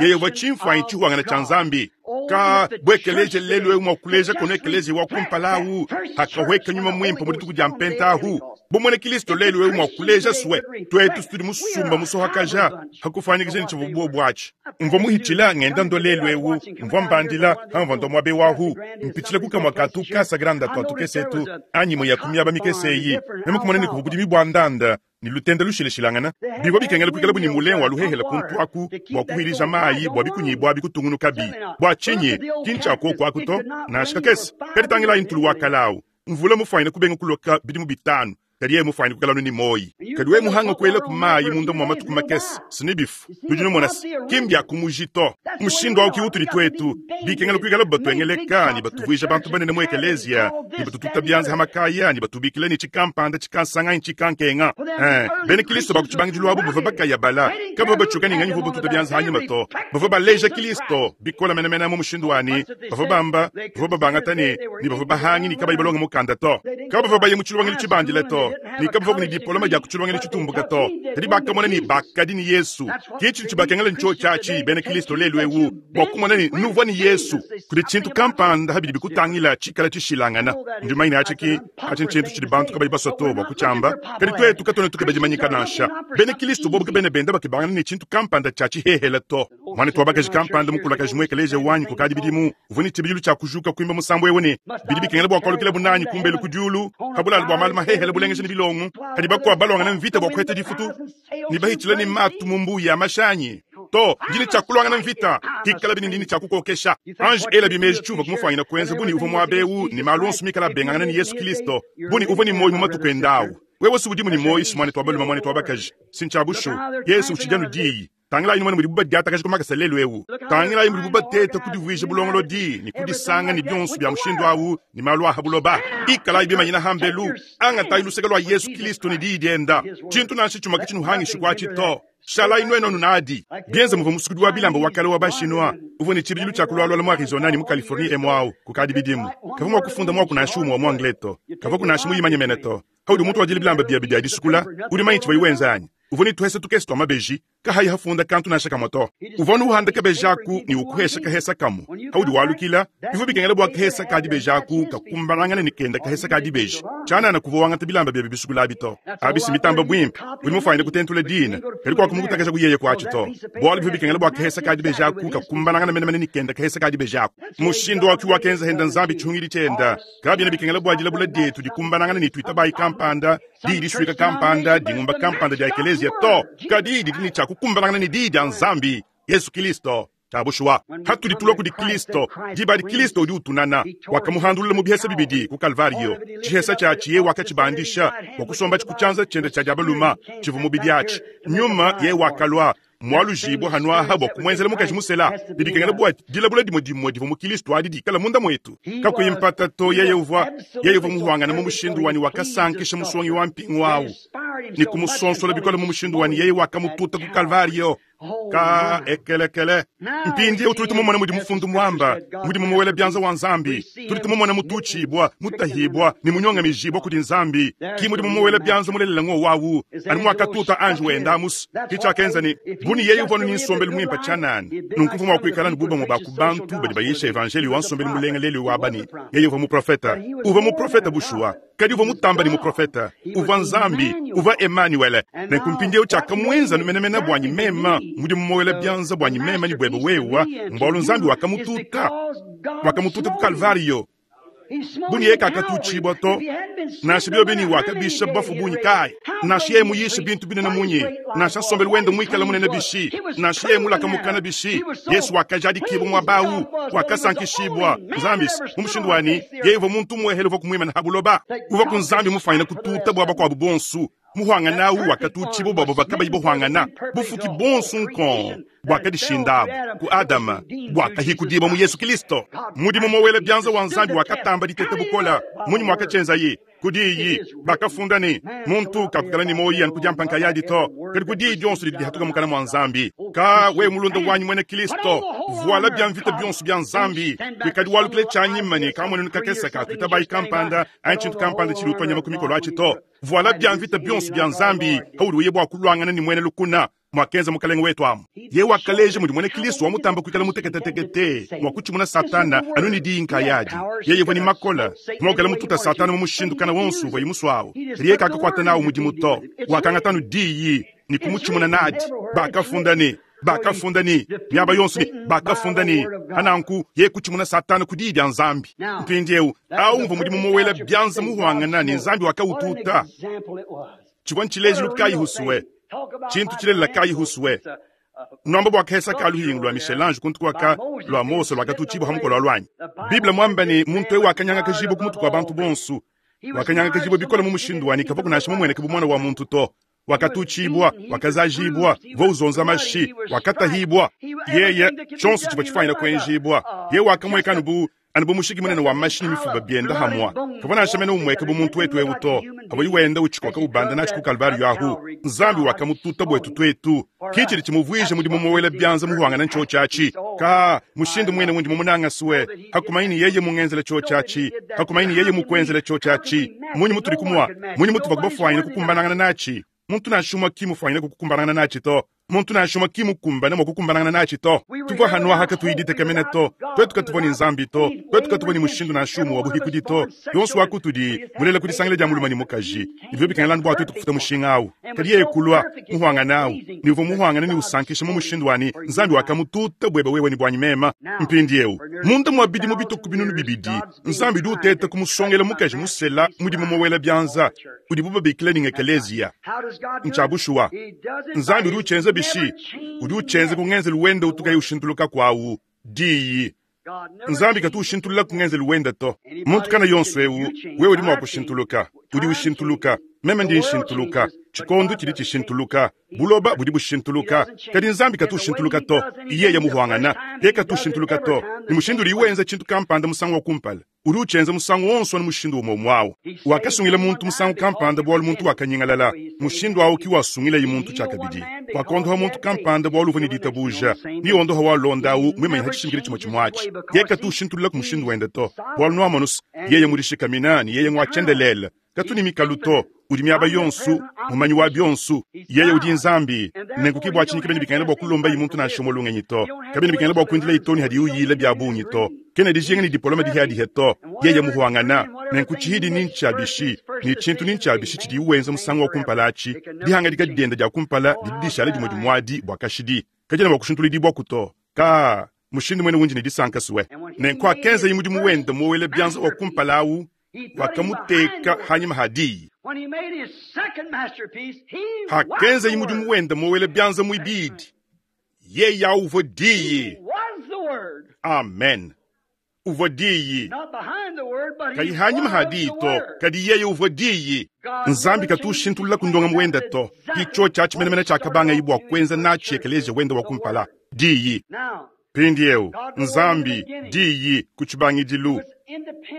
Yeye uvua tshimfuanyi tshihuangana tshia Nzambi. Ka buekeleje lelu eu mua kuleja kono ekeleje wa kumpala ahu hakahweka nyuma muimpe mu dituku dia mpenta ahu. Bumwene Kristo lelu eu mua kuleja swe tuetu tudi musumba musohakaja hakufanyikisha ne tshivua buobu atshi. Mvua muhitshila ngenda ndo lelu eu, mvua mbandila hamvua ndo muabe wahu, mpitshila kukamua katu kasa granda tuatu kesetu anyi mwe ya kumiaba mikese eyi. Meme kumona ne kuvua budimi bua ndanda ne lutenda lushilashilangana. Bivua bikengela kuikala bu ne mulengu wa luhehela kuntu aku bua kuhilija mayi bua bikunyibua bikutungunukabi. Bua tshinyi ki ntshiakuoku aku to? Nansha kakese. Kadi tangilayi ntulu wa kalawu. Mvula mufwanyine kubenga kuloka bidimu bitanu, kadi yeye mufwanyine kuikala anu ne muoyi. Kadi wewe muhanga kuelaku mayi munda mua matuku makese, si ne bifu. Nudi numona se, ki mbia ku muji to. Mushindu awu ki utudi tuetu. Bikengela kuikala batuengeleka ne batuvuija bantu banene mu ekeleziya, ne batututa bianza ha makaya, ne batubikila ne tshikampanda, tshikansanga anyi tshikankenga. Ee, bena Kilisto ba ku tshibangidilu abu bavua bakayabala, kabavua batshiuka ne nganyi uvua batuta bianza hanyima to. Bavua baleja Kilisto bikole menemene mu mushindu wa ne, bavua bamba, bavua babangata ne, ne bavua bahangi ne kabayi balonga mukanda to. Kabavua baye mu tshilongelu tshibandile to, ne kabavua ne dipoloma dia ku tshilongelu tshitumbuka to. Kadi bakamona ne bakadi ne Yesu. Ke tshidi tshibakengela ntshiotshi atshi bena Kristo lelu eu bua kumona ne nuvua ne Yesu. Kudi tshintu kampanda bidi bikutangila tshikala tshishilangana. Ndi mumanye ne atshi ki atshi ntshintu tshidi bantu kabayi basua to bua kutshiamba, kadi tuetu katuena tukeba dimanyika nansha. Bena Kristo bobu kabena benda bakebangana ne tshintu kampanda tshia tshihehele to. Muanetu wa bakaji kampanda mukulakaje mu ekeleziya wanyi kukadi bidimu uvua ne tshibidilu tshia kujuka kuimba musambu eu ne, Bidi bikengela bua kualukilabu nanyi kumbelu ku diulu, pa bulalu bua malu mahehele bulengeja ne bilongo, padi bakuabu baluangana mvita bua kuheta difutu ne bahitshila ne matu mu mbuu ya mashi anyi. To, ndi ne tshia kuluangana mvita, hikalabi ne ndi ne tshia kukokesha. Anji elabi meji tshiuvua kumufuanyina kuenza bu ne uvua muaba eu ne malu onso mikale abengangana ne Yesu Kristo, bu ne uvua ne muoyo mu matuku ende au. Wewe si udimu ne muoyo, si muanetu wa balume, muanetu wa bakaji, si ntshia bushuwa. Yesu utshidi anu Diyi. Tangilayi numone mudibu badiatakaja ku makasa lelu eu. Tangilayi mudibu bateta kudivuija bulongolodi ne kudisanga ne bionso bia mushindu au ne malu a ha buloba. Ikalayi bimanyina ha mbelu, angatayi luseke lua Yesu Kilisto ne diyi dienda. Tshintu nansha tshimue katshinuhangishi kuatshi to. Shalayi nuenu anu nadi. Bienza muvua musukudi wa bilamba wa kale wa ba-Chinois uvua ne tshibidilu tshia kulualuala mu Arizona ne mu Californie emu au kukadi bidimu. Kavua mua kufunda muaku nansha umue wa mu Anglais to. Kavuaku nansha muyimanye mene to. Paudi umutuadila bilamba biebe bia disukula, udi mumanye tshivuaye wenza anyi? Uvua ne tuhesa tukese tua mabeji, kahayi hafunda kantu nansha kamue to. Uvua anu uhanda kabeji aku ne ukuhesha kahesa kamue. Paudi walukila, bivua bikengela bua kahesa ka dibeji aku kakumbanangane ne kenda kahesa ka dibeji. Tshianana kuvua wangata bilamba biebe bisukula abi to. Abi si mitamba buimpe, udi mufuanyine kutentula dina, kadi kuakumukutakaja ku yeye kuatshi to. Bualu bivua bikengela bua kahesa ka dibeji aku kakumbanangane menemene ne kenda kahesa ka dibeji aku. Mushindu wa ki wakenza henda Nzambi tshihungidi tshienda. Kabiena bikengela bua dilabula dietu dikumbanangane ne tuitabayi kampanda, diyi disuika kampanda, dingumba kampanda dia ekeleziya to, kadi didi ne tshia kukumbanangana ne Diyi dia Nzambi, Yesu Kilisto. Tshia bushuwa, hatudi tulua kudi Kilisto, diba adi Kilisto udi utunana. Wakamuhandulula mu bihesa bibidi ku Kalvariyo. Tshihesa tshiatshi yeye wakatshibandisha bua kusombatshi ku tshianza tshiende tshia dia balume, tshivua mubidi atshi nyuma. Yeye wakalua mualujibua hanuaha bua kumuenzela mukaji musela. Bidi bikengela bua dilabula dimue dimue divua mu Kilisto adi dikala munda muetu. Kakuyi mpata to, yeye uvua yeye uvua muhuangane mu mushindu wanyi, wakasankisha musongi wa mpingu au ne kumusonsola bikole mu mushindu wanyi, yeye wakamututa ku Kalvario. Ka ekelekele. Mpindieu tudi tumumona mudi mufundu muamba, mudi mumuwela bianza wa Nzambi. Tudi tumumona mututshibua, mutahibua ne munyongamijibua kudi Nzambi. Ki mudi mumuwela bianza mulelela ngo wawu, anu muakatuta anji wenda amus. Ke tshiakenza ne, bu ne yeye uvua anu ne nsombelu muimpe tshianana, nunku uvua mua kuikala anu bu bamue ba ku bantu badi bayisha evanjeliyo wa nsombelu mulenga lelu eu aba ne, yeye uvua muprofete. Uvua muprofete bushuwa, kadi uvua mutamba ne muprofete. Uvua Nzambi, uvua Emanuele. Nenku mpindieu tshiakamuenza anu menemene buanyi meme, mudi mumuwela bianza buanyi meme ne buebe wewe, mbualu Nzambi wakamututa, wakamututa ku Kalvariyo. Bu ne yeye kakatutshibua to, nansha biobi ne wakabisha bafue bungi kayi, nansha yeye muyishe bintu binene munyi, nansha nsombelu wende muikale munene bishi, nansha yeye mulaka mukana bishi, Yesu wakajadikibua muaba au, wakasankishibua Nzambi mu mushindu wa ne yeye uvua muntu umuehele uvua kumuimana ha buloba, uvua ku Nzambi mufuanyine kututa bua bakuabu bonso. Muhuangana au wakatutshibua bua bavua kabayi bahuangana, bufuki bonso nkong buakadishindabu ku Adama buakahikudibua mu Yesu Kilisto. Mudimu mowela bianza wa Nzambi wakatamba diteta bukola. Munyi muakatshienzaye? Ku diyi. Bakafunda ne, Muntu kakukala ne muoyo anu ku diampa nkayadi to, kadi ku diyi dionso didi dihatuka mukana mua Nzambi. Ka wewe mulunda wanyi muena Kilisto, vuala bia mvita bionso bia Nzambi, kuikadi walukila tshianyima ne kamuenenu kakese ka tuitabayi kampanda anyi tshintu kampanda tshidi utua nyama ku mikolo atshi to. Vuala bia mvita bionso bia Nzambi paudi uya bua kuluangana ne muena lukuna, muakenza Mukalenge wetu amu. Yeye wakaleja mudi muena Kristo wa mutamba kuikala muteketetekete mua kutshimuna Satana anu ne diyi nkayadi. Yeye uvua ne makole mua kuikala mututa Satana mu mushindu kana wonso uvuaye musuawu, kadi yeye kakakuata nawu mudimu to. Wakangata anu diyi ne kumutshimuna nadi. Bakafunda ne bakafunda ne miaba yonso ne bakafunda ne pananku yeye kutshimuna Satana ku diyi dia Nzambi. Mpindieu au uvua mudimu muwela bianza muhuangana ne Nzambi wakawututa. Tshivua ntshilejilu kayi husue, tshintu tshilelela kayi husue. Nuamba bua kahesa ka luhingu lua Michel-Ange kuntu kuaka lua Mose luakatutshibua ha mukolo wa luanyi. Bible muamba ne muntu eu wakanyangakajibua ku mutu kua bantu bonso. Wakanyangakajibua bikole mu mushindu wa ne kavua nansha mumueneke bu muana wa muntu to. Wakatutshibua, wakazajibua, uvua uzonza mashi, wakatahibua. Yeye, tshionso tshivua tshifuanyina kuenjibua. Yeye wakamueka anu bu anu bu mushiki munene wa mashi ne mifuba bienda hamwa. Kavua nansha mene umueka bu muntu wetu eu to. Pavua wenda uchikoka ubanda natshi ku Kalvariyo ahu. Nzambi wakamututa buetu tuetu. Ki tshidi tshimuvuija mudimu muwela bianza muhuangana ntshotshatshi. Ka mushindu muine wundi mumunanga sue. Hakumanyi ni yeye mungenzela tshotshatshi. Hakumanyi ni yeye mukuenzela tshotshatshi. Munyi mutudi kumua. Munyi mutuvua kubafuanyina kukumbanangana natshi. Muntu nansha umue ki mufuanyina kukumbanangana natshi to. Muntu nansha umue ki mukumbane mua kukumbanangana natshi to. Tuvua hanuaha katuyi ditekemena to. Tuetu katuvua ne Nzambi to. Tuetu katuvua ne mushindu nansha umue wa buhikudi to. Yonso wa kutudi mulela ku disangila dia mulume ne mukaji. Bivua bikengela anu bua tuetu kufuta mushinga awu. Kadi yeye kulua muhuangane awu, ne uvua muhuangane ne usankisha mu mushindu wa ne Nzambi wakamututa buebe wewe ne buanyi mema. Mpindieu, munda mua bidimu bitue ku 2000, Nzambi udi uteta kumusongela mukaji musela mudimu muwela bianza, udibu babikila ne ngekeleziya. Ntshia bushuwa. Nzambi udi utshienza bishi? Udi utshienza ku ngenzelu wende utu kayi ushintuluka kuawu, Diyi. Nzambi katu ushintulula ku ngenzelu wende to. Muntu kana yonso eu, wewe udi mua kushintuluka. Udi ushintuluka. Meme ndi nshintuluka. Tshikondo tshidi tshishintuluka. Buloba budi bushintuluka. Kadi Nzambi katu ushintuluka to. Yeye muhuangana. Yeye katu ushintuluka to. Ne mushindu udi wenza tshintu kampanda musangu wa kumpala, udi utshienza musangu wonso anu mushindu umue umue awu. Wakasungila muntu musangu kampanda bualu muntu wakanyingalala. Mushindu awu ki wasungilaye muntu tshiakabidi. Wakondoha muntu kampanda bualu uvua ne ditabuja. Ne ondoha walonda awu muimanyine ha tshishimikidi tshimue tshimue atshi. Yeye katu ushintulula ku mushindu wende to. Bualu nuamonu se, yeye mudishikamina ne yeye ngua tshiendelele. Katu ne mikalu to. Udi miaba yonso, mumanyi wa bionso. Yeye udi Nzambi. Nenku ki bua tshinyi kabiena bikengela bua kulombaye muntu nansha umue lungenyi to. Kabiena bikengela bua kuindilaye too ne hadiye uyila bia bungi to. Kena dijinga ne dipoloma dihiadihe to. Yeye muhuangana. Nenku tshihidi ni ntshia bishi, ne tshintu ni ntshia bishi tshidiye wenza musangu wa kumpala atshi, dihangadika diende dia kumpala didi dishala dimue dimuadi bua kashidi. Kadiena mua kushintuludibuaku to. Ka mushindu muene wundi ne disanka sue. Nenku akenzaye mudimu wende muowela bianza wa kumpala awu, wakamuteka hanyima ha diyi. Hakenzaye mudimu wende muowela bianza muibidi, yeye awu uvua diyi. Amen. Uvua diyi. Kayi hanyima ha diyi to, kadi yeye uvua diyi. Nzambi katu ushintulula ku ndongamu wende to. Ki tshiotshi atshi menemene tshiakabangaye bua kuenza natshi ekeleziya wende wa kumpala, diyi. Mpindieu, Nzambi, Diyi, ku tshibangidilu,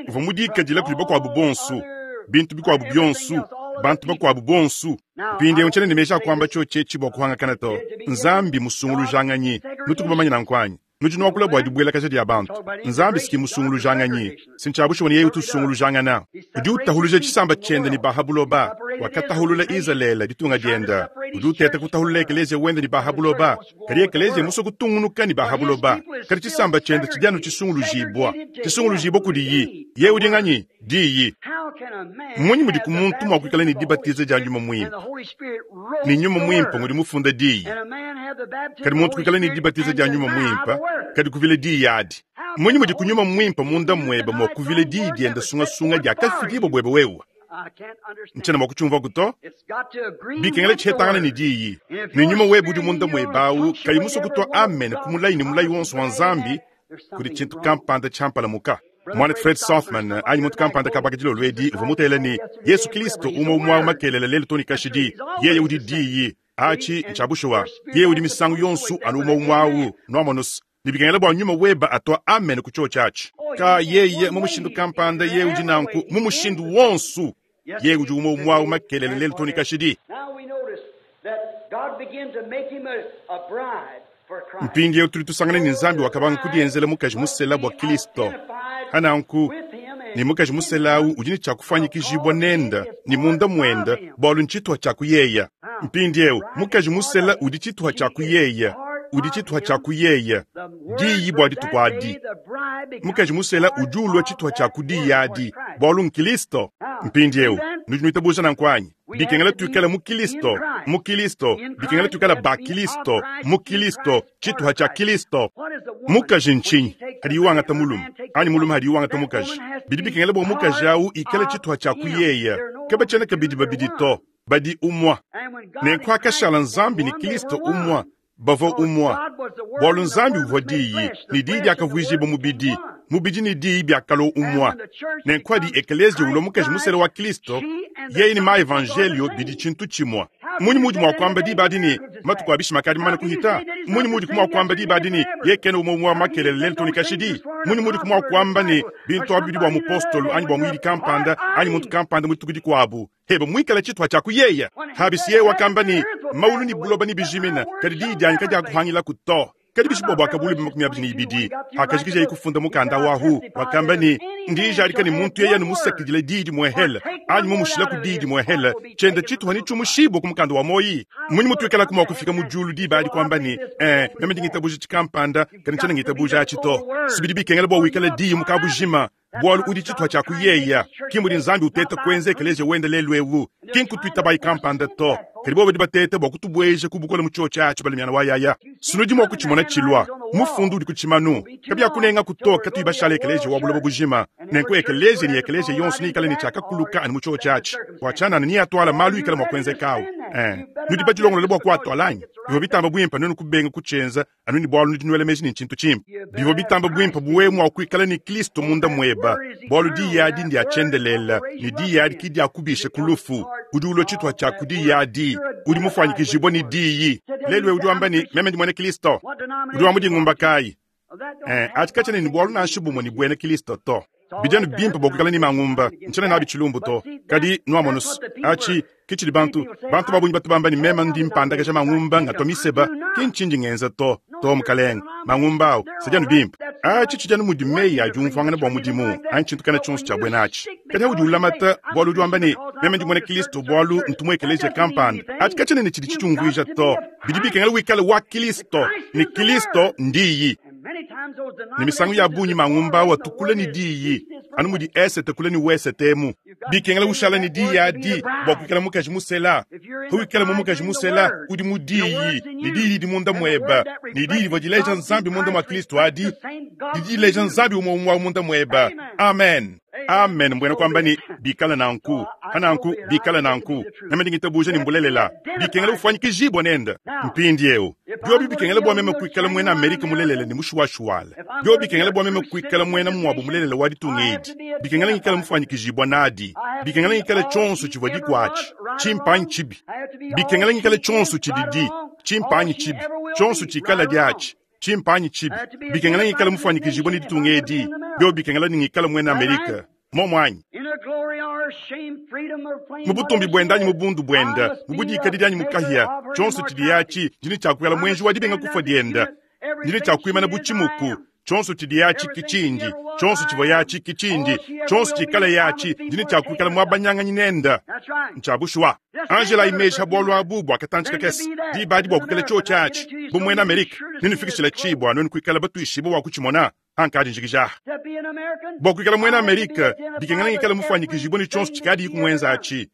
uvua mudikadile kudi bakuabu bonso, bintu bikuabu bionso, bantu bakuabu bonso. Mpindieu ntshiena ne meji a kuamba tshiotshi etshi bua kuhangakana to. Nzambi musungulujanganyi. Nutuku bamanye nanku anyi? Nudi nuakula bua dibuelakaja dia bantu. Nzambi si musungulujanganyi. Si ntshia bushuwa ne yeye utu usungulujangana. Udi utahuluja tshisamba tshiende ne ba ha buloba. Wakatahulula Izalele, ditunga diende. Udi uteta kutahulula ekeleziya wende ne ba ha buloba. Kadi ekeleziya musue kutungunuka ne ba ha buloba. Kadi tshisamba tshiende tshidi anu tshisungulujibua. Tshisungulujibua kudiyi. Yeye udi nganyi? Diyi. Mmunyi mudi ku muntu mua kuikala ne dibatiza dia Nyuma Muimpe? Ne Nyuma Muimpe ngudi mufunda Diyi. Kadi muntu kuikala ne dibatiza dia Nyuma Muimpe, kadi kuvila Diyi adi. Mmunyi mudi ku Nyuma Muimpe munda muebe mua kuvila Diyi diende sungasunga diakafidibua buebe wewe? Ntshiena mua kutshiumvuaku to. Bikengela tshihetangana ne Diyi. Ne Nyuma webe udi munda muebe awu kayi musue kutua amen ku mulayi ne mulayi wonso wa Nzambi, kudi tshintu kampanda tshiampalamuka. Muanetu Fred Sothmann anyi muntu kampanda kabaka dilolo edi uvua mutele ne, Yesu Kristo umue umue awu makelela lelu too ne kashidi. Yeye udi Diyi. Atshi ntshia bushuwa. Yeye udi misangu yonso anu umue umue awu. Nuamonus, ne bikengela bua nyuma webe atua amen ku tshiotshi atshi. Ka yeye mu mushindu kampanda yeye udi nanku mu mushindu wonso. Yeye udi umue umue awu makelela lelu too ne kashidi. Mpindieu tudi tusangana ne Nzambi wakabanga kudienzela mukaji musela bua Kristo. Hananku, ne mukaji musela awu udi ne tshia kufuanyikijibua nende ne munda muende, bualu ntshituha tshia ku yeya. Mpindieu mukaji musela udi tshituha tshia ku yeya, udi tshituha tshia ku yeya, diyi bua dituku adi. Mukaji musela udi ulua tshituha tshia ku diyi adi, bualu n'Kristo. Mpindieu nudi nuitabuja nanku anyi? Bikengela tuikale mu Kilisto, mu Kilisto, bikengela tuikale ba Kilisto, mu Kilisto, tshituha tshia Kilisto. Mukaji ntshinyi hadiye wangata mulume, anyi mulume hadiye wangata mukaji? Bidi bikengela bua mukaji awu ikale tshituha tshia ku yeya. Kabatshiena kabidi babidi to, badi umua. Nenku hakashala Nzambi ne Kilisto umua, bavua umua, bualu Nzambi uvua Diyi, ne Diyi diakavuijibua mubidi. Mubidi ne Diyi byakalwa umwa. Nenku adi ekeleeziya ulwa Mukaji musela wa Kilisto, yeye ne ma-evanjeeliyo bidi cintu cimwe. Mmunyi muudi mwa kwamba diba adi ne, Matuku a bishima akaadi mamane kuhita? Mmunyi muudiku mwa kwamba diba adi ne, Yeye kena umwe umwe wa makelela lelu too ne kashidi? Mmunyi muudiku mwa kwamba ne, bintu abi bidi bwa mupostolo anyi bwa muyidi kampanda anyi muntu kampanda mu dituku dikwabu, hebe mwikale cituha cya ku yeye? Habisi yeye wakamba ne, Maulu ne buloba nebijimine, kadi diyi dyanyi kadyakuhangilaku to. Kadi bishi bua Buakabuluibua 22, pakajikijaye kufunda mukanda wahu, wakamba ne, Ndi njadika ne muntu yeye anu musakidile diyi dimuehele anyi mumushilaku diyi dimuehele, tshiende tshituha netshiumushibue ku mukanda wa muoyi. Mmunyi mutuikalaku mua kufika mu diulu diba adi kuamba ne, Ee, meme ndi ngitabuja tshikampanda, kadi ntshiena ngitabuja atshi to? Si bidi bikengela bua wikale diyi mu kabujima, bualu udi tshituha tshia ku yeya. Ki mudi Nzambi uteta kuenza ekeleziya wende lelu eu, ki nkutuitabayi kampanda to, kadi bobo badi bateta bua kutubueja ku bukole mu tshiotshi atshi balamiana wa yaya. Sinudi mua kutshimona tshilua. Mufundu udi ku tshimanu. Kabiakunengaku to katuyi bashale ekeleziya wa buloba bujima. Nenku ekeleziya ne ekeleziya yonso neikale ne tshiakakuluka anu mu tshiotshi atshi. Bua tshianana neatuala malu ikala mua kuenzeka au. Eh, nudi badilongolole bua kuatuala anyi? Bivua bitamba buimpe nuenu kubenga kutshienza anu ne bualu nudi nuela meji ne ntshintu tshimpe. Bivua bitamba buimpe bu wewe mua kuikala ne Kristo munda mueba, bualu diyi adi ndia tshiendelele, ne diyi adi ki diakubisha ku lufu. Udi ulua tshituha tshia ku diyi adi, udi mufuanyikijibua ne diyi. Lelu eu udi wamba ne, Meme ndi muena Kristo. Udi wa mu dingumba kayi? Eh, atshi katshiena ne bualu nansha bumue ne buena Kristo to. Bidi anu bimpe bua kuikala ne mangumba, ntshiena nabi tshilumbu to. Kadi nuamonu's, atshi ke tshidi bantu bantu ba bungi batu bamba ne meme ndi mpandakaja mangumba ngatua miseba, ki ntshindi ngenza to. To, mukalenge, mangumba au sadi anu bimpe. Atshi tshidi anu mudi meyi a diumvuangana bua mudimu anyi tshintu kana tshionso tshia buena atshi. Kadi audi ulamata bualu udi wamba ne meme ndi muena Kristo bualu ntu mu ekeleziya kampanda, atshi katshiena ne tshidi tshitshiumvuija to. Bidi bikengela wikale wa Kristo, ne Kristo ndiyi. Ne misangu ya bungi mangumba au atu kule ne diyi, anu mudi esete kule ne wesete emu. Bikengela ushala ne diyi adi bua kuikala mukaji musela. Pawikala mu mukaji musela, udi mu diyi, ne diyi didi munda muebe, ne diyi divua dileja Nzambi munda mua Kristo adi didi dileja Nzambi umue umue wa munda muebe. Amen. Amen, mbuena kuamba ne bikala nanku, pa nanku bikala nanku. Meme ndi ngitabuja ne mbulelela. Bikengela ufuanyikijibua nende. Mpindieu, biobi bikengela bua meme kuikala muena Amerika mulelela ne mushuwashuwala, biobi bikengela bua meme kuikala muena muabu mulelela wa ditunga edi, bikengela ngikala mufuanyikijibua nadi, bikengela ngikala tshionso tshivua dikuatshi, tshimpe anyi tshibi, bikengela ngikala tshionso tshididi, tshimpe anyi tshibi, tshionso tshikala diatshi, tshimpe anyi tshibi, bikengela ngikala mufuanyikijibua ne ditunga edi, biobi bikengela ne ngikala muena Amerika. Momu anyi? Mu butumbi buende anyi mu bundu buende, mu budikadidi anyi mu kahia, tshionso tshidi atshi ndi ne tshia kuikala muenji wa dibenga kufua diende, ndi ne tshia kuimana bu tshimuku. Tshionso tshidi atshi ki tshindi, tshionso tshivua atshi ki tshindi, tshionso tshikala atshi ndi ne tshia kuikala muabanyanganyi nende. Ntshia bushuwa. Angela imeji ha bualu abu bua katantshi kakese, diba adi bua kuikala tshiotshi atshi bu muena Amerika, nenufikishila tshi bua nuenu kuikala batuishibue bua kutshimona. Ankadi njikija aha. Bua kuikala muena Amerika, bikengela ngikale mufuanyikijibue ne tshionso tshikadiyi kumuenza atshi.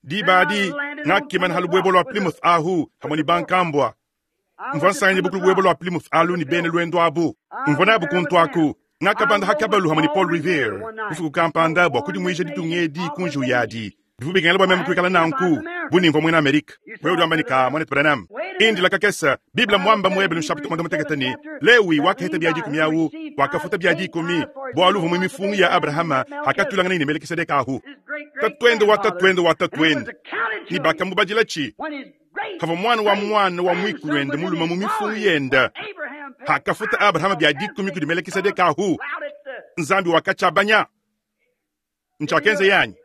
Diba adi, ngakimana ha lubuebua lua Plymouth ahu hamue ne bankambua. Mvua nsanganyibua ku lubuebua lua Plymouth alu ne bena luendu abu. Mvua nabu kuntu aku. Ngakabanda ha kabalu hamue ne Paul Revere bufuku kampanda bua kudimuija ditunga edi ku njiwu yadi. Bivua bikengela bua meme kuikala nanku bu ne mvua muena Amerika. Wewe udi wamba ne, Ka, muanetu Branham, indila kakese. Bible mmuamba mu Ebelu nshapita muanda-mutekete ne, Lewi wakaheta bia dikumi awu, wakafuta bia dikumi, bualu uvua mu mifungu ya Abrahama hakatuilanganaye ne Melekisedeke ahu, tatuende wa tatuende wa tatuende, ne bakamubadilatshi pavua muana wa muana wa muikuluende mulume mu mifungu yende. Hakafuta Abrahama bia dikumi kudi Melekisedeke ahu, Nzambi wakatshiabanya. Ntshiakenza anyi?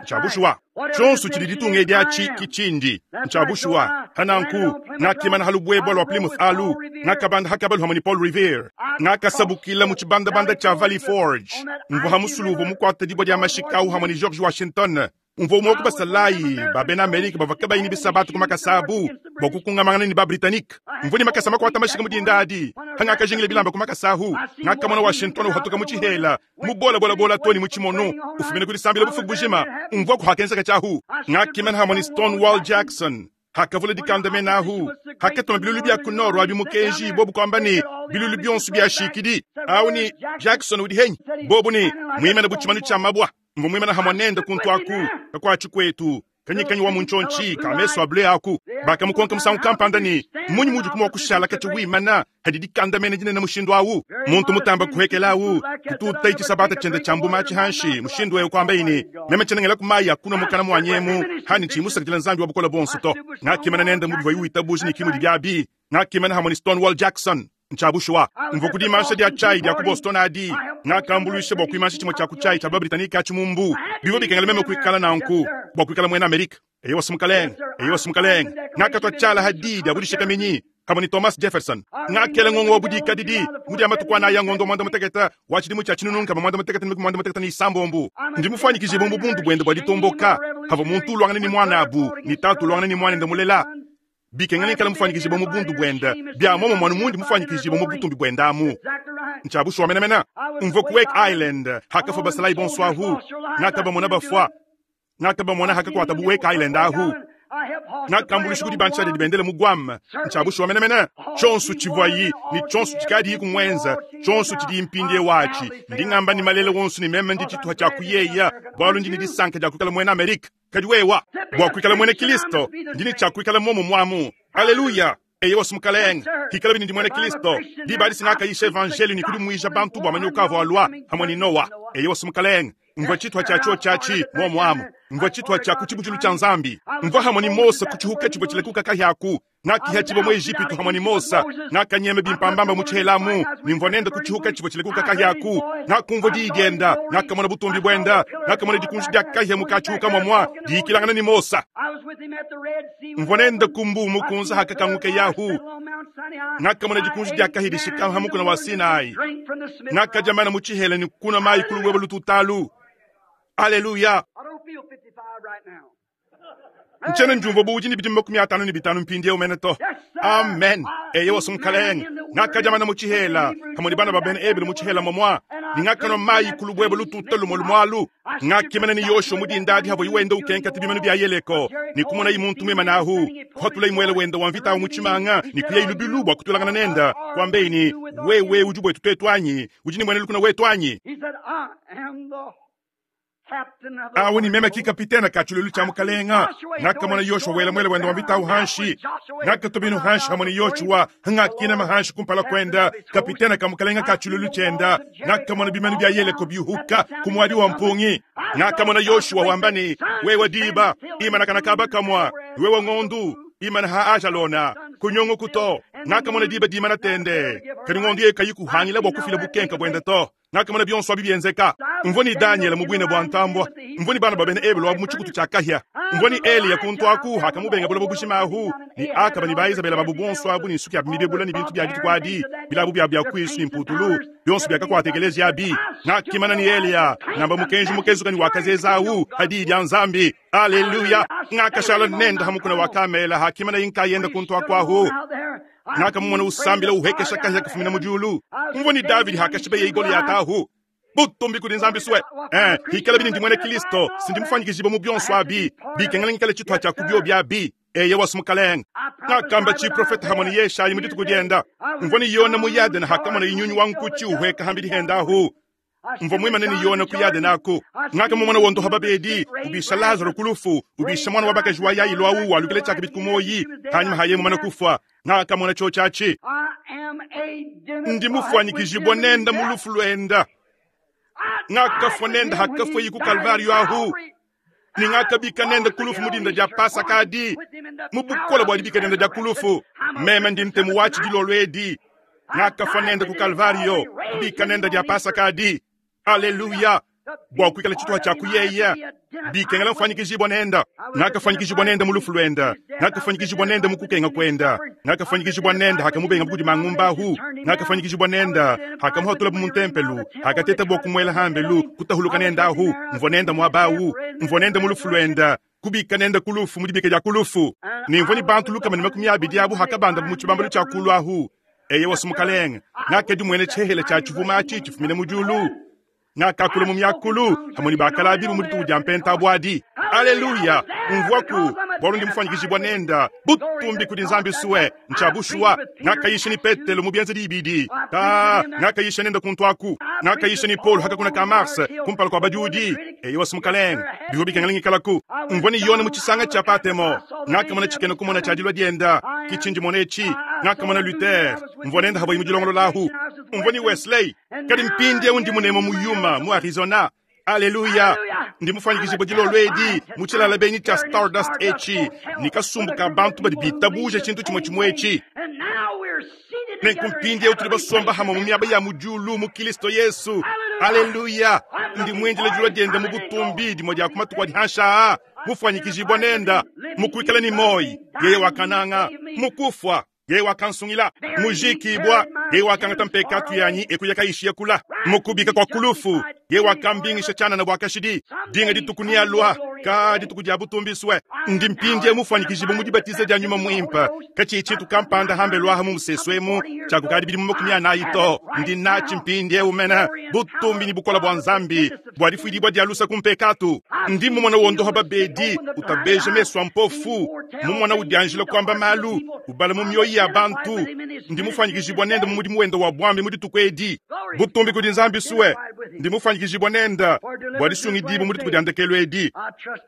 Ntshia bushuwa. Tshionso tshidi ditunga edi atshi ki tshindi. Ntshia bushuwa. Pa nanku, ngakimana ha lubuebua lua Plymouth alu, ngakabanda ha kabalu hamue ne Paul Revere, ngakasabukila mu tshibandabanda tshia Valley Forge, mvua ha musulu uvua mukuate dibua dia mashika au hamue ne George Washington. Mvua umue wa ku basalayi ba bena Amerika bavua kabayi ne bisabatu ku makasa abu bua kukungamangana ne ba-Britanike. Mvua ne makasa makuata mashika mu dinda adi. Pangakajingila bilamba ku makasa ahu, ngakamona Washington uhatuka mu tshihela mubolabolabola too ne mu tshimono, ufumina ku disambila bufuku bujima. Mvua ku hakenzeka tshiahu. Ngakimana hamue ne Stonewall Jackson. Hakavula dikandamena ahu, hakatuma bilulu bia ku nord abi mukenji, bobu kuamba ne, Bilulu bionso biashikidi. Awu ne, Jackson udi henyi? Bobu ne, Muimane bu tshimanu tshia mabua. Mvua muimane hamue nende kuntu aku, kakuatshi kuetu. Kanyikanyi wa mu ntshiontshi ka mesu a bleu aku. Bakamukonka musangu kampanda ne, Mmunyi muudi mua kushala katshia wimana hadi dikandamena dinene mushindu awu? Muntu mutamba kuhekela awu kutuutayi tshisabata tshiende tshia mbuma atshi hanshi mushindu eu, kuambaye ne, Meme tshiena ngelaku mayi a kunua mukana muanyi emu hanyi tshiyi musakidila Nzambi wa Bukole Buonso to. Ngakimana nende mu bivuaye witabuja ne ki mudi biabi. Ngakimana hamue ne Stonewall Jackson. Ntshia bushuwa, mvua ku dimansha dia tshiayi dia ku Boston adi. Ngakambuluisha bua kuimansha tshimue tshia ku tshiayi tshia ba-Britanike atshi mu mbu. Bivua bikengela meme kuikala nanku bua kuikala muena Amerike. Eyowa, mukalenge. Eyowa, mukalenge. Ngakatua tshiala ha diyi dia budishikaminyi pamue ne Thomas Jefferson. Ngakela ngongo wa budikadidi mu dia matuku anayi a ngondo wa muanda-mutekete wa tshidimu tshia 1861. Ndi mufuanyikijibue mu bundu buende bua ditomboka, pavua muntu uluangana ne muanabu ne tatu uluangana ne muanende mulela. Bikengela ikala mufuanyikijibue mu bundu buende, bia muomumue anu mundi mufuanyikijibue mu butumbi buende amu. Ntshia bushuwa menemene. Mvua ku Wake Island hakafua basalayi bonso ahu. Ngakabamona bafua. Ngakabamona hakakuatabu Wake Island ahu. Ngakambuluisha ku dibantsha dia dibendele mu Guam. Ntshia bushuwa menemene. Tshionso tshivuayi ne tshionso tshikadiyi kumuenza, tshionso tshidiyi mpindieu atshi, ndi ngamba ne malele wonso ne meme ndi tshituha tshia kuyeya, bualu ndi ne disanka dia kuikala muena Amerike. Kadi wewa, bua kuikala muena Kilisto, ndi ne tshia kuikala muomumue amu. Aleluya! Eyowa, Mukalenge, hikalabi ne ndi muena Kilisto, diba adi singakayisha evanjeliyo ne kudimuija bantu bua manyoka avua alua hamue ne Noa. Eyowa, Mukalenge, mvua tshituha tshia tshiotshi atshi muomu amu. Mvua tshituha tshia ku tshibutshilu tshia Nzambi. Mvua hamue ne Mose ku tshihuka tshivua tshilekuka kahia aku. Ngakihatshibua mu Ejipitu hamue ne Mose, ngakanyema bimpambamba mu tshihela amu, ne mvua nende ku tshihuka tshivua tshilekuka kahia aku. Ngakumvua diyi dienda, ngakamona butumbi buenda, ngakamona dikunji dia kahia mu katshihuka muamua diyikilangana ne Mose. Mvua nende ku mbuu mukunze hakakanguka Yahu, ngakamona dikunji dia kahia dishikama ha mukuna wa Sinai. Ngakadia mana mu tshihela ne kunua mayi ku lubuebue lututalu. Aleluya! Ntshiena ndiumvua bu udi ne bidimu 55 mpindieu mene to. Amen. Eyowa, Mukalenge. Ngakadia mana mu tshihela pamue ne bana ba bena Ebelu mu tshihela momua, ne ngakanua mayi ku lubuebue lututa lumue lumue alu. Ngakimana ne Yoshua mu dinda adi havuaye wenda ukenketa bimanu bia Yeleko, ne kumonaye muntu muimane ahu, kuhatulaye muele wende wa mvita awu mu tshimanga ne kuyaye lubilu bua kutuilangana nende, kuambeye ne, Wewe udi buetu tuetu anyi? Udi ne muena lukuna wetu anyi? Awu ni meme ki kapitene ka tshiluilu tshia mukalenga. Ngakamona Yoshua wela muele wende wa mvita awu hanshi. Ngakatua binu hanshi hamue ne Yoshua, ngakinama hanshi kumpala kuenda, kapitene ka mukalenga ka tshiluilu tshienda. Ngakamona bimanu bia Yeleko biuhuka ku muadi wa mpungi. Ngakamona Yoshua wamba ne, Wewe diba, imana kana kaba kamua, wewe ngondu, imana ha Ajalona, kunyunguku to. Ngakamona diba dimana tende, kadi ngondu yeye kayi kuhangila bua kufila bukenka buende to. Ngakamona bionso abi bienzeka. Mvua ne Danyele mu buina bua ntambua. Mvua ne bana ba bena Ebelu abu mu tshikutu tshia kahia. Mvua ne Eliya kuntu aku hakamubenga buloba bujima ahu, ne Akaba ne ba Izabela babu bonso abu ne nsuki yabu mibebula ne bintu bia dituku adi, bilabu biabu bia kuisu ne mputulu, bionso biakakuata ekeleziya abi. Ngakimana ne Eliya, ngamba mukenji mukezuka ne wakazeza ahu ha diyi dia Nzambi. Aleluya! Ngakashala nende ha mukuna wa Kamela hakimanaye nkayende kuntu aku ahu. Ngakamumona usambila uhekesha kahia kafumina mu diulu. Mvua ne Davidi hakashibeye Goliata ahu. Butumbi kudi Nzambi sue. Eh, hikala bini ndi muena Kristo, sindi mufuanyikijibue mu bionso abi, bikengela ngikale tshituha tshia ku biobi abi. Eyewa Mukalenge. Ngakamba tshiprofete hamue ne Yeshayi mu dituku dienda. Mvua ne Yona mu Yadene hakamona nyunyu wa nkutshi uhueka hambidi henda ahu. Mvua muimane ne Yona ku Yadene aku. Ngakamumona wondoha babedi, ubisha Lazaro ku lufu, ubisha muana wa bakaji wa Yailo awu walukila tshiakabidi ku muoyi panyima ha yeye mumane kufua. Ngakamona tshiotshi atshi. Ndi mufuanyikijibua nende mu lufu luenda. Ngakafua nende hakafueyi ku Kalvario ahu, ne ngakabika nende ku lufu mu dinda dia Pasaka adi, mu bukole bua dibika diende dia ku lufu. Meme ndi ntemu watshi dilolo edi. Ngakafua nende ku Kalvario, kubika nende dia Pasaka adi. Aleluya! Bua kuikala tshituha tshia ku yeye, bikengela mfuanyikijibua nende. Ngakafuanyikijibua nende mu lufu luende, ngakafuanyikijibua nende mu kukenga kuende, ngakafuanyikijibua nende hakamubengabu kudi mangumba ahu, ngakafuanyikijibua nende hakamuhatulabu mu ntempelu, hakatetabo kumuela hambelu, kutahuluka nende ahu. Mvua nende muaba awu, mvua nende mu lufu luende, kubika nende ku lufu mu dibika dia ku lufu. Ne mvua ne bantu 120 abu hakabandabu mu tshibambalu tshia kulu ahu. Eyewa, Mukalenge, ngakadimuena tshihehele tshia tshivuma atshi tshifumina mu diulu. Ngakakula mu miakulu hamue ne bakalabi mu dituku dia mpenta adi. Aleluya! Umvuaku, bualu ndi mufuanyikijibua nenda. Butumbi kudi Nzambi sue. Ntshia bushuwa, ngakayisha ne Petelo mu bienzedi ibidi. Ta, ngakayisha nenda kuntu aku. Ngakayisha ne Paulo hakakuna ka Mars kumpala kua badiudi. Eyowa Mukalenge, bivua bikengela ngikalaku. Mvua ne Yone mu tshisanga tshia Patemo. Ngakamona tshikena kumona tshia dilua dienda. Ki tshindi mona etshi. Ngakamona Luther. Mvua nenda havuaye mudilongolola ahu. Mvua ne Wesley. Kadi mpindieu ndi munemu mu Yuma, mu Arizona. Aleluya! Ndi mufuanyikijibue dilolo edi mu tshilala benyi tshia Stardust etshi ne kasumbu ka bantu badi bitabuja tshintu tshimue tshimue etshi. Nenku mpindieu tudi basomba hamue mu miaba ya mu diulu mu Kristo Yesu. Aleluya! Ndi muindile dilua diende mu butumbi dimue dia ku matuku adi hanshi aa, mufuanyikijibua nenda mu kuikala ne muoyo, yeye wakananga, mu kufua yeye wakansungila, mujikibua, yeye wakangata mpekatu yanyi ekuya kayishiya kula, mukubika kua kulufu, yeye wakambingisha tshianana bua kashidi. Dinga dituku nealua, ka dituku dia butumbisue. Ndi mpindieu mufuanyikijibue mu dibatiza dia nyuma muimpe, katshiyi tshintu kampanda hambelu aha mu musesu emu tshia kukadi bidimu 40 to. Ndi natshi mpindieu mene butumbi ne bukole bua Nzambi bua difuidibua dia lusa ku mpekatu. Ndi mumona wondoha babedi, utabeja mesu a mpofu, mumona udianjila kuamba malu, ubala mu mioyo ya bantu. Ndi mufuanyikijibua nende mu mudimu wende wa buambi mu dituku edi. Butumbi kudi Nzambi sue. Ndi mufuanyikijibua nende bua disungidibua mu dituku dia ndekelu edi.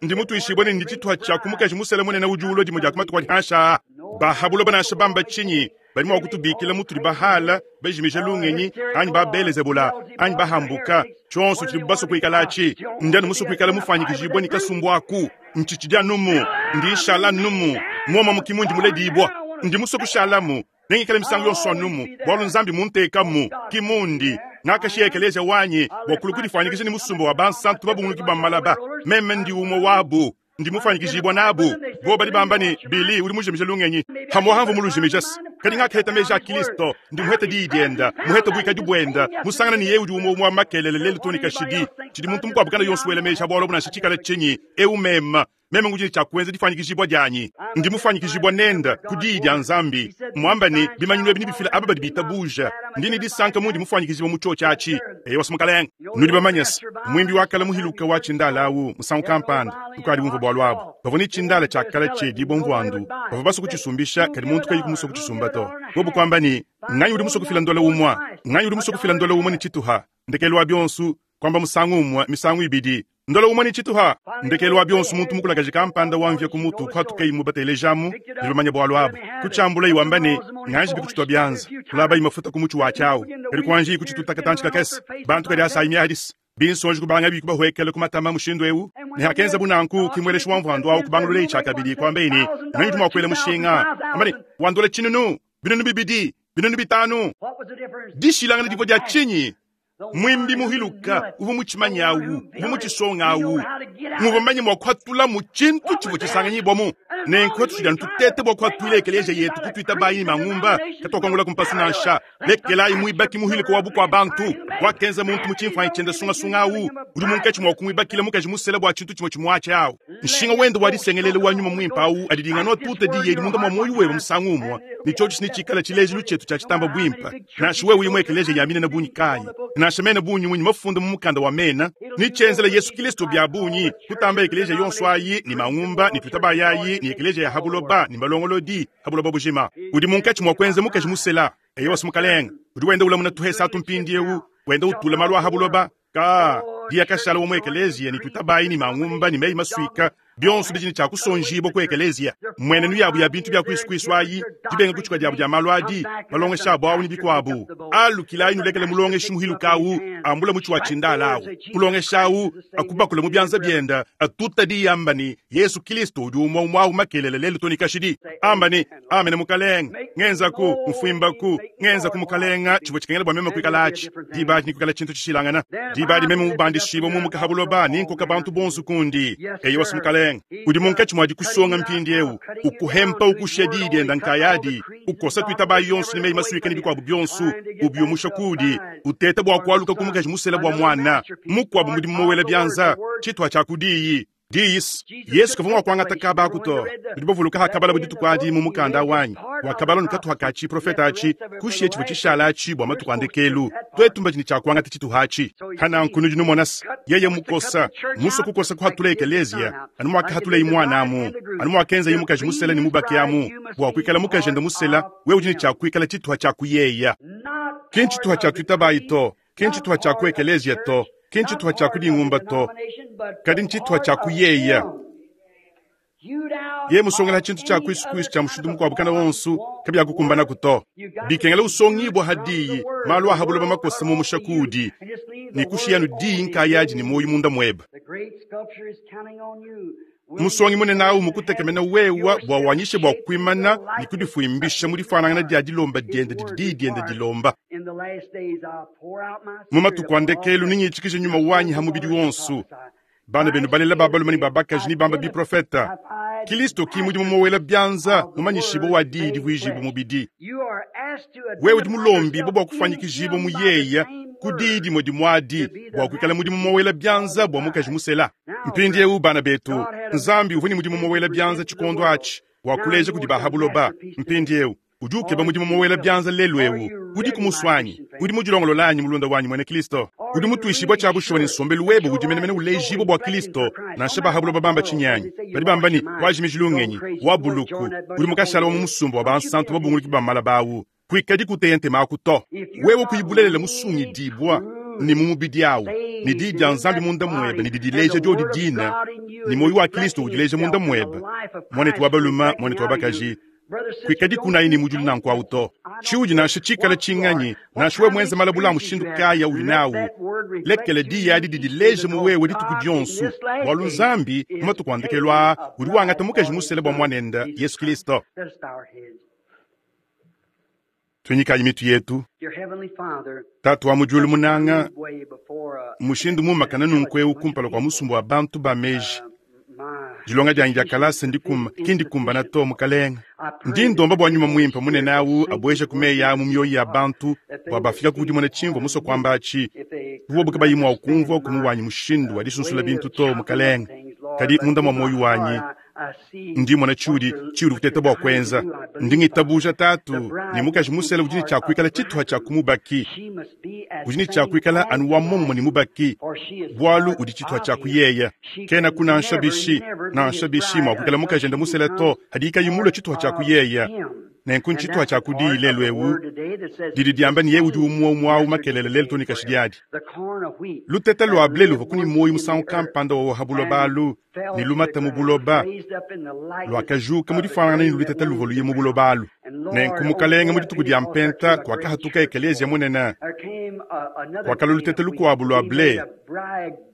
Ndi mutuishibue ne ndi tshituha tshia ku mukaji musele munene udi ulua dimue dia ku matuku adi hanshi aa. Ba ha buloba nansha bamba tshinyi, badi mua kutubikila mutudi bahala, bajimija lungenyi, anyi ba Belezebula, anyi bahambuka, tshionso tshidibu basue kuikalatshi. Ndi anu musue kuikala mufuanyikijibue ne kasumbu aku. Ntshitshidi anumu, ndi nshala anumu, muomuomu ki mundi muledibua. Ndi musue kushalamu, nengikale misangu yonso anumu, bualu Nzambi muntekamu, ki mundi. Ngakashiya ekeleziya wanyi bua kulua kudifuanyikija ne musumba wa bansantu babunguluki ba malaba. Meme ndi umue wabu. Ndi mufuanyikijibua nabu. Bobu badi bamba ne, Billy, udi mujimije lungenyi. Hamuaha mvua mulujimije se. Kadi ngakaheta meji a Kristo, ndi muhete diyi dienda, muhete buikadi buenda, musangana ne yeye udi umue umue wa makelele lelu too ne kashidi. Tshidi muntu mukuabu kana yonso wela meji a bualu abu nansha tshikala tshinyi, eu meme, meme ngudi ne tshia kuenza difuanyikijibua dianyi. Ndi mufuanyikijibua nende ku diyi dia Nzambi. Muamba ne, bimanyinu ebi nebifile aba badi bitabuja. Ndi ne disanka mundi mufuanyikijibua mu tshiotshi atshi. Eyowa, Mukalenge. Nudi bamanye se, muimbi wa kale muhiluke wa tshindala au musangu kampanda, tukadi bumvue bualu abu. Bavua ne tshindala tshia kale tshiedibua mvuandu, bavua basue kutshisumbisha, kadi muntu kayi musue kutshisumba to. Bobu kuamba ne, Nganyi udi musue kufila ndola umue? Nganyi udi musue kufila ndola umue ne tshituha? Ndekelu wa bionso, kuamba musangu umue, misangu ibidi, ndola umue ne tshituha. Ndekelu wa bionso, muntu mukulakaje kampanda wa mvia ku mutu kuhatukayi mubatelejamu, ne bamanye bualu abu. Kutshiambulayi wamba ne, Nganji bikutshitua bianza, kulabayi mafuta ku mutshi watshi awu, kadi kuanjiyi kutshituta katantshi kakese. Bantu kadi asayi miadisa, binsonji kubangabi kubahuekela ku matama mushindu eu. Ne hakenzabu nanku, ki mueleshi wa mvuandu awu kubangululeyi tshiakabidi, kuambaye ne, Nganyi udi mua kuela mushinga? Amba ne, Wa ndola 1000, 2000, 5000. Dishilangana divua dia tshinyi? Muimbi muhiluka uvua mutshimanye awu, uvua mutshisonga awu, muvua manye mua kuhatulamu tshintu tshivua tshisanganyibuamu. Nenku hatutshidi anu tuteta bua kuhatuila ekeleziya yetu kutuitabayi ne mangumba, katuakuangulaku mpasu nansha. Lekelayi muibaki muhiluka wa bukua bantu, wakenza muntu mu tshimfuanyi tshiende sungasunga awu, udi munkatshi mua kumuibakila mukaji musela bua tshintu tshimue tshimue atshi awu. Nshinga wende wa disengelela wa nyuma muimpe awu adidinga anu atuta diyi edi munda mua muoyo webe musangu umue, ne tshiotshi netshikale tshilejilu tshietu tshia tshitamba buimpe. Nansha wewe uyi mu ekeleziya ya minene bungi kayi, nansha mena bungi munyi mafunda mu mukanda wa mena, ne tshienzela Yesu Kilisto bia bungi kutamba ekeleziya yonso ayi ne mangumba ne tuitabayi ayi ne ekeleziya ya ha buloba ne malongolodi ha buloba bujima. Udi munkatshi mua kuenza mukaji musela. Eyowa, Mukalenge, udi wenda ulamuna tuhesa atu mpindieu, wenda utula malu a ha buloba. Ka diya kashala wa mu ekeleziya ne tuitabayi ne mangumba ne meyi masuika bionso bidi ne tshia kusonjibua ku ekeleziya. Mmuenenu yabu ya bintu bia kuisukuisu ayi, dibenga kutshuka diabu dia malu adi, malongesha abu au ne bikuabu. Alukilayi nulekele mulongeshi muhiluke au ambula mutshi wa tshindala au. Mulongeshi au akubakule mu bianza biende, atuta diyi amba ne, Yesu Kilisto udi umue umue au makelela lelu to ne kashidi. Amba ne, Amene Mukalenge. Ngenzaku, mfuimbaku, ngenzaku Mukalenge tshivua tshikengela bua meme kuikala atshi. Diba adi nikuikala tshintu tshishilangana. Diba adi meme mubandishibue mumuka ha buloba ne nkoka bantu bonso kundi. Eyowa Mukalenge. Udi munkatshi mua dikusonga mpindieu, ukuhempa ukushiya diyi dienda nkayadi, ukosa tuitabayi yonso ne meyi masuika ne bikuabu bionso, ubiumusha kudi, uteta bua kualuka ku mukaji musela bua muana mukuabu mudimu mowela bianza, tshituha tshia ku diyi. Diyi. Yesu kavua mua kuangata kaba aku to. Nudi bavuluka hakabalabo dituku adi mu mukanda wanyi, wakabala ne katuha ka tshiprofete atshi, kushiya tshivua tshishala atshi bua matuku a ndekelu. Tuetu mbadi ne tshia kuangata tshituha atshi. Hananku nudi numona se, yeye mukosa, musue kukosa kuhatula ekeleziya, anu muakahatulayi muana amu, anu muakenzayi mukaji musela ne mubaki amu, bua kuikala mukajende musela, wewe udi ne tshia kuikala tshituha tshia ku yeya. Ki ntshituha tshia tuitabayi to, ki ntshituha tshia ku ekeleziya to, ki ntshituha tshia ku dingumba to, kadi ntshituha tshia ku yeya. Yeye musongela tshintu tshia kuisu kuisu tshia mushindu mukuabu kana wonso kabiakukumbanaku to. Bikengela usongibua ha diyi, malu a ha buloba makosa mumusha kuudi, ne kushiya anu diyi nkayadi ne muoyo munda muebe. Musongi munene au mukutekemena wewa bua wanyishe bua kuimana ne kudifuimbisha mu difuanangana dia dilomba diende didi diyi diende dilomba. Mu matuku a ndekelu nengitshikije nyuma wanyi ha mubidi wonso. Bana benu balela ba balume ne ba bakaji nebambe biprofeta. Kilisto ki mudimu mowela bianza mumanyishibue wa diyi divuijibue mubidi. Wewe udi mulombibue bua kufuanyikijibua mu yeya ku diyi dimue dimue adi bua kuikala mudimu mowela bianza bua mukaji musela. Mpindieu bana betu, Nzambi uvua ne mudimu mowela bianza tshikondo atshi bua kuleja kudi ba ha buloba. Mpindieu udi ukeba mudimu mowela bianza lelu eu. Udiku musue anyi? Udi mudilongolola anyi, mulunda wanyi muena Kristo? Udi mutuishibue tshia bushuwa ne nsombelu webe udi menemene ulejibua bua Kristo, nansha ba ha buloba bamba tshinyi anyi? Badi bamba ne, wajimiji lungenyi, wa buluku, udi mukashala wa mu musumba wa bansantu babunguluki ba malaba au. Kuikadi kuteya ntema aku to. Wewe kuyi bulelela musungidibua ne mu mubidi au, ne diyi dia Nzambi munda muebe ne didileja diodi dine, ne muoyo wa Kristo udileja munda muebe, muanetu wa balume, muanetu wa bakaji, kuikadi kunayi ne mudilu nanku au to. Tshiudi nansha tshikala tshinganyi, nansha wewe muenze malabula a mushindu kayi audi nawu, lekela diyi adi didileje mu wewe dituku dionso, bualu Nzambi mu matuku a ndekelu aa udi wangata mukaji musela bua Muanende, Yesu Kristo. Tuinyikayi mitu yetu. Tatu wa mu diulu munanga, mushindu mumakane nunku eu kumpala kua musumba wa bantu ba meji, dilonga dianyi dia kalasa ndikuma ki ndikumbana to, Mukalenge. Ndi ndomba bua nyuma muimpe munene au abueje ku meyi aa mu mioyo ya bantu bua bafika ku dimona tshimvua musue kuamba atshi, bu bobu kabayi mua kumvua ku mu wanyi mushindu wa disunsula bintu to, Mukalenge. Kadi munda mua muoyo wanyi Ndi mmona tshiudi tshiudi kuteta bua kuenza. Ndi ngitabuja Tatu ne mukaji musela udi ne tshia kuikala tshituha tshia ku mubaki, udi ne tshia kuikala anu wa muomumue ne mubaki, bualu udi tshituha tshia ku yeya. Kenaku nansha bishi nansha bishi mua kuikala mukajende musela to hadiyi kayi mulue tshituha tshia ku yeya. Nenku ntshituha tshia ku diyi lelu eu didi diamba ne, Yeye udi umue umue au makelela lelu too ne kashidi adi. Luteta lua ble luvua ku ne muoyo musangu kampanda wawa ha buloba alu, ne lumata mu buloba, luakajuka mu difuanangana ne luteta luvua luye mu buloba alu. Nenku Mukalenge, mu dituku dia Mpenta, kuakahatuka ekeleziya munene, kuakalua luteta lukuabu lua ble,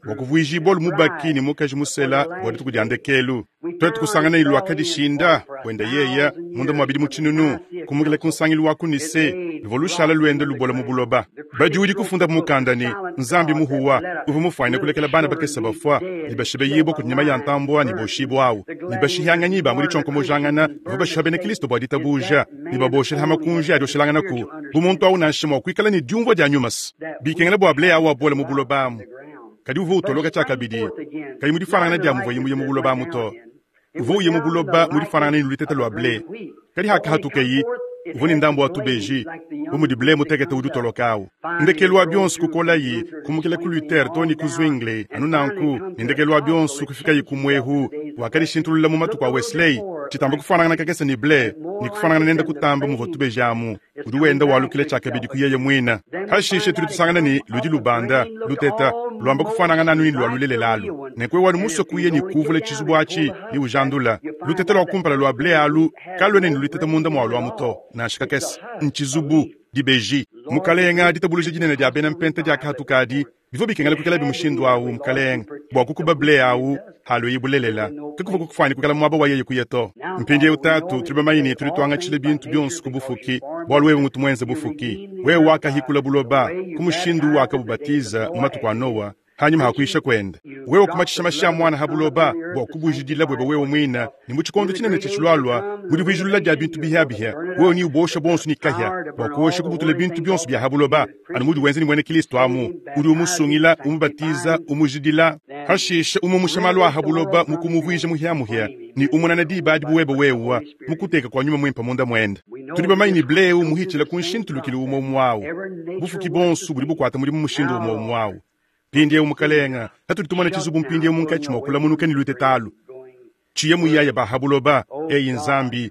bua kuvuijibua mubaki ne mukaji musela bua dituku dia ndekelu. Tuetu kusangana ne luakadishinda buenda yeya munda mua bidimu tshinunu, kumukila ku nsangilu wa ku Nicee, luvua lushala luenda lubola mu buloba. Badiudi kufunda mu mukanda ne, Nzambi muhuwa uvua mufuanyine kulekela bana bakese bafua ne bashibeyibua kudi nyama ya ntambua ne boshibua au, ne bashihianganyi ba mu ditshionkomojangana bavua bashiha bena Kristo bua ditabuja ne baboshela ha makunji a dioshelanganaku. Bu muntu au nansha mua kuikala ne diumvua dia nyuma se bikengela bua ble au abole mu buloba amu, kadi uvua utoloka tshiakabidi, kayi mu difuanangana dia muvuaye muye mu buloba amu to. Uvua uya mu buloba mu difuanangana ne lutete lua ble, kadi hakahatukeyi, uvua ne ndambu wa tubeji, bu mudi ble mutekete udi utoloka au. Ndekelu wa bionso kukolayi, kumukila ku Luther too ne ku Zwingli, anu nanku, ne ndekelu wa bionso kufikayi ku muehu, wakadishintulula mu matuku a Wesley, tshitamba kufuanangana kakese ne ble, ne kufuanangana nende kutamba muvua tubeji amu. Udi wenda walukila tshiakabidi ku yeye muine. Pashishe tudi tusangana ne, ludi lubanda, luteta, luamba kufuanangana anu ne lua lulelela alu. Nenku wewe musue kuya ne kuvula tshizubu atshi ne ujandula, luteta lua kumpala lua ble alu kaluena ne luteta munda mualu amu to, nansha kakese. Ntshizubu, dibeji. Mukalenga, ditabuluja dinene dia bena Mpenta diakahatuka adi, Bivua bikengela kuikalabi mushindu au, Mukalenge, bua kukuba ble au halueyi bulelela. Kakuvua kukufuane kuikala muaba wa yeye kuya to. Mpindieu, Tatu, tudi bamanye ne tudi tuangatshila bintu bionso ku bufuki, bualu wewe ngutu muenze bufuki. Wewe wakahikula buloba ku mushindu uwakabubatiza mu matuku a Noa. Hanyima ha kuyisha kuende, wewe kumatshisha mashi a muana ha buloba bua kubujidila buebe wewe muine, ne mu tshikondo tshinene tshia tshilualua, mu divuijilula dia bintu bihiabihia, wewe neuboshe bonso ne kahia, bua kuosha kubutula bintu bionso bia ha buloba, anu mudi wenza ne muena Kilisto amu, udi umusungila, umubatiza, umujidila, hashishe umumusha malu a ha buloba mu kumuvuija muhiamuhia, ne umunana diba adi bu webe wewe, mu kuteka kua nyuma muimpe munda muende. Tudi bamanye ne ble eu muhitshila ku nshintulukilu umue umue au. Bufuki bonso budi bukuata mudimu mushindu umue umue au. Mpindieu Mukalenga, hatudi tumona tshizubu mpindieu munkatshi mua kulamunuka ne luteta alu, tshiye muyaya ba ha buloba, eyi Nzambi,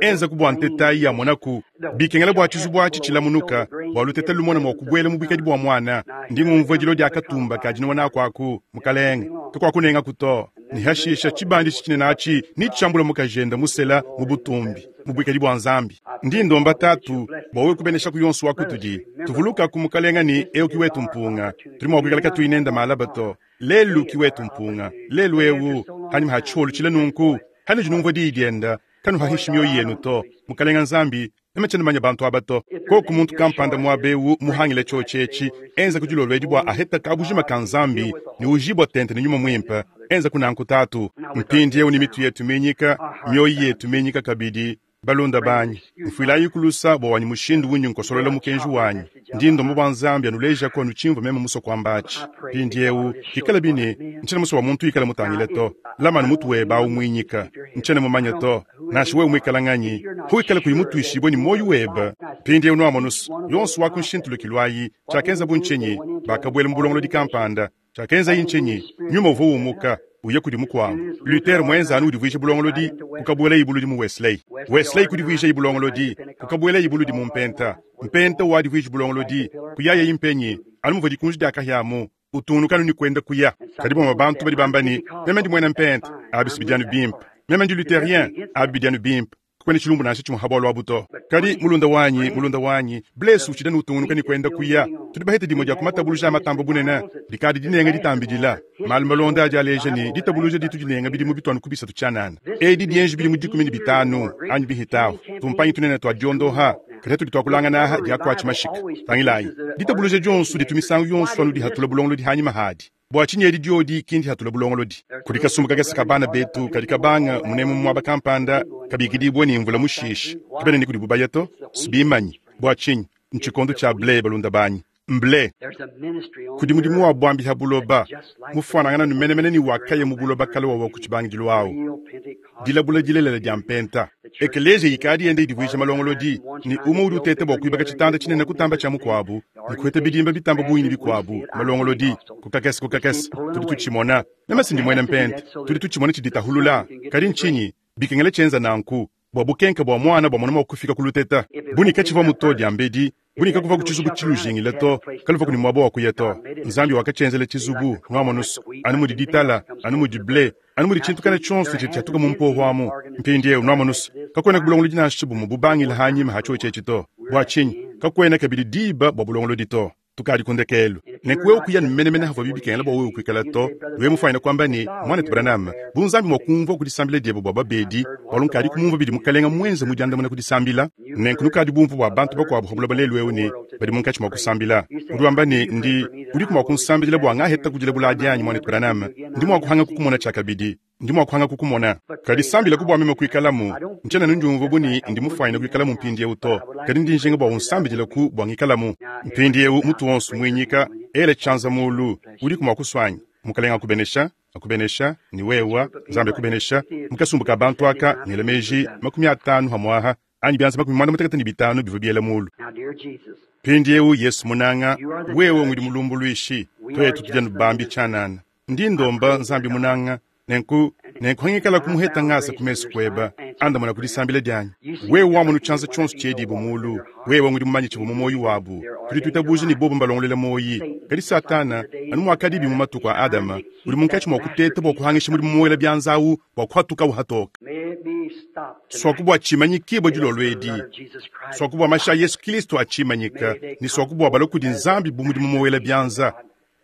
enza ku bua nteta ayi yamonaku. Bikengela bua tshizubu atshi tshilamunuka, bua luteta lumone mua kubuela mu buikadi bua muana. Ndi ngumvua dilo dia katumba ka dinowa naku aku, Mukalenga, kakuakunengaku to. Ne hashisha tshibandishi tshinene atshi netshiambula mukajende musela mu butumbi, mu buikadi bua Nzambi. Ndi ndomba Tatu bua wewe kubeneshaku yonso wa kutudi. Tuvulukaku Mukalenga ne eu ki wetu mpunga. Tudi mua kuikala katuyi nende malaba to. Lelu ki wetu mpunga. Lelu eu, hanyima ha tshiolo tshile nunku, hanudi numvua diyi diende, kanuhahishi mioyo yenu to. Mukalenga Nzambi, meme tshiena manya bantu aba to. Koku muntu kampanda muaba eu muhangile tshiotshi etshi, enza ku dilolo edi bua aheta kabujima ka Nzambi ne ujibua tente ne nyuma muimpe. Enza ku nanku Tatu. Mpindieu ne mitu yetu minyika, mioyo yetu minyika kabidi, balunda banyi, mfuilayi kulusa bua wanyi mushindu undi nkosolola mukenji wanyi. Ndi ndomba bua Nzambi anulejaku anu tshimvua meme musue kuamba atshi. Mpindieu, pikala bine, ntshiena musue bua muntu ikala mutangile to. Lama anu mutu webe awu muinyika. Ntshiena mumanye to, nansha wewe muikala nganyi, huikale kuyi mutuishibue ne muoyo webe. Mpindieu nuamonusu, yonso wa ku nshintulukilu ayi, tshiakenzabu ntshinyi? Bakabuela mu bulongolodi kampanda. Tshiakenzayi ntshinyi? Nyuma uvua umuka, uya kudi mukuabu. Luther muenza anu udivuija bulongolodi, kukabuelayi buludi mu Wesley. Wesley kudivuijayi bulongolodi, kukabuelayi buludi mu Mpenta. Mpenta wadivuija bulongolodi, kuyayayi mpenyi, anu muvua dikunji dia kahia amu, utungunuka anu ne kuenda kuya. Kadi bamue bantu badi bamba ne, Meme ndi muena Mpenta, abi si bidi anu bimpe. Meme ndi Lutherien, abi bidi anu bimpe. Kakuena tshilumbu nansha tshimue ha bualu abu to. Kadi mulunda wanyi, mulunda wanyi, Bless utshidi anu utungunuka ne kuenda kuya. Tudi bahete dimue dia ku matabuluja a matamba bunene, dikadi dinenga ditambidila. Malu malonda adi aleja ne, ditabuluja ditu dinenga bidimu bituanu ku bisatu tshianana. Edi dienji bidimu 15 anyi bihitahu, tumpanyi tunene tua diondoha, kadi hatudi tuakulangana aha diakuatshi mashika. Tangilayi, ditabuluja dionso ditu misangu yonso anu dihatula bulongolodi hanyima hadi. Bua tshinyi edi diodi ki ndihatula bulongolodi? Kudi kasumbu kakese ka bana betu kadi kabanga munemu mu muaba kampanda kabikidibue ne mvula mushishi, kabena ne kudibu baya to, sibimanyi. Bua tshinyi? Ntshikondo tshia ble, balunda banyi, mble. Kudi mudimu wa buambi ha buloba, mufuanangana nu menemene ne wakaya mu buloba kale wawa ku tshibangidilu awu, dilabula dilelela dia mpenta. Ekeleziya ikadi yenda idivuija malongolodi, ne umue udi uteta bua kuibaka tshitanda tshinene kutamba tshia mukuabu, ne kuheta bidimba bitamba bungi ne bikuabu, malongolodi, ku kakese ku kakese, tudi tutshimona. Meme si ndi muena mpenta, tudi tutshimona tshiditahulula. Kadi ntshinyi bikengela tshienza nanku bua bukenke bua muana bua mona mua kufika ku luteta? Bu ne katshivua muto diambedi, bu ne kakuvua ku tshizubu tshilujingile to, kaluvua ku ne muaba wa kuya to. Nzambi wakatshienzela tshizubu, nuamonusu, anu mudi ditala, anu mudi ble, anu mudi tshintu kana tshionso tshidi tshiatuka mu mpoho amu. Mpindieu nuamonusu, kakuena bulongolodi nansha bumue bubangila hanyima ha tshiotshi etshi to. Bua tshinyi? Kakuena kabidi diba bua bulongolodi to. Tukadi ku ndekelu. Nenku wewe kuya ne menemene havuabi bikengela bua wewe kuikala to. Wewe mufuanyine kuamba ne, Muanetu Branham, bu Nzambi mua kumvua ku disambila diebe bua babedi, bualu nkadi kumumvua bidi Mukalenga muenze mu diandamuna ku disambila. Nenku nukadi bumvue bua bantu bakuabu pa buloba lelu eu ne badi munkatshi mua kusambila. Udi wamba ne, Ndi, udiku mua kunsambidila bua ngaheta kudilabula adi anyi, Muanetu Branham? Ndi mua kuhanga kukumona tshiakabidi. Ndi mua kuhanga kukumona. Kadi sambilaku bua meme kuikalamu. Ntshiena ndiumvua bu ne ndi mufuanyine kuikalamu mpindieu to, kadi ndi njinga bua unsambidilaku bua ngikalamu. Mpindieu mutu wonso muinyika, ela tshianza mulu. Udiku mua kusua anyi? Mukalenga akubenesha, akubenesha, ne wewa, Nzambi akubenesha. Mu kasumbu ka bantu aka, ngela meji 50 hamuaha, anyi bianza 55 bivua biela mulu. Mpindieu Yesu munanga, wewe ngudi mulumbuluishi, tuetu tudi anu bambi tshianana. Ndi ndomba Nzambi munanga, nenku nenku hangikala kumuheta ngasa ku mesu kueba, andamuna ku disambila dianyi. Wewe wamonu tshianza tshionso tshiedibu mulu, wewe ngudi mumanye tshivua mu muoyo wabu. Tudi tuitabuja ne bobu mbalongolola muoyi. Kadi Satana, anu muakadibi mu matuku a Adama, udi munkatshi mua kuteta bua kuhangisha mudimu muela bianza awu bua kuhatukawu hatoka. Suaku bua tshimanyikibua dilolo edi, suaku bua mashi a Yesu Kilisto atshimanyika, ne suaku bua balue kudi Nzambi bu mudimu muela bianza.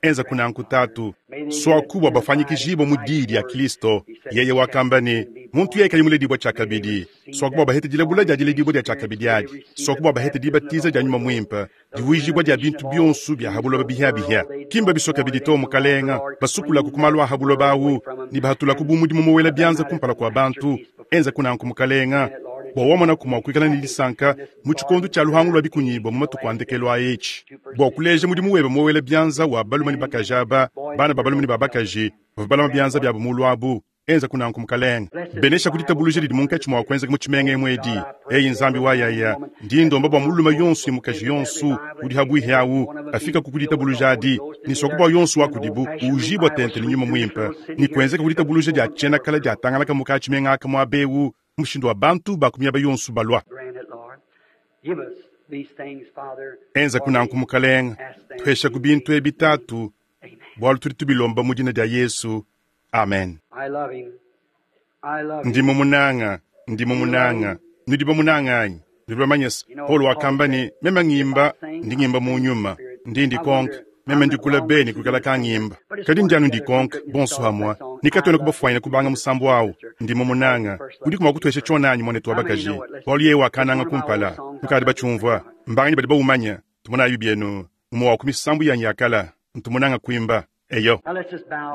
Enzaku nanku, Tatu. Suaku bua bafuanyikijibue mu Diyi dia Kilisto. Yeye wakamba ne, Muntu yeye kayi muledibua tshiakabidi, suaku bua bahete dilabula dia diledibua dia tshiakabidi adi, suaku bua bahete dibatiza dia Nyuma Muimpe, divuijibua dia bintu bionso bia ha buloba bihia-bihia. Ki mbabisua kabidi to, Mukalenga, basukulaku ku malu a ha buloba au, ne bahatulaku bu mudimu muwela bianza kumpala kua bantu. Enzaku nanku, Mukalenga, bua wamonaku mua kuikala ne disanka mu tshikondo tshia luhangu lua bikunyibua mu matuku a ndekelu a etshi, bua kuleja mudimu webe muwela bianza wa balume ne bakaji aba, bana ba balume ne ba bakaji, bavua balama bianza biabu mulu abu. Enzaku nanku, Mukalenga. Benesha ku ditabuluja didi munkatshi mua kuenzeka mu tshimenga emu edi. Eyi Nzambi wa yaya, ndi ndomba bua mulume yonso ne mukaji yonso udi habuihi awu afikaku ku ditabuluja adi, ne suaku bua yonso wa kudibu uujibua tente ne Nyuma Muimpe, ne kuenzeka ku ditabuluja dia tshiena-kala diatangalaka mu ka tshimenga aka muaba eu, mushindu wa bantu ba ku miaba yonso balua. Enzaku nanku, Mukalenga. Tuheshaku bintu ebi, Tatu, bualu tudi tubilomba mu dina dia Yesu. Amen. Ndi mumunanga, ndi mumunanga. Nudi bamunanga anyi? Nudi bamanye se, Paulo wakamba ne, meme ngimba, ndi ngimba mu nyuma, ndi ndikonka, meme ndikula be ne kuikala kangimba. Kadi ndi anu ndikonka, bonso hamua, ne katuena kubafuanyina kubanga musambu awu, ndi mumunanga. Udiku mua kutuesha tshiona anyi, muanetu wa bakaji? Bualu yeye wakananga kumpala. Nukadi batshiumvua. Mbanganyi badi baumanya? Tumonayi bienu, umue wa ku misambu yanyi ya kala, ntu munanga kuimba. Eyo.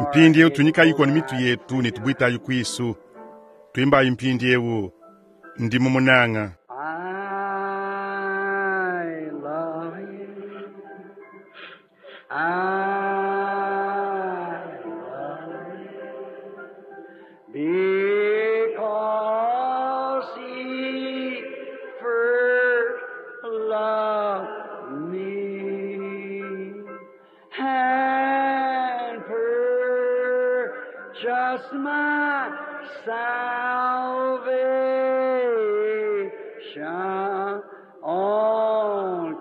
Mpindieu tunyikayi konu mitu yetu ne tubuitayi kuisu. Tuimbayi mpindieu, Ndi mumunanga. I love him. I love him. Because he first loved me and purchased my salvation on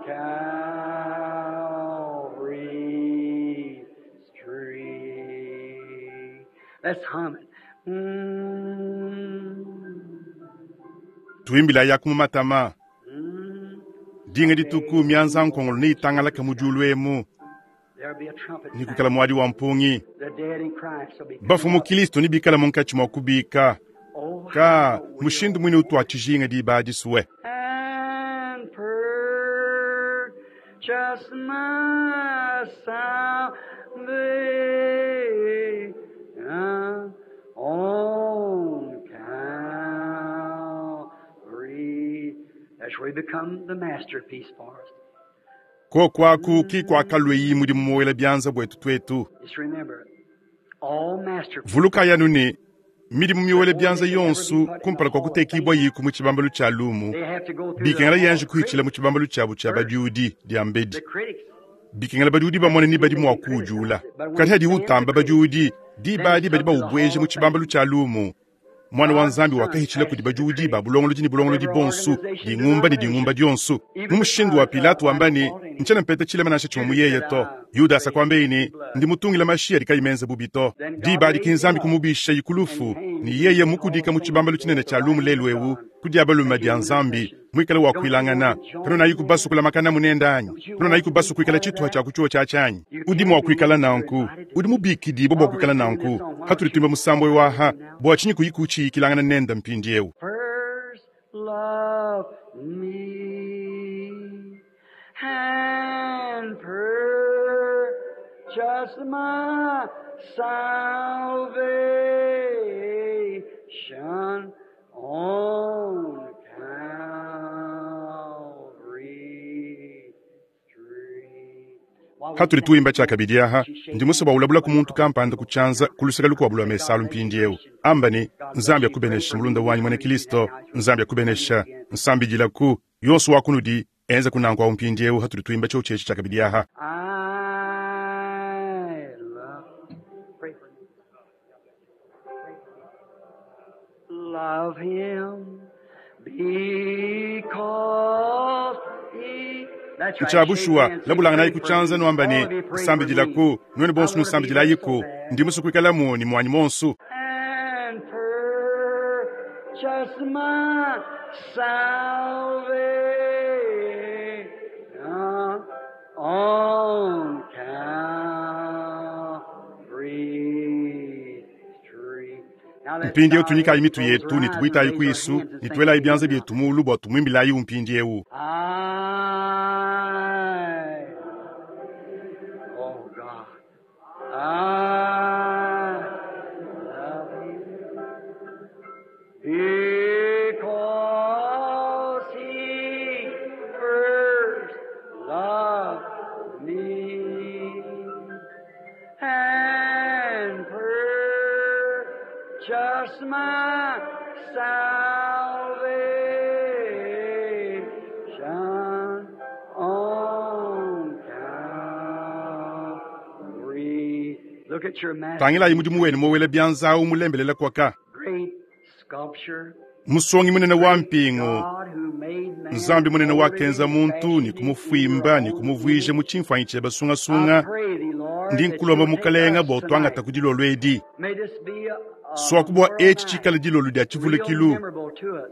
Calvary's tree. Let's hum it. Tuimbilayi aku mu matama. Mm. Dinga dituku mianza nkongolo neitangalake mu diulu emu, There'll be a trumpet ne sound. kuikala muadi wa mpungi. The dead in Christ will be Bafu coming mu up. Kilisto nebikale munkatshi mua kubika. Oh, Ka how we'll mushindu muine utuatshijinga diba adi suwe. and purchase my salvation on Calvary. That's where he become the masterpiece for us. Koku aku ki kuakalue mudimu muwela bianza buetu tuetu. Just remember, all masterpieces. Vulukayi anu ne, midimu miwela bianza yonso kumpala kua kutekibua yiku mu tshibambalu tshia lumu, They have to go through the bikengela hall yanji of kuhitshila mu critics tshibambalu tshiabu tshia first. badiudi diambedi. The critics Bikengela badiudi bamone ni badi mua kuujula. Kadi hadi utamba badiudi, diba adi badi baubueja mu tshibambalu tshia lumu. Mwana wa Nzambi wakahitshila kudi badiudi ba bulongolodi ne bulongolodi bonso, dingumba ne dingumba dionso. Mu mushindu wa Pilato wamba ne, ntshiena mpeta tshilema nansha tshimue mu yeye to. Yudasa kuambeye ne, ndi mutungila mashi adi kayi menze bubi to. Diba adi ki Nzambi kumubisha ikulufu, ne yeye mukudika mu tshibambalu tshinene tshia lumu lelu eu, ku dia balume dia Nzambi, muikale wa kuilangana. Kanonayi kubasu kulamakana munenda anyi? Kanonayi kubasu kuikala tshituha tshia ku tshiuwa tshiatshi anyi? Udi mua kuikala nanku. Udi mubikidibue bua kuikala nanku. Hatudi tuimba musambu eu aha, bua tshinyi kuyi kutshiyikilangana nende mpindieu? First love me and purchase my salvation on Calvary's tree. While we Hatudi stand tuimba singing, tshiakabidi aha, she shakes ndi musue hands bua ulabula ku with muntu across kampanda ku tshianza ku luseke lukuabu lua May God mesalu bless you, mpindieu. Christian. Amba ne, God bless Nzambi you. Pray akubenesha for me. mulunda wanyi We'll muena read that Kristo, now as we're Nzambi singing akubenesha, again. nsambidilaku, yonso wa kunudi, enza kunanku awu mpindieu hatudi tuimba tshiotshi etshi tshiakabidi aha. I love. Pray for me. Pray for me. Love him because he. That's right. Shake Ntshiabushuwa hands. Say, labulanganayi pray ku for tshianza me. nuamba All ne, of you pray for me. nsambidilaku, nuenu I bonso want to be there so nusambidilayiku, bad. ndi musue kuikalamu ne muanyi monso. And purchase my salvation on Calvary. Mpindieu tunyikayi mitu yetu ne tubuitayi kuisu ne tuelayi bianza bietu muulu bua tumuimbilayi mpindieu. I, oh God, I love Him because He first loved me and purchased my salvation on Calvary. Look at your master, Tangilayi mudimu wenu mowela bianza awu mulembelela kwaka. great sculpture. Musongi munene wa mpingu God who made man Nzambi munene wakenza muntu molded ne and kumufuimba ne fashioned him kumuvuija in mu your tshimfuanyi tshiebe I sungasunga pray thee, Lord, ndi that nkulomba you'll take mukalenga us bua utwangata tonight. ku dilolo edi. May this be a Swaku bua memorial eci night, tshikale dilolo dia real tshivulukilu memorable to us.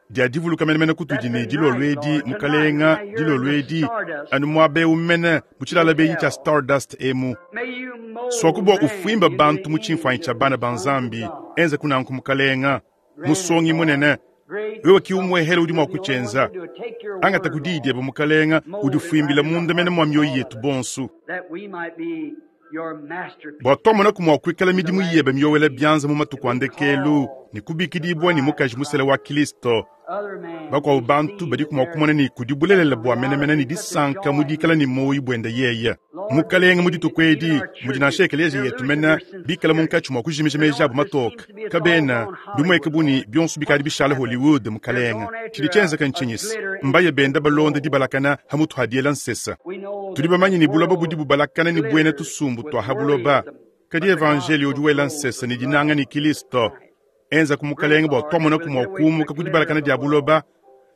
dia divuluka menemene That kutudi ne tonight, dilolo edi Lord, tonight, when mukalenga I hear dilolo the edi stardust anu muaba ewu mene mu tshilala benyi tshia tell, stardust emu. may you Swaku mold bua man ufuimba into bantu the mu tshimfuanyi image tshia of bana the ba sons of Nzambi God. enza kunanku mukalenga Grant it, musongi Lord. munene Great wewe kiumwehele udi sculpture, mua you're the only one kutshenza that can do it. Take your angata word, ku diyi Lord. diebe mukalenga Mold it right udifuimbila in the munda mene hearts mwa of mioyo all of yetu us, bonso that we might be your masterpiece bua twamona mua kuikala in the midimu last yebe miyowela days, bianza mu to matuku be a ndekelu called ne the kubikidibwa ne bride of mukaji musele Christ. wa Kristo Other man bakuabu may bantu see badi that mua there's kumona ne kudi bulelela such a bua menemene reality ne and such a disanka joy mu in dikala it. ne muoyo buende yeye Lord, this mukalenga mu day that dituku even edi our mudi churches, nansha ekeleziya they're yetu losing mene their bikala sincerity. munkatshi mua kujimija They meji don't, abu there seems matoka to be it's all kabena gone bimueke Hollywood, buni Lord. bionso bikadi What's bishala happened? Hollywood They're mukalenga going tshidi after tshienzeka a ntshinyisi glitter mbaye instead benda of balonda gold. dibalakana hamutu hadiela nsesa We know tudi that bamanyi the ne buloba budi world bubalakana ne buena glitters tusumbu with tua ha buloba worldism, kadi but the evanjeliyo gospel udi wela glows nsesa with ne dinanga love ne of Kristo Christ. enza ku Grant, mukalenga bua Lord, that twamona we'll ku get mua away from the kuumuka ku glitter dibalakana of the dia world buloba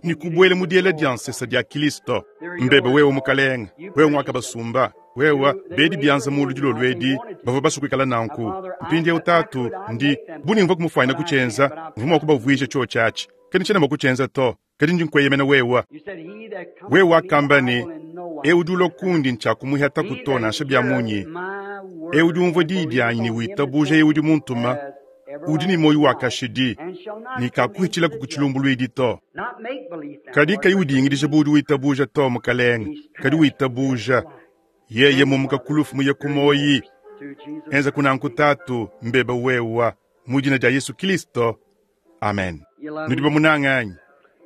ne and get kubuela into mu the diela glow dia of nsesa Christ. dia Kristo They're mbebe yours, wewe Lord. mukalenga You wewe purchased them. mwakabasumba wewa You, they bedi raised bianza their mulu hands dilolo like they edi wanted to. bavua basukikala Now, nanku Father, I, mpindieu if I tatu could, I'd ndi make them buni come, mvua kumufuanyina but I can't. kutshenza But I mvua mua trust you. kubavuija tshotshatshi kadi ntshiena mua kutshenza to kadi ndi nkueyemena wewa You said, He that cometh wewe to me, wakamba I ne will in no wise ewu udi ulua cast out. kundi ntshiakumuhata He kuto that nansha bia heareth munyi my ewu udi word umvua and diyi believeth dianyi ne on him that witabuja sent ewu udi me muntuma has udi ne everlasting muoyo wa life kashidi and shall not ne come into kakuhitshilaku the ku judgment. tshilumbuluidi to Not make belief now, kadi Lord, kayi but udingidija believe. bu udi witabuja to mukalenga He's kadi passed from death witabuja to life. yeye Grant it, mumuka Father. kulufu muye They're kumoyi yours through Jesus enza Christ's kunanku name. tatu mbeba wewa mu dina dia Yesu Kristo amen You love nudi him? bamunanga anyi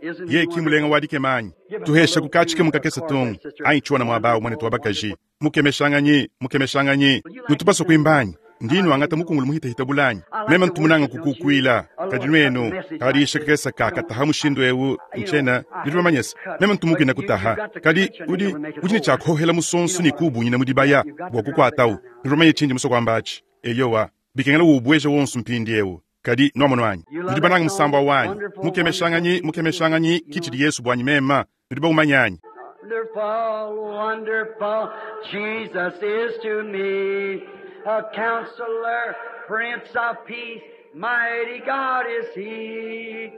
Isn't he ye ki mulenga wonderful? wadikemanyi Give us a tuhesha little kukachike tune, a mukakesa chord tungu there, sister. anyi chiwana mwabawu mwane Wonderful, tuwabakaji wonderful. mukemeshanganyi mukemeshanganyi Will you like to nutupasa sing? kuimbanyi I ndinu like to angata sing. mukungulu muhitahita bulanyi I like meme to ntumunanga worship, don't you? kukukwila A kadi little cut nwenu message like kadisha this. kakesa I don't, kakataha mushindu ewu you know, nchena I nditu hate to bamanyesa cut, meme but ntumukina you, you've kutaha got to kadi clench a nail udi to make it udi ne hold. tshiakhohela You musonso know ne what I mean. kubunyina Yeah, mudibaya you've got bua to drop it kukwatawu down now. nditu bamanye tshindi musokwambachi eyowa bikengela ubweje wonso mpindi ewu kadi nomono anyi You love nudi that bananga song? musamba wanyi Wonderful, wonderful mukemeshanganyi Jesus is. mukemeshanganyi You know kichidi it? Yesu bwanyi mema nudi baumanyanyi Wonderful, wonderful Jesus is to me. A counselor, Prince of Peace, mighty God is He.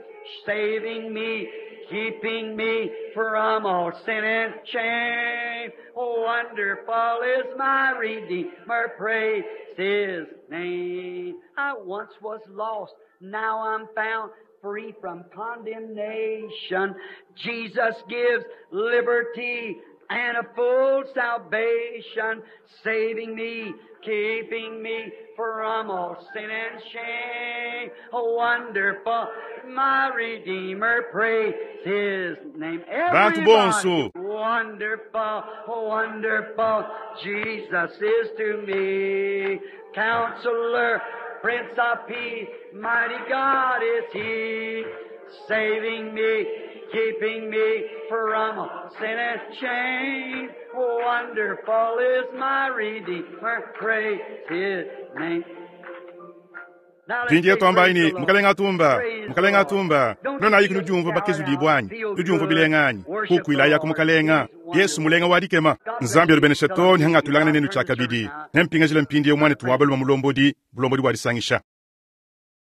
Saving me, keeping me from all sin and shame. Wonderful is my Redeemer, praise His name. I once was lost, now I'm found free from condemnation. Jesus gives liberty and a full salvation, saving me, keeping me from all sin and shame. Wonderful, my Redeemer, praise His name. Bantu Everybody, bonso wonderful, wonderful, Jesus is to me. Counselor, Prince of Peace, mighty God is He, saving me, keeping me from sin and shame. Wonderful is my Redeemer, praise His name. Now let's mpindi say, twambayi Praise the ni Lord. mukalenga atumba Praise the mukalenga Lord. atumba Don't nonayi you kuno just diumva shout bakezu out, dibwanyi feel nudiumva good, bilenganyi worship the kukwilaya ku Lord. mukalenga He's Yesu wonderful. mulenga wadikema God bless nzambi you alubenesha till to I meet nihanga you. tulangane I'll nenu turn the service tshiakabidi now. nempingajila mpindi mwane Brother Frank. tuwabaluma mulombodi bulombodi bwadisangisha.